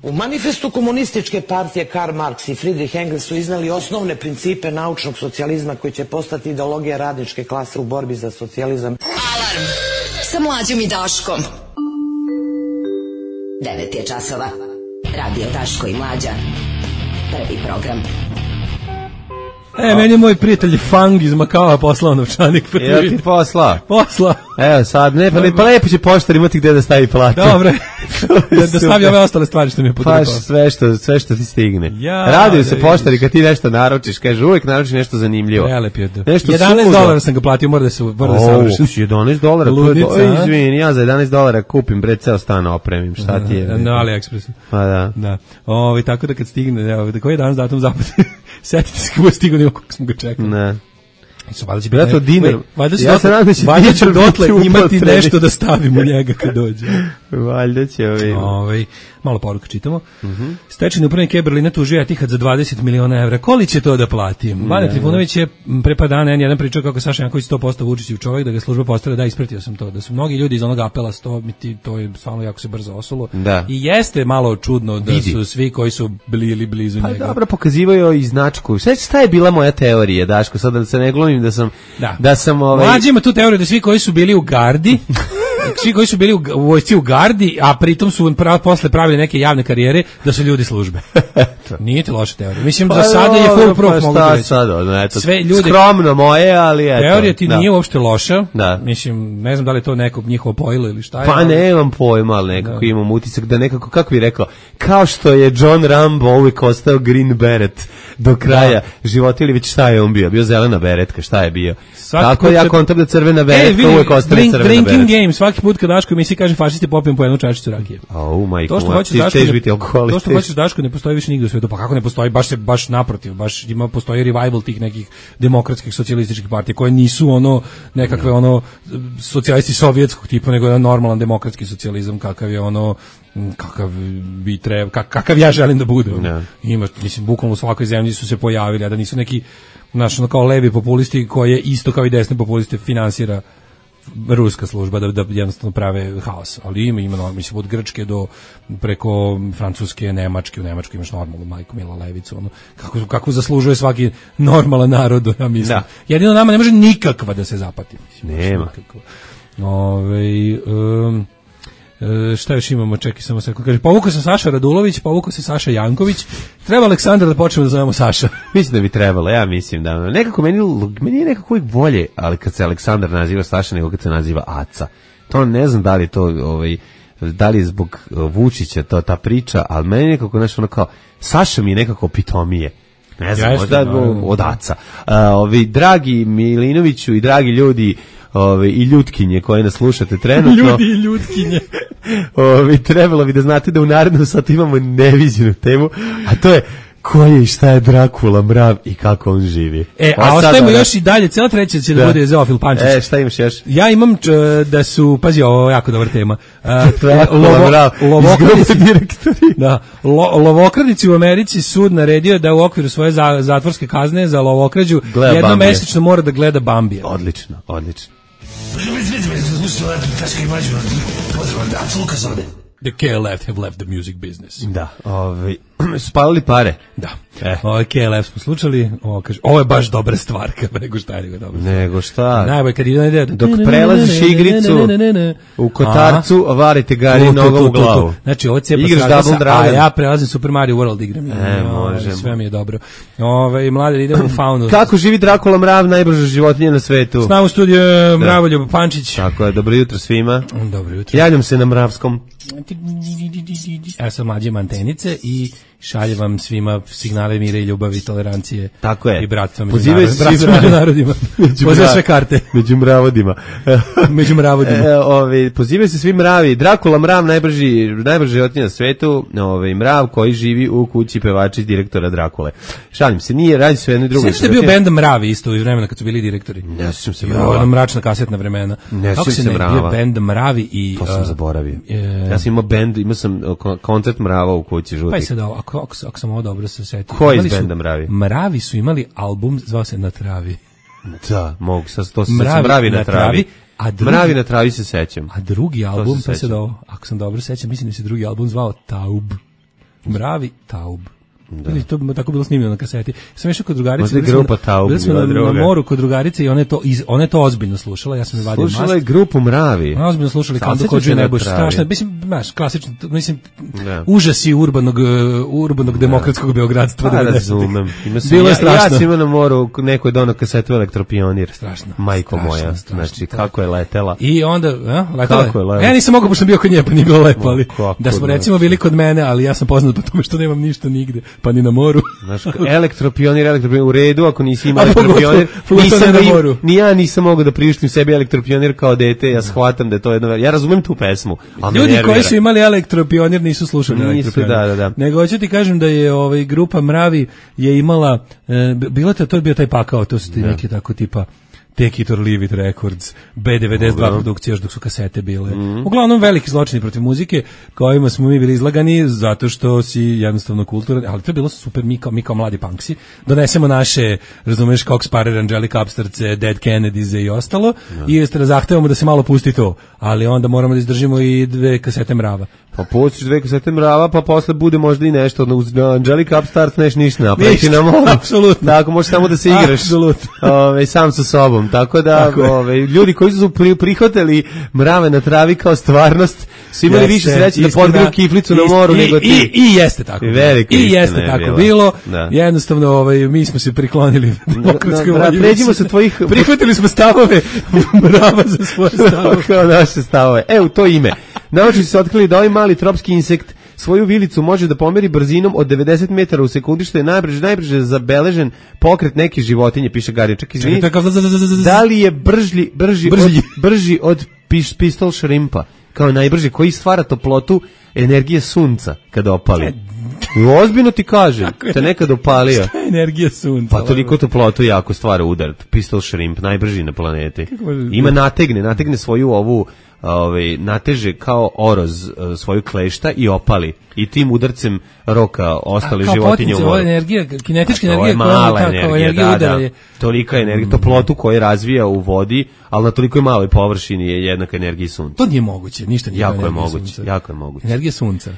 U manifestu komunističke partije Karl Marx i Friedrich Engels su iznali osnovne principe naučnog socijalizma koji će postati ideologija radničke klase u borbi za socijalizam. Alarm sa Mlađom i Daškom. devet je časova. Radio Daško i Mlađa. Prvi program. E, meni je moj prijatelj Fang iz Makava poslao novčanik. Evo ti posla. Posla. Evo sad, ne, pa, pa lepo će poštar imati gde da stavi platu. Dobre. da, da stavi ove ostale stvari što mi je potrepao. Pa sve što, sve što ti stigne. Ja, Raduju se poštari kad ti nešto naručiš, kaže uvek naručiš nešto zanimljivo. Prelep je. Nešto jedanaest dolara sam ga platio, mora da se mora da savršim. jedanaest dolara, izvini, ja za jedanaest dolara kupim bre ceo stan opremim, šta ti je? Na AliExpressu. Pa da. Da. Ovaj tako da kad stigne, evo, da koji je danas datum zapad. Setite se kako stigne, nego kako smo ga čekali. Ne. Su valjda će biti. Ja to dinar. Valjda ja se nadam da će valjda će dotle imati nešto da stavimo njega kad dođe. Valjda će ovi. Ovaj malo poruka čitamo. Mhm. Mm Stečajni upravnik Berlina tužio Etihad za dvadeset miliona evra. Koliko će to da plati? Vanja Trifunović je pre par dana jedan pričao kako Saša Janković sto posto Vučićev čovjek, da ga služba postara, da ispratio sam to, da su mnogi ljudi iz onog apela sto, to je stvarno jako se brzo osulo. Da. I jeste malo čudno da Vidi. Su svi koji su bili ili blizu pa njega. Pa dobro, pokazivaju i značku. Sve šta je bila moja teorija, Daško, sad da se ne glumim da sam da, da sam ovaj Mlađi ima tu teoriju da svi koji su bili u gardi svi koji su bili u, u vojsci u gardi, a pritom su prav, posle pravili neke javne karijere, da su ljudi službe. Nije to loša teorija. Mislim, pa za sada je full proof, pa mogu da reći. Sad, ono, eto, sve ljudi, skromno moje, ali eto. Teorija ti da. Nije uopšte loša. Da. Mislim, ne znam da li je to neko njihovo pojilo ili šta je. Pa ali... nemam pojma, ali nekako da. Imam utisak da nekako, kako bi rekao, kao što je John Rambo uvijek ostao Green Beret do kraja da. Života, ili već šta je on bio? Bio zelena beretka, šta je bio? Svaki tako ja kontam da crvena beretka e, uvijek ostane drink, crvena drinking beretka. Game, svaki put kad Daško emisiji kaže fašisti popijem po jednu čašicu rakije. Oh, majko, to što hoćeš Daško, ne, to što hoćeš Daško ne postoji više nigde u svijetu. Pa kako ne postoji? Baš se baš naprotiv, baš ima postoji revival tih nekih demokratskih socijalističkih partija koje nisu ono nekakve ono socijalisti sovjetskog tipa, nego jedan normalan demokratski socijalizam kakav je ono kakav bi treba, kak, kakav ja želim da bude. No. Ima, mislim, bukvalno u svakoj zemlji su se pojavili, a da nisu neki, znaš, ono kao levi populisti koje isto kao i desni populisti finansira ruska služba da, da jednostavno prave haos. Ali ima, ima, mislim, od Grčke do preko Francuske, Nemačke, u Nemačkoj imaš normalnu majku Mila Levicu, ono, kako, kako zaslužuje svaki normalan narod, ja mislim. Da. Jedino nama ne može nikakva da se zapati. Mislim, nema. Ove, um, E, šta još imamo, čekaj samo sekund. Kaže, povukao sam Saša Radulović, povukao se Saša Janković. Treba Aleksandar da počnemo da zovemo Saša. Mislim da bi trebalo, ja mislim da nekako meni, meni je nekako uvijek bolje, ali kad se Aleksandar naziva Saša nego kad se naziva Aca. To ne znam da li to ovaj, da li je zbog Vučića to ta priča, ali meni nekako nešto ono kao Saša mi je nekako pitomije. Ne znam, Jeste, možda od Aca. A, ovi dragi Milinoviću i dragi ljudi Ove, i ljutkinje koje nas slušate trenutno. Ljudi i ljutkinje. Ove, trebalo bi da znate da u narednom satu imamo neviđenu temu, a to je ko je i šta je Drakula mrav i kako on živi. E, a, a ostajemo još i dalje, cijela treća će da, da bude Zofil Pančić. E, šta imaš još? Ja imam č, da su, pazi, ovo je jako dobra tema. Uh, Drakula mrav, izgrubni direktori. Da, lo, lovokradici u Americi sud naredio da u okviru svoje za, zatvorske kazne za lovokrađu jednom mesečno mora da gleda Bambija. Odlično, odlično. The K L F have left the music business. Da, ovaj spalili pare. Da. E. Ovo K L F smo slušali, ovo kaže, ovo je baš dobra stvar, kad nego šta je nego dobro. Nego šta? Najbolje kad ide dok prelaziš igricu u kotarcu, varite gari nogom u glavu. Znači, ovo cepa sa, a ja prelazim Super Mario World igram. E, možemo. Sve mi je dobro. Ove, mlade, idemo u faunu. Kako živi Drakula mrav, najbrža životinja na svetu? S nama u studiju Mravoljub Pančić. Tako je, dobro jutro svima. Dobro jutro. Javljam se na Mravskom. Ja sam mlađe antenice i šaljem vam svima signale mira i ljubavi, tolerancije. Tako je. I bratstva među, Pozivaju narod, bratstva među narodima. Pozivaju sve karte. Među mravodima. među mravodima. E, ove, pozivaju se svi mravi. Drakula mrav, najbrži, najbrži životinja na svetu. Ove, mrav koji živi u kući pevači direktora Drakule. Šalim se, nije, radi se o jednoj drugoj. Sve što je bio bend Mravi isto u vremena kad su bili direktori. Ne sjećam se Mrava. Ona mračna kasetna vremena. Ne Kako se ne bio bend Mravi i... To sam uh, zaboravio. Je... Ja sam imao bend, imao sam koncert Mrava u kući žutih. Pa i sad, ako, ako, ako sam ovo dobro se setio. Ko je iz benda Mravi? Mravi su imali album, zvao se Na travi. Da, mogu, sad to se Mravi, Mravi na, na travi. travi. A drugi, Mravi na travi se sećam. A drugi album, pa se da, ako sam dobro sećam, mislim da se drugi album zvao Taub. Mravi Taub. Da. Ili to tako bilo snimljeno na kaseti. Sam išao kod drugarice, bili smo, na, bili smo na, na moru kod drugarice i ona je to, iz, ona je to ozbiljno slušala, ja sam je vadio mast. Slušala je grupu Mravi. Ona ozbiljno slušali Kandu Kodžu i Nebojš, strašno, mislim, znaš, klasično, mislim, da. Užasi urbanog, urbanog demokratskog beogradstva. Pa, razumem. Bilo je strašno. Ja sam imao na moru, neko je donao kasetu Elektropionir. Strašno. Majko strašno, moja, strašno, znači, kako je letela. I onda, a, letela kako je letela? Ja nisam mogao, pošto sam bio kod nje, pa nije bilo lepo, ali da smo recimo bili kod mene, ali ja sam poznat po tome što nemam ništa nigde, pa ni na moru. Znaš, Elektropionir, Elektropionir u redu, ako nisi imao Elektropionir, nisam ga im, ni ja nisam mogao da priuštim sebi Elektropionir kao dete, ja shvatam da je to jedno, ja razumem tu pesmu. Ljudi koji su imali Elektropionir nisu slušali nisu, Elektropionir. Da, da, da. Nego hoću ti kažem da je ovaj grupa Mravi je imala, e, bilo to, to je bio taj pakao, to su ti neki tako tipa Take It or Leave It Records, B devedeset dva produkcije još dok su kasete bile. Mm. Uglavnom veliki zločini protiv muzike kojima smo mi bili izlagani zato što si jednostavno kulturan, ali to je bilo super, mi kao, mi kao mladi punksi donesemo naše, razumeš, Cox Parer, Angelica Upstartse, Dead Kennedys i ostalo ja. I zahtevamo da se malo pusti to, ali onda moramo da izdržimo i dve kasete Mrava. Pa pustiš dve kasete Mrava, pa posle bude možda i nešto, uz Angelica Upstarts neš ništa napraviti na moru. Apsolutno. Tako, možeš samo da se igraš. Apsolutno. Ove, sam sa sobom. Tako da, tako ove, ljudi koji su pri, prihvatili Mrave na travi kao stvarnost, su imali jeste, više sreće da podgriju kiflicu na moru i, nego ti. I, i jeste tako. I, I jeste tako bilo. bilo. Da. Jednostavno, ovaj, mi smo se priklonili demokratskoj volji. Pređimo se tvojih... Prihvatili smo stavove Mrava za svoje stavove. Kao naše stavove. E, u to ime. Naučnici su otkrili da ovaj mali tropski insekt svoju vilicu može da pomeri brzinom od devedeset metara u sekundi, što je najbrže, najbrže zabeležen pokret neke životinje, piše Garin. Čak izvini, da li je brži, brži, brži. Od, brži od piš, pistol šrimpa, kao najbrži, koji stvara toplotu energije sunca kada opali. Ozbiljno ti kažem, te nekad opalio. Šta je energija sunca? Pa toliko toplotu jako stvara udar. Pistol shrimp, najbrži na planeti. Ima nategne, nategne svoju ovu, ovaj, nateže kao oroz svoju klešta i opali. I tim udarcem roka ostale životinje u moru. Kao energija, kinetička energija, je mala koja energija, energija da, udara je. Da, tolika energija, toplotu koju razvija u vodi, ali na toliko maloj površini je jednaka energiji sunca. To nije moguće, ništa nije jako je moguće, sunca. Jako je moguće. Energija sunca.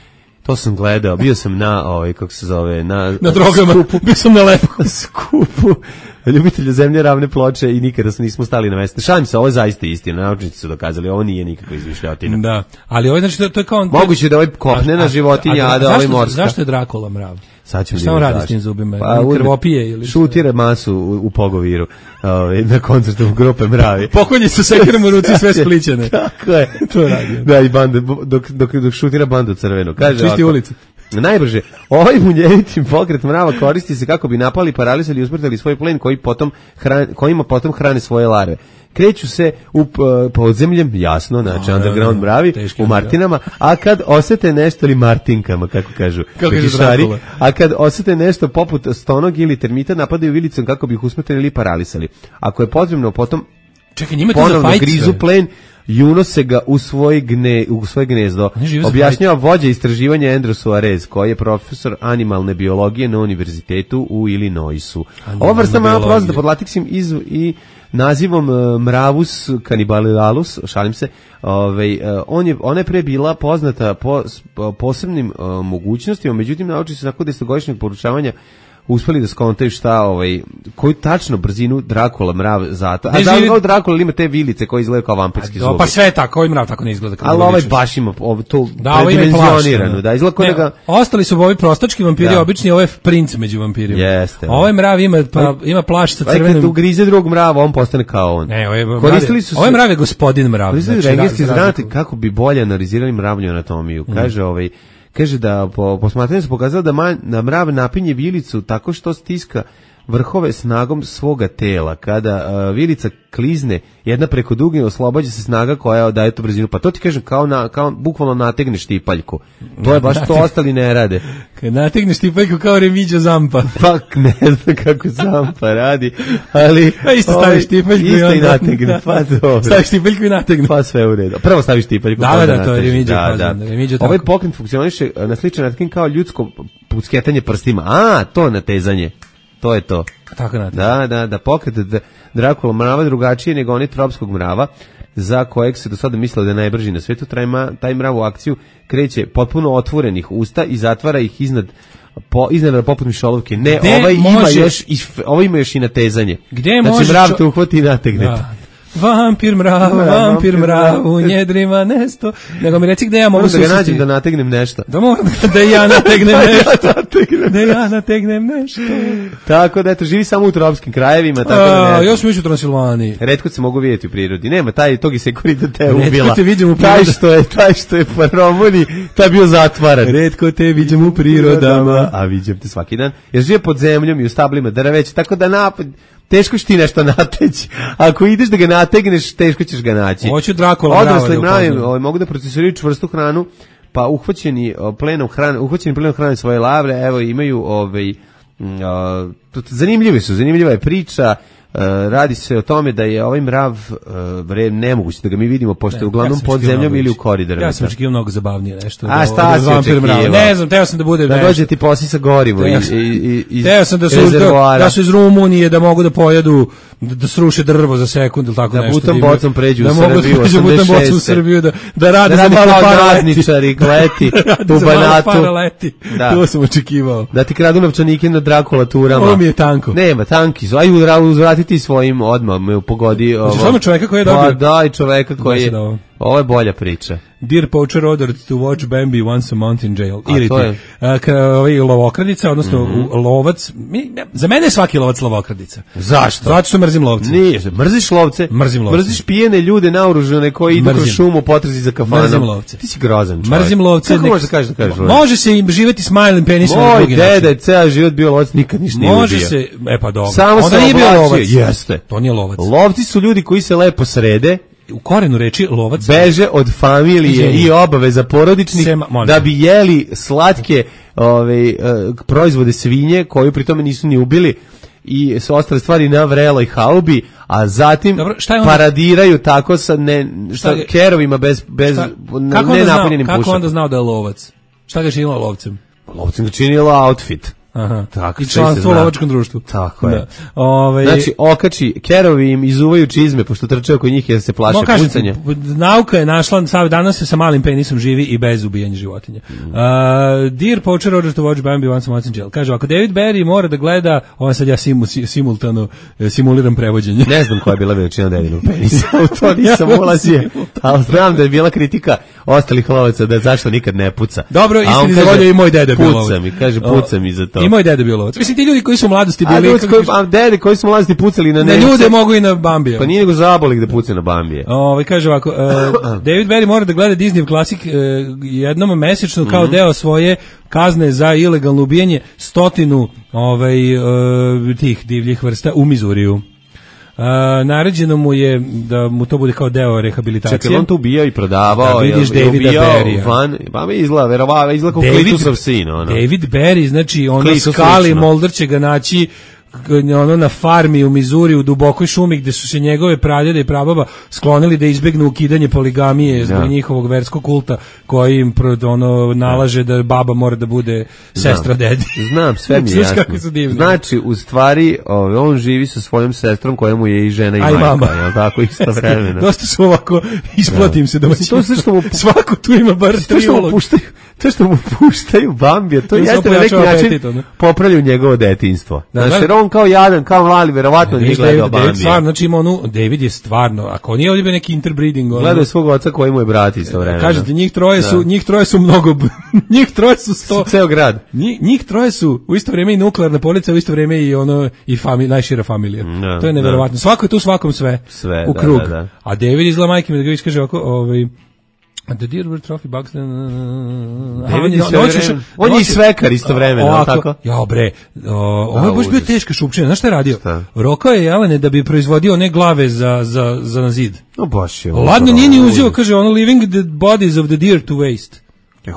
To sam gledao, bio sam na, ovaj, kako se zove, na... Na drogama, skupu, bio sam na lepo. skupu ljubitelja zemlje ravne ploče i nikada se nismo stali na mesto. Šalim se, ovo je zaista istina, naučnici su dokazali, ovo nije nikakva izmišljotina. Da, ali ovo je, znači, to, to je kao... Moguće da ovo je kopnena životinja, a, a, a da ovo je morska. Zašto je Drakula mrav? Sad ćemo šta on radi s tim zubima? Pa, krvopije ili šutira masu u, u Pogoviru, ovaj, na koncertu grupe Mravi. Pokolji su sekirom u ruci sve spličene. Tako je. To radi. Da, i bande, dok, dok, dok šutira bandu crvenu. Kaže čisti ulicu. Najbrže, ovaj munjevitim pokret Mrava koristi se kako bi napali, paralisali i usmrtili svoj plen koji potom hran, kojima potom hrane svoje larve. Kreću se u podzemljem, jasno, znači underground Mravi, u Martinama, a kad osete nešto, ili Martinkama, kako kažu, kako šari, a kad osete nešto poput stonog ili termita, napadaju vilicom kako bi ih usmrtili ili paralisali. Ako je potrebno, potom čekaj, njima ponovno grizu plen i unose ga u svoj, gne, u svoj gnezdo. Objašnjava vođa istraživanja Andrew Suarez, koji je profesor animalne biologije na univerzitetu u Illinoisu. Ova vrsta mrava poznata pod latiksim iz i nazivom uh, Mravus cannibalilalus, šalim se, ovaj, uh, on je, ona je pre bila poznata po uh, posebnim uh, mogućnostima, međutim naučnici su nakon desetogodišnjeg poručavanja uspeli da skontaju šta, ovaj, koju tačno brzinu Drakula mrav zato. A da li Drakula ima te vilice koje izgledaju kao vampirski zubi? Pa sve tako, ovaj mrav tako ne izgleda. Ali ovaj baš ima ovo, to da, predimenzionirano. Da, izgleda ne, ga... Ostali su ovi prostački vampiri, da. Obični, ovo je princ među vampirima. Jeste. Ovaj mrav ima, pa, ima plašt sa crvenim... Kad ugrize drugog mrava, on postane kao on. Ne, ovaj, koristili su... Ovaj mrav je gospodin mrav. Koristili znači, rengenski znati kako bi bolje analizirali mravlju anatomiju. Mm. Kaže ovaj... Kaže da po posmatranju se pokazalo da, man, da mrav napinje vilicu tako što stiska vrhove snagom svoga tela. Kada uh, vilica klizne jedna preko druge, oslobađa se snaga koja daje tu brzinu. Pa to ti kažem kao, na, kao bukvalno nategneš štipaljku. To je baš to, ostali ne rade. Kad nategneš štipaljku kao Remiđo Zampa. Pa ne znam kako Zampa radi, ali... Pa isto staviš štipaljku i onda... Isto i nategne, pa dobro. Staviš štipaljku i nategne. Pa sve u redu. Prvo staviš štipaljku. Da, da, da, to je Remiđo. Da, da. Remiđo ovaj pokret funkcioniše na sličan način kao ljudsko pucketanje prstima. A, to natezanje. To je to. Tako na da, da, da pokret Drakula mrava drugačije nego oni tropskog mrava, za kojeg se do sada mislilo da je najbrži na svetu. Taj mrav u akciju kreće potpuno otvorenih usta i zatvara ih iznad po iznenada poput mišolovke. Ne, Gde ovaj može... ima još i ovaj ima još i natezanje. Gde znači može mrav čo... te uhvati i nategne. Da. Vampir mrav, vampir mrav, u njedrima nesto. Nego mi reci gde ja mogu da ga nađem da nategnem nešto. Da moram da ja nategnem nešto. Da ja nategnem nešto. Tako da eto, živi samo u tropskim krajevima. Tako da ne. Ja sam još u Transilvaniji. Retko se mogu vidjeti u prirodi. Nema, taj tog i sekurita te ubila. Retko te vidim u prirodama. Taj što je, taj što je po Romuni, taj bio zatvaran. Retko te vidim u prirodama. A vidim te svaki dan. Jer žive pod zemljom i u stablima drveća, tako da napad... Teško će ti nešto nateći. Ako ideš da ga nategneš, teško ćeš ga naći. Hoću Drakula odrasli mravi ovaj, mogu da procesuiraju čvrstu hranu, pa uhvaćeni plenom hrane, uhvaćeni plenom hrane svoje lavre, evo imaju ovaj uh, zanimljivi su, zanimljiva je priča. Uh, radi se o tome da je ovaj mrav uh, nemoguće da ga mi vidimo pošto je uglavnom ja pod zemljom ili u koridorima. Ja sam očekivao mnogo zabavnije nešto. A šta si očekivao? Ne znam, teo sam da bude da dođe ti posisa gorivo i i i teo sam da su da su iz Rumunije da mogu da pojedu da, da sruše drvo za sekund ili tako da nešto. Butom bocom pređu da u Srbiju, da butom bocom u Srbiju da da rade da za malo radničari kleti u Banatu. Da. To sam očekivao. Da ti kradu novčanike na Drakulaturama. Ovo mi je tanko. Nema, tanki su. Aj uzvratiti svojim odmah me pogodi ovo. Znači samo čoveka koji je dobio. Pa da, i čoveka koji je. Ovo je bolja priča. Dear poacher ordered to watch Bambi once a month in jail. Ili to je? Ovaj lovokradica, odnosno mm-hmm. lovac. Mi, ne, za mene je svaki lovac lovokradica. Zašto? Zato što mrzim lovce. Nije, mrziš lovce? Mrzim lovce. Mrziš pijene ljude naoružane koji idu kroz šumu potrazi za kafanom. Mrzim lovce. Ti si grozan čovjek. Mrzim lovce. Kako možeš da kažeš da kažeš lovce? Može se im živjeti smiling penisom. Moj deda je ceo život bio lovac, nikad ništa nije ubio. Može se, e pa dobro. Samo onda nije bio lovac. Jeste. To nije lovac. Lovci su ljudi koji se lepo srede. U korenu reči lovac beže od familije i obaveza porodičnih Sema, da bi jeli slatke ove, uh, proizvode svinje koju pri tome nisu ni ubili i su ostale stvari na vreloj haubi, a zatim Dobro, šta paradiraju tako sa ne, šta je, kerovima bez, bez šta, ne napunjenim pušakom. Kako onda znao da je lovac? Šta ga činila lovcem? Lovcem ga činila outfit. Aha. Tako, i članstvo u lovačkom društvu. Tako je. Da. Ove... Znači, okači, kerovi im izuvaju čizme, pošto trče oko njih jer se plaše no, pucanja. Nauka je našla, sad danas se sa malim penisom živi i bez ubijanja životinja. Mm. Uh, dear poacher ordered to watch Bambi once a month in jail. Kaže, ako David Barry mora da gleda, ovo sad ja simu, simultano simuliram prevođenje. Ne znam koja je bila veličina Davidinog penisa, u to nisam ulazio, ali znam da je bila kritika ostalih lovaca da zašto nikad ne puca. Dobro, istini za volju i moj deda bio lovac. Puca mi, kaže, puca mi za to. I moj deda bio lovac. Mislim, ti ljudi koji su u mladosti bili... A, ljudi koji, a dede koji su u mladosti pucali na Nemce... Na ljude mogu i na Bambija. Pa nije nego zabolik da puca na Bambije. Ovaj kaže ovako, uh, David Barry mora da gleda Disney klasik uh, jednom mesečno kao mm-hmm. deo svoje kazne za ilegalno ubijanje stotinu ovaj, uh, tih divljih vrsta u Mizuriju. Uh, naređeno mu je da mu to bude kao deo rehabilitacije. Čekaj, on to ubijao i prodavao. Da vidiš je, Davida Barrya. Van, pa mi izgleda, verovava, izgleda kao Klitusov sin. Ono. David Barry, znači ono skali Mulder će ga naći ono na farmi u Mizuri u dubokoj šumi gde su se njegove pradjede i prababa sklonili da izbegnu ukidanje poligamije zbog ja. njihovog verskog kulta koji im ono nalaže da baba mora da bude sestra Znam. dedi. Znam, sve mi je jasno. Znači, u stvari, on živi sa svojom sestrom koja mu je i žena i Aj, majka, mama. jel tako, isto vremena. Dosta su ovako, isplatim ja. se da to što mu svako tu ima bar tri ulog. To što mu puštaju Bambija, to jeste na neki način popravljaju njegovo detinjstvo. Znači, jer on kao jadan, kao mali, verovatno nije gledao Bambija. Stvarno, znači ima onu, David je stvarno, ako nije ovdje bio neki interbreeding. Gledao je svog oca koji mu je brat isto vremena. Kažete, njih troje su, njih troje su mnogo, njih troje su sto. Ceo grad. Njih, njih troje su u isto vrijeme i nuklearna policija, u isto vrijeme i ono, i fami, najšira familija. No, to je neverovatno. No. Svako je tu svakom sve. Sve, u da, krug. da, da. A David izgleda majke mi da ga viš kaže ovako, ovaj, The Dearwood Trophy Bucks. On je sve on je svekar isto vremena, tako? Ja bre, ovo je baš bio teška šupčina. Znaš šta je radio? Rokao je Jelene da bi proizvodio one glave za za za na zid. No baš je. Ladno nije ni uzeo, kaže ono leaving the bodies of the deer to waste.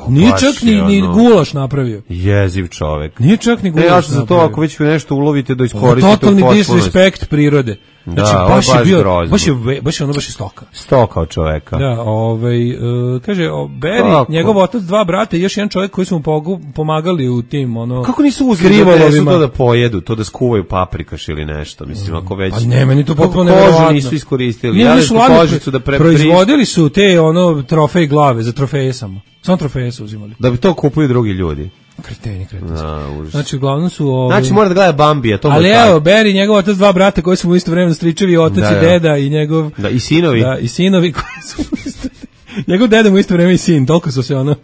Nije čak ni, ni gulaš napravio. Jeziv čovek. Nije čak ni gulaš napravio. Ja sam za to, ako već nešto ulovite da iskoristite u potpunosti. Totalni disrespekt prirode. Znači, da, baš, baš je bio, grozno. baš je, baš je ono baš je stoka. Stoka od čoveka. Da, ovaj, uh, kaže, o, Barry, njegov otac, dva brata i još jedan čovjek koji su mu pogu, pomagali u tim, ono... Kako nisu uzeli da su to da pojedu, to da skuvaju paprikaš ili nešto, mislim, ako već... Pa ne, meni to potpuno nevjerovatno. Kožu nisu iskoristili, Nije, ali su su kožicu da pre... Proizvodili su te, ono, trofej glave, za trofeje samo. Samo trofeje su uzimali. Da bi to kupuju drugi ljudi. Kreteni, kreteni. A, znači, uglavnom su... Ovi... Znači, mora da gleda Bambija, to ali evo, Barry, njegov otac, dva brata koji su mu isto vremena stričevi, otac da, i deda i njegov... Da, i sinovi. Da, i sinovi koji su mu isto... Njegov deda mu isto vreme i sin, toliko su se ono...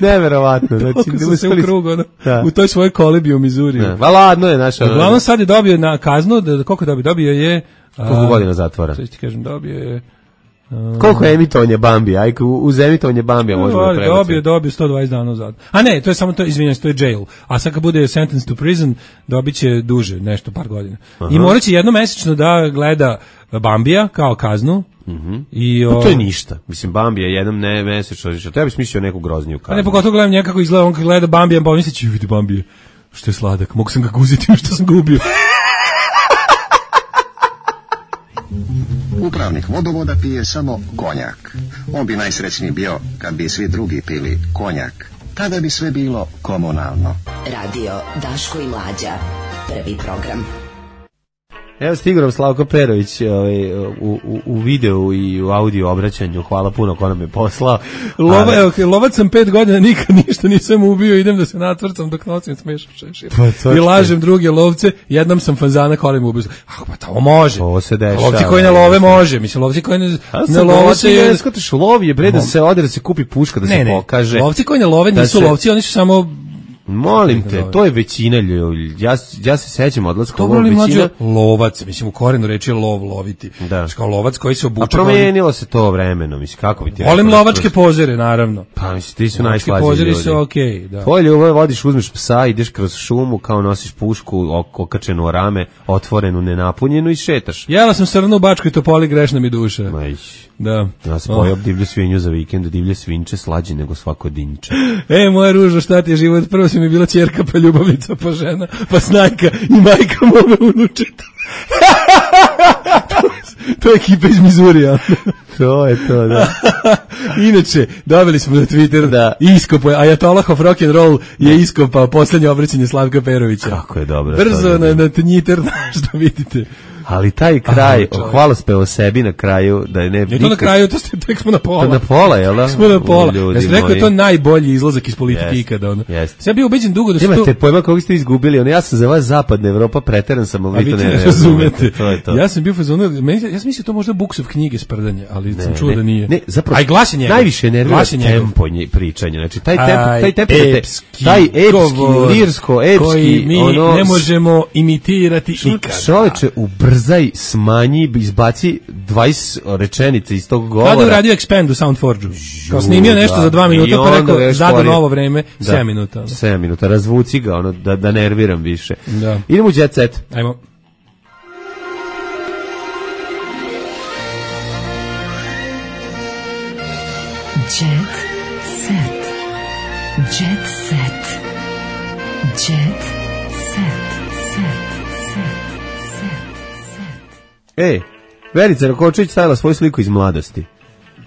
Neverovatno. Znači, toliko su se u krug, ono, da. U toj svojoj kolibi u Mizuriju. Va ladno je naša... Uglavnom sad je dobio na kaznu, da, koliko dobio? Dobio je... Koliko godina zatvora? Što ti kažem, dobio je... Uh, Koliko je emitovanje Bambija? Aj, uz emitovanje Bambija možemo da prebaciti. Dobio, dobio sto dvadeset dana uzad. A ne, to je samo to, izvinjam se, to je jail. A sad kad bude sentence to prison, dobit će duže, nešto, par godina. Aha. I morat će jednomesečno da gleda Bambija kao kaznu. Mm-hmm. I, o... Pa to je ništa. Mislim, Bambija jednom ne mesečno, to ja bih smislio neku grozniju kaznu. A ne, pogotovo gledam njega kako izgleda, on kad gleda Bambija, pa misli će, vidi Bambije, što je sladak, mogu sam ga guziti, što sam ga ubio. Upravnik vodovoda pije samo konjak. On bi najsrećniji bio kad bi svi drugi pili konjak. Tada bi sve bilo komunalno. Radio Daško i Mlađa. Prvi program. Evo stigao Slavko Perović ovaj, u, u, u videu i u audio obraćanju. Hvala puno ko nam je poslao. Lova, ali... evo, lovac sam pet godina, nikad ništa nisam ubio, idem da se natvrcam dok nosim smešao šešir. Pa, I lažem druge lovce, jednom sam fazana kolim ubio. Ah, pa to može. To se dešava. Lovci koji ne love može. Mislim, lovci koji ne, ne love se... Ne skotiš, lov je bre da se ode, da se kupi puška, da ne, se ne. pokaže. Lovci koji ne love nisu se... lovci, oni su samo... Molim te, to je većina ljudi. Ja, ja se sećam odlaska u većina... lovac, mislim, u korenu reči je lov, loviti. Da. Kao lovac koji se obuče... A promenilo se to vremeno, mislim, kako bi ti... Volim lovačke pozere, naravno. Pa, mislim, ti su najslađi ljudi. Pozeri su okej, okay, da. Tvoje ljubav, vodiš, uzmeš psa, ideš kroz šumu, kao nosiš pušku, okačenu o rame, otvorenu, nenapunjenu i šetaš. Jela sam srnu u Bačkoj Topoli, grešna mi duša. Majš. Da. Ja sam pojao divlju svinju za vikend, divlje svinče slađe nego svako dinče. E, moja ružo, šta ti je život? Prvo si mi bila ćerka, pa ljubavnica, pa žena, pa snajka i majka mome unučeta. to, to je ekipa iz Mizurija. To je to, da. Inače, dobili smo na Twitter da iskopao, Ajatolah of Rock'n'Roll je iskopao poslednje obraćanje Slavka Perovića. Kako je dobro. Brzo na, na Twitter, što vidite. Ali taj kraj, hvalospev o sebi na kraju, da je ne... Ne to na kraju, to ste, tek smo na pola. To na pola, jel da? Smo na pola. Ja sam rekao, je to najbolji izlazak iz politike yes, ikada. Ono. Yes. Sam bio ubeđen dugo da su to... Imate pojma kako ste izgubili, ono, ja sam za vas zapadna Evropa, preteran sam, ali vi to ne razumete. To je to. Ja sam bio fazonu, ja sam mislio to možda Buksov knjige sprdanje, ali ne, sam čuo ne, da nije. Ne, zapravo, aj glas je njegov. Najviše nervira tempo pričanja, znači taj tempo, taj tempo, epski, taj epski, lirsko, epski, koji mi ono, ne možemo imitirati ikada. Čoveče, ubrzaj, smanji, izbaci dvadeset rečenica iz tog govora. Kada je uradio Expand u Soundforge-u? Kao snimio nešto da, za dva minuta, pa rekao, zada novo vreme, da, sedam minuta. Ono. sedam minuta, razvuci ga, ono, da, da nerviram više. Da. Idemo u Jet Set. Ajmo. Jet Set. Jet Set. Jet Set. Ej, Verica Rakočević stavila svoju sliku iz mladosti.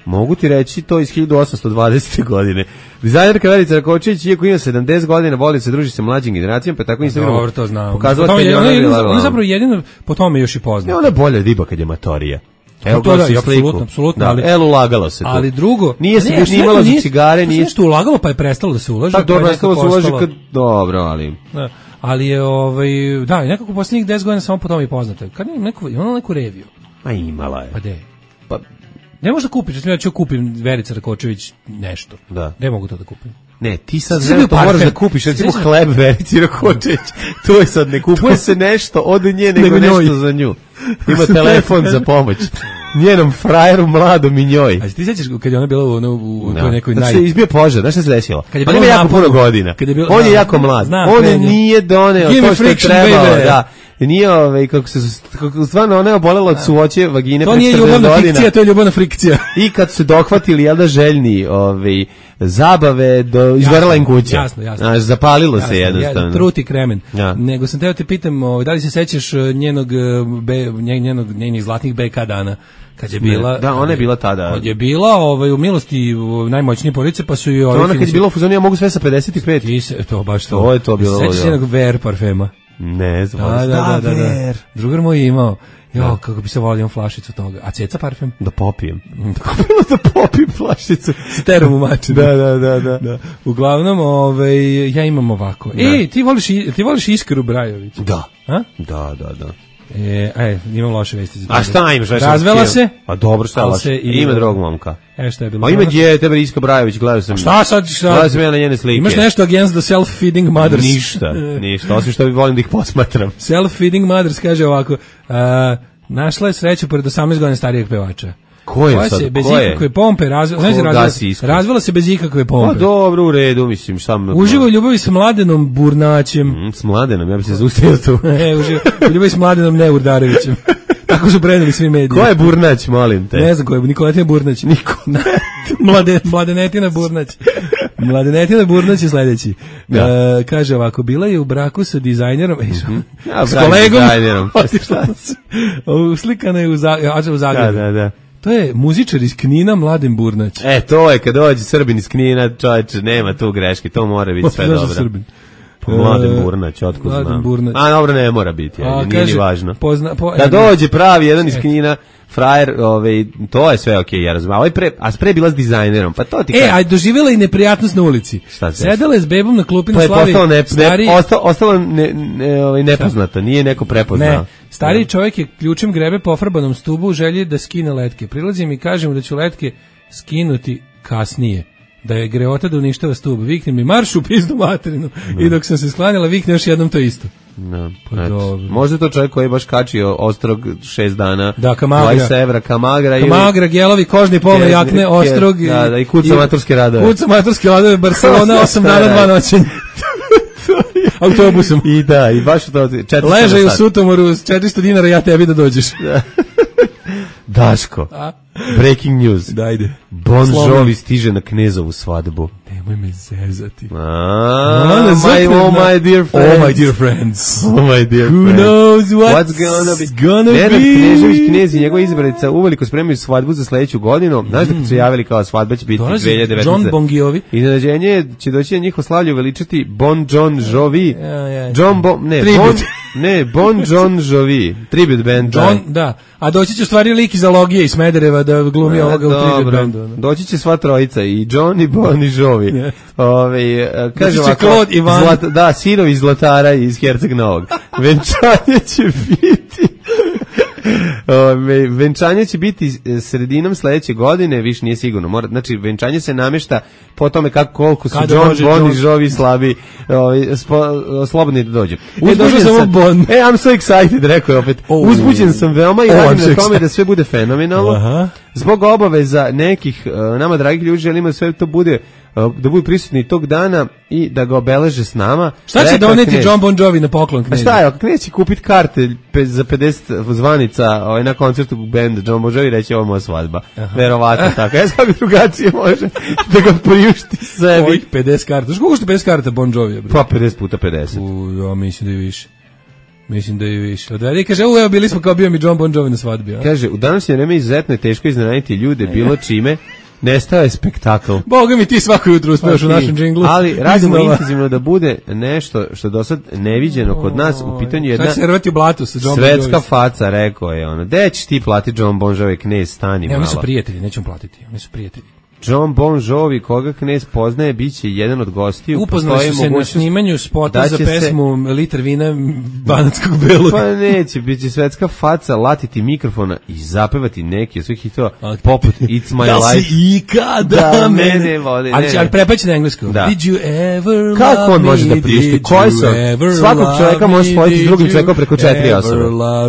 Mogu ti reći to iz hiljadu osamsto dvadesete godine. Dizajnerka Verica Rakočević, iako ima sedamdeset godina, voli se druži sa mlađim generacijama, pa tako Instagramu. Dobro, to znam. Pokazala je, je ona, je, ona, ona zapravo jedino po tome još i poznata. Ne, ona je bolja riba kad je matorija. Evo to da, apsolutno, apsolutno, ali el ulagalo se to. Ali drugo, nije se ni imalo za cigare, nije što ulagalo, pa je prestalo da se ulaže. Pa dobro, prestalo se ulaže kad dobro, ali da. Ali je ovaj da, i nekako poslednjih deset godina samo po tome i poznata. Kad ima neku, ima neku reviju. Ma imala je. Pa de. Pa ne možeš da kupiš, ja ću kupim Verica Rakočević nešto. Da. Ne mogu to da kupim. Ne, ti sad ne to moraš da kupiš, recimo hleb Verici Rakočević. To je sad ne kupuje se nešto od nje nego nešto za nju. Ima telefon za pomoć. Njenom frajeru mladom i njoj. A ti sećaš kad je ona bila u, ono, u no. toj nekoj naj... Da se izbio požar, znaš šta se desilo? On ima jako puno godina. On je jako mlad. On je nije doneo to što je trebao. Da. nije ovaj kako se kako stvarno ona je obolela od suvoće vagine. To nije ljubavna fikcija, to je ljubavna frikcija. I kad su dohvatili jel da željni ovaj zabave do izgorela im kuća. Jasno, jasno. Znaš, zapalilo jasno, se jednostavno. Truti kremen. Ja. Nego sam teo te pitam, ovaj, da li se sećaš njenog be, njenog njenih zlatnih be ka dana? Kad je bila, da, ona je bila tada. Kad je bila ovaj, u milosti najmoćnije porodice, pa su i ovaj... Ona kad je bila u fuzonu, ja mogu sve sa pedeset pet. I se, to baš to. To je to bilo. Sećaš jednog Ver parfema? Ne znam. Da, da, da, da, da. Drugar moj je imao. Jo, kako bi se volio flašicu toga. A Ceca parfem? Da popijem. Da popijem flašicu. S terom u mačinu. Da, da, da, da, da. Uglavnom, ovaj, ja imam ovako. Da. E, ti voliš, ti voliš Iskaru Brajović? Da. A? Da, da, da. E, aj, imam loše vesti za tebe. A šta imaš? Razvela se? A dobro, šta loše? Ima drugog momka. E, šta je bilo? A ima djete, bre, Iska Brajović, gledao sam. Šta sad? Šta? Gledao sam ja na njene slike. Imaš nešto against the self-feeding mothers? Ništa, ništa, osim što volim da ih posmatram. Self-feeding mothers kaže ovako, uh, našla je sreću pored osamnaest godina starijeg pevača. Ko je sad? Se bez ko je? ikakve pompe razvela, znači razvela, razvela se bez ikakve pompe. Pa dobro, u redu, mislim, šta me... Uživa u ljubavi s Mladenom Burnaćem. Mm, s Mladenom, ja bih se zaustavio tu. E, uživa u ljubavi s Mladenom Neurdarevićem. Tako su preneli svi mediji. Ko je Burnać, molim te? Ne znam ko je, Nikoletina Burnać. Niko. Mlade, Mladenetina Burnać. Mladenetina Burnać je sledeći. Da. E, kaže ovako, bila je u braku sa dizajnerom, mm-hmm. ja, s kolegom, dizajnerom. uslikana je u, za, u Zagrebu. Da, da, da. To je muzičar iz Knina, Mladen Burnać. E, to je, kad dođe Srbin iz Knina, čovječe, nema tu greške, to mora biti sve dobro. Srbin? Mladen Burnać, otkud znam. Burnać. A dobro, ne mora biti, a, nije kaže, ni važno. Pozna, po, da dođe pravi jedan iz Knina, frajer, ovaj, to je sve okej, okay, ja razumijem. Ovaj pre, a pre bila s dizajnerom, pa to ti kaže. E, a doživjela i neprijatnost na ulici. Šta se? Sedela je s bebom na klupi na Slavi. Pa je postalo, ne, stari... ne, ostalo, ostalo ne, ne, ovaj, nepoznato, nije neko prepoznao. Ne, stariji ne. Čovjek je ključem grebe po farbanom stubu u želji da skine letke. Prilazim i kažem da ću letke skinuti kasnije. Da je greota da uništava stub. Vikne mi marš u pizdu materinu. No. I dok sam se sklanjala, vikne još jednom to isto. No. Pa možda to čovjek koji je baš kačio ostrog šest dana. Da, Kamagra. dvadeset evra, Kamagra. Kamagra, gelovi, kožni polne jakne, ostrog. Da, da, i kuca maturske radove. Kuca maturske radove, Barcelona, osam dana, dva noćenja. Autobusom. I da, i baš to. Ležaj u Sutomoru, četiristo dinara, ja tebi da dođeš. Daško, a? Breaking news. Dajde. Bon Jovi stiže na Knezovu svadbu. Nemoj me zezati. Ah, my, oh my dear friends. Oh my dear friends. Oh my dear Who friends. knows what's, what's gonna be. Gonna Nenad be. Knežević Knez i njegova izbranica uveliko spremaju svadbu za sledeću godinu. Znaš da kad su javili kao svadba će biti dve hiljade devetnaeste. John Bon Jovi. Iznenađenje će doći na njihovo slavlje uveličati Bon John Jovi. Ja, ja, John Bon, ne, Bon, ne, Bon John Jovi. Tribute band. John, da. A doći će u stvari lik iz Alogije iz Smedereva da glumi a, ovoga u tribute bandu. Doći će sva trojica, i John, i Bon, i Jovi. Yeah. Ove, kaže ovako, zlat, da, sinovi iz Zlatara i iz Herceg Novog. Venčanje će biti... Ove, venčanje će biti sredinom sledeće godine, više nije sigurno. Mora, znači, venčanje se namešta po tome kako koliko su Kada John, Bon John. I Jovi slabi, ove, spo, slobodni da dođu. Uzbuđen sam, bon. E, I'm so excited, rekao je opet. Oh. Uzbuđen sam veoma i oh, radim na tome da sve bude fenomenalno. Aha. Zbog obaveza nekih uh, nama dragih ljudi želimo da sve to bude da budu prisutni tog dana i da ga obeleže s nama. Šta će doneti Knez? John Bon Jovi na poklon Knez? A šta je, Knez će kupiti karte za pedeset zvanica ovaj, na koncertu benda John Bon Jovi, reći ovo moja svadba. Aha. Verovatno tako. Ja sam drugačije može da ga priušti sebi. Ovih pedeset karta. Što košta pedeset karta Bon Jovi? Pa pedeset puta pedeset. U, ja mislim da je više. Mislim da je više. Odvede i kaže, u, evo bili smo kao bio mi John Bon Jovi na svadbi. A? Kaže, u današnje vreme izuzetno je teško iznenaditi ljude bilo čime. Nestao je spektakl. Boga mi ti svako jutro uspeš u našem džinglu. Ali radimo intenzivno da bude nešto što do sad neviđeno kod nas. U pitanju jedna u blatu sa John svetska Bon faca, rekao je ono. Gde ćeš ti platiti John Bon Jovi, Knez, stani malo. Oni su prijatelji, nećemo platiti. Oni su prijatelji. John Bon Jovi, koga Knez poznaje, biće jedan od gostiju. Upoznali su se na snimanju spota za pesmu se... Litar vina banatskog belog. Pa neće, bit će svetska faca, latiti mikrofona i zapevati neki od svih hitova, poput It's My da Life. Da si ikada da mene voli. Ali, ali prepaći na englesku. Da. Did you ever kako on može me, da priušti? Koji su? Svakog čovjeka može spojiti s drugim čovjekom preko četiri osobe.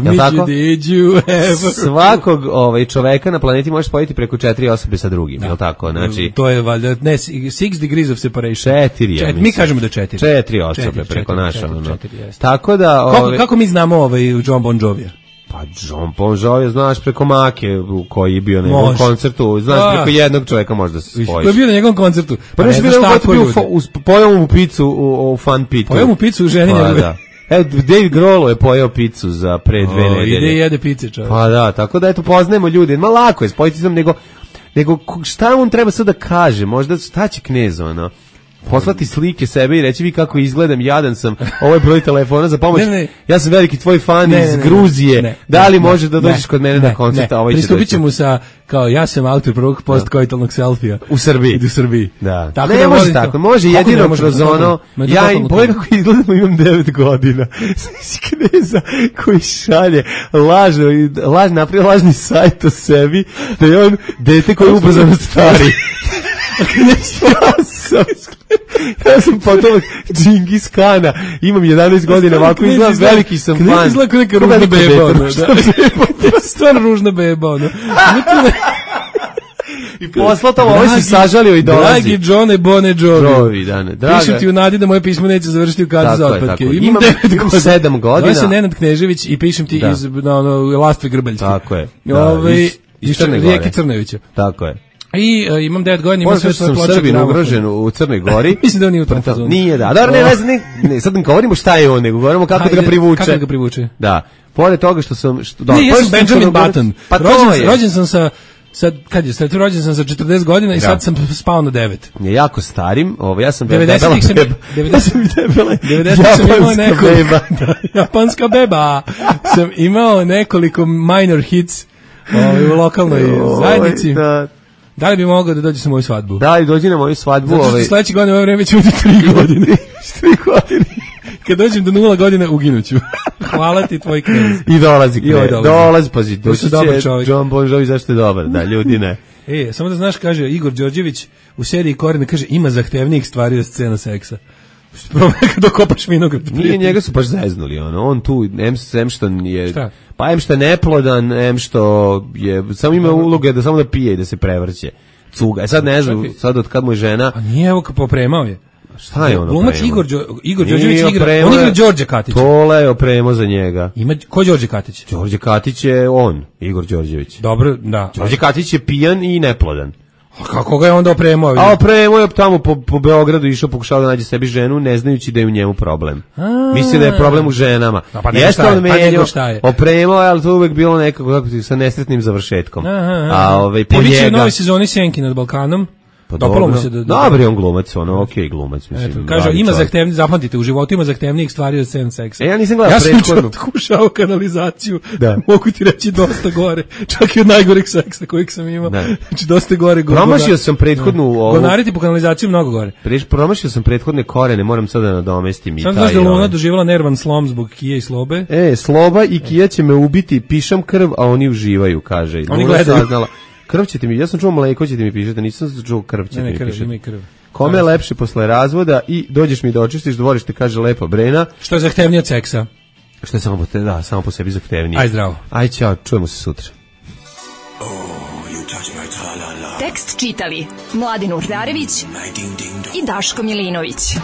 Jel tako? Did you ever Svakog ovaj, čoveka na planeti može spojiti preko četiri osobe sa drugim, da. Jel tako? tako, znači... To je valjda, ne, six degrees of separation. Četiri, ja mislim. Mi kažemo da četiri. Četiri osobe preko naša, ono. Tako da... Ove... Kako mi znamo ovaj John Bon Jovija? Pa John Bon Jovi, znaš, preko Make koji je bio na njegovom koncertu, znaš, a, preko jednog čovjeka možda se spojiš. Koji je bio na njegovom koncertu? Pa, pa ne znaš tako je. Pojao mu picu u, u Fun Pitu. Pojao mu picu u ženi pa, njegove. Da. Evo, Dave Grohl je pojao picu za pre dve nedelje. Ide i jede pice, čovjek. Pa da, tako da eto, poznajemo ljudi. Ma lako je spojiti sam, nego, nego šta on treba sad da kaže? Možda šta će Knez, ono? Poslati slike sebe i reći vi kako izgledam, jadan sam, ovo je broj telefona za pomoć, ne, ne. Ja sam veliki tvoj fan ne, iz ne, Gruzije, ne, da li ne, može da dođeš ne, kod mene ne, na koncert, a ovaj će doći. Pristupit ćemo sa, kao ja sam autor prvog postkoitalnog selfija. U Srbiji. U Srbiji. Da. Tako ne da može tako, može jedino kroz ono, ja im pojeg kako izgledamo, imam devet godina. Znači Kneza koji šalje lažno, laž, napravio lažni sajt o sebi, da je on dete koji je ubrzano stari. Ja sam, ja sam potomak Džingis Kana, imam jedanaest godina, ovako izgleda, veliki sam fan. Knez izgleda kao neka ružna beba, ono, da. Stvarno ružna beba, ono. I poslatamo, ovo si sažalio i dolazi. Dragi Johne Bone Jovi. Jovi, da ne. Draga. Pišem ti u nadi da moje pismo neće završiti u kadi za otpadke. Imam, imam devet godina. sedam godina. Zove se Nenad Knežević i pišem ti da. iz na, ono, Lastve Grbaljske. Tako je. Da, Ove, iz, iz Crne Gore. Rijeke Crnevića. Tako je. I uh, imam devet godina, imam sve svoje ploče. Sam Srbin ugrožen u Crnoj Gori. Mislim da on nije u tom fazonu. Nije, da. Dobro, ne, ne, ne, sad ne govorimo šta je on, nego govorimo kako da ga privuče. Kako da ga privuče? Da. Pored toga što sam... Što, da, ne, ja sam Benjamin Button. Pa rođen, rođen sam sa... Sad, kad je, sad rođen sam sa četrdeset godina i da. Sad sam spao na devet. Je jako starim, ovo, ja sam devedesetih sam, devedesetih sam imao nekoliko, da, japanska beba, sam imao nekoliko minor hits ovaj, u lokalnoj zajednici. Da. Da li bi mogao da dođe sa moju svadbu? Da li dođe na moju svadbu? Zato što ovaj... sledeće godine u ovo vreme ću biti tri godine. tri godine. Kad dođem do nula godina, uginuću. Hvala ti, tvoj Knez. I dolazi Knez. I dolazi. Dolazi, pazi, doći će John Bon Jovi, zašto je dobar, da, ljudi ne. E, samo da znaš, kaže Igor Đorđević u seriji Korene, kaže, ima zahtevnijih stvari od scena seksa. Probaj kad dokopaš vinograd. Nije, njega su baš zeznuli, ono, on tu, em, em što je, šta? Pa em što je neplodan, em što je, samo ima uloge da samo da pije i da se prevrće. Cuga. E sad ne znam, sad od kad mu je žena... A nije, evo popremao je. Šta je ono? Glumac Igor Đo, Igor Đorđević igra. On igra Đorđe Katić. Tole je opremo za njega. Ima ko Đorđe Katić? Đorđe Katić je on, Igor Đorđević. Dobro, da. Đorđe Katić je pijan i neplodan. A kako ga je onda opremao? A opremao je tamo po, po Beogradu, išao, pokušao da nađe sebi ženu, ne znajući da je u njemu problem. Misli da je problem u ženama. A pa nego šta je? Pa nego šta je? Opremao je, ali to uvek bilo nekako kako ti, sa nesretnim završetkom. Aha, aha. A ovaj po njega... Biće u novoj sezoni Senki nad Balkanom. Pa dopalo mu se da, da Dobar je on glumac, ono, okej okay, glumac, mislim. Eto, kaže, ima zahtevni, zapamtite, u životu ima zahtevnijih stvari od scena seksa. E, ja nisam gledao ja prethodnu. Ja sam kušao kanalizaciju, da. Mogu ti reći dosta gore, čak i od najgoreg seksa kojeg sam imao. Da. Znači, dosta gore. Promašio sam prethodnu... Ovu... Gonariti po kanalizaciju mnogo gore. Preš, promašio sam prethodne korene, moram sada da nadomestim i sam taj... Sam znaš da Luna doživjela nervan slom zbog Kije i Slobe? E, Sloba i Kija će me ubiti, pišam krv, a oni uživaju, kaže. Oni gledaju. Krv ćete mi, ja sam čuo mleko ćete mi pišete, nisam čuo krv ćete ne, ne, mi krv, pišete. Ne, krv. Kome je lepše posle razvoda i dođeš mi da očistiš dvorište, kaže lepa Brena. Što je zahtevnije od seksa? Što je samo po, te, da, samo po sebi zahtevnije. Aj zdravo. Aj ćao, čujemo se sutra. Oh, you touch my tra-la-la. Tekst čitali Mladin Urdarević i Daško Milinović.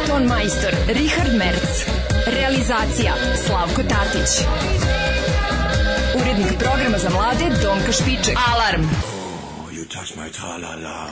Ton majstor Richard Merc. Realizacija Slavko Tatić. Urednik programa za mlade Donka Špiček. Alarm! Oh, you touch my tra-la-la.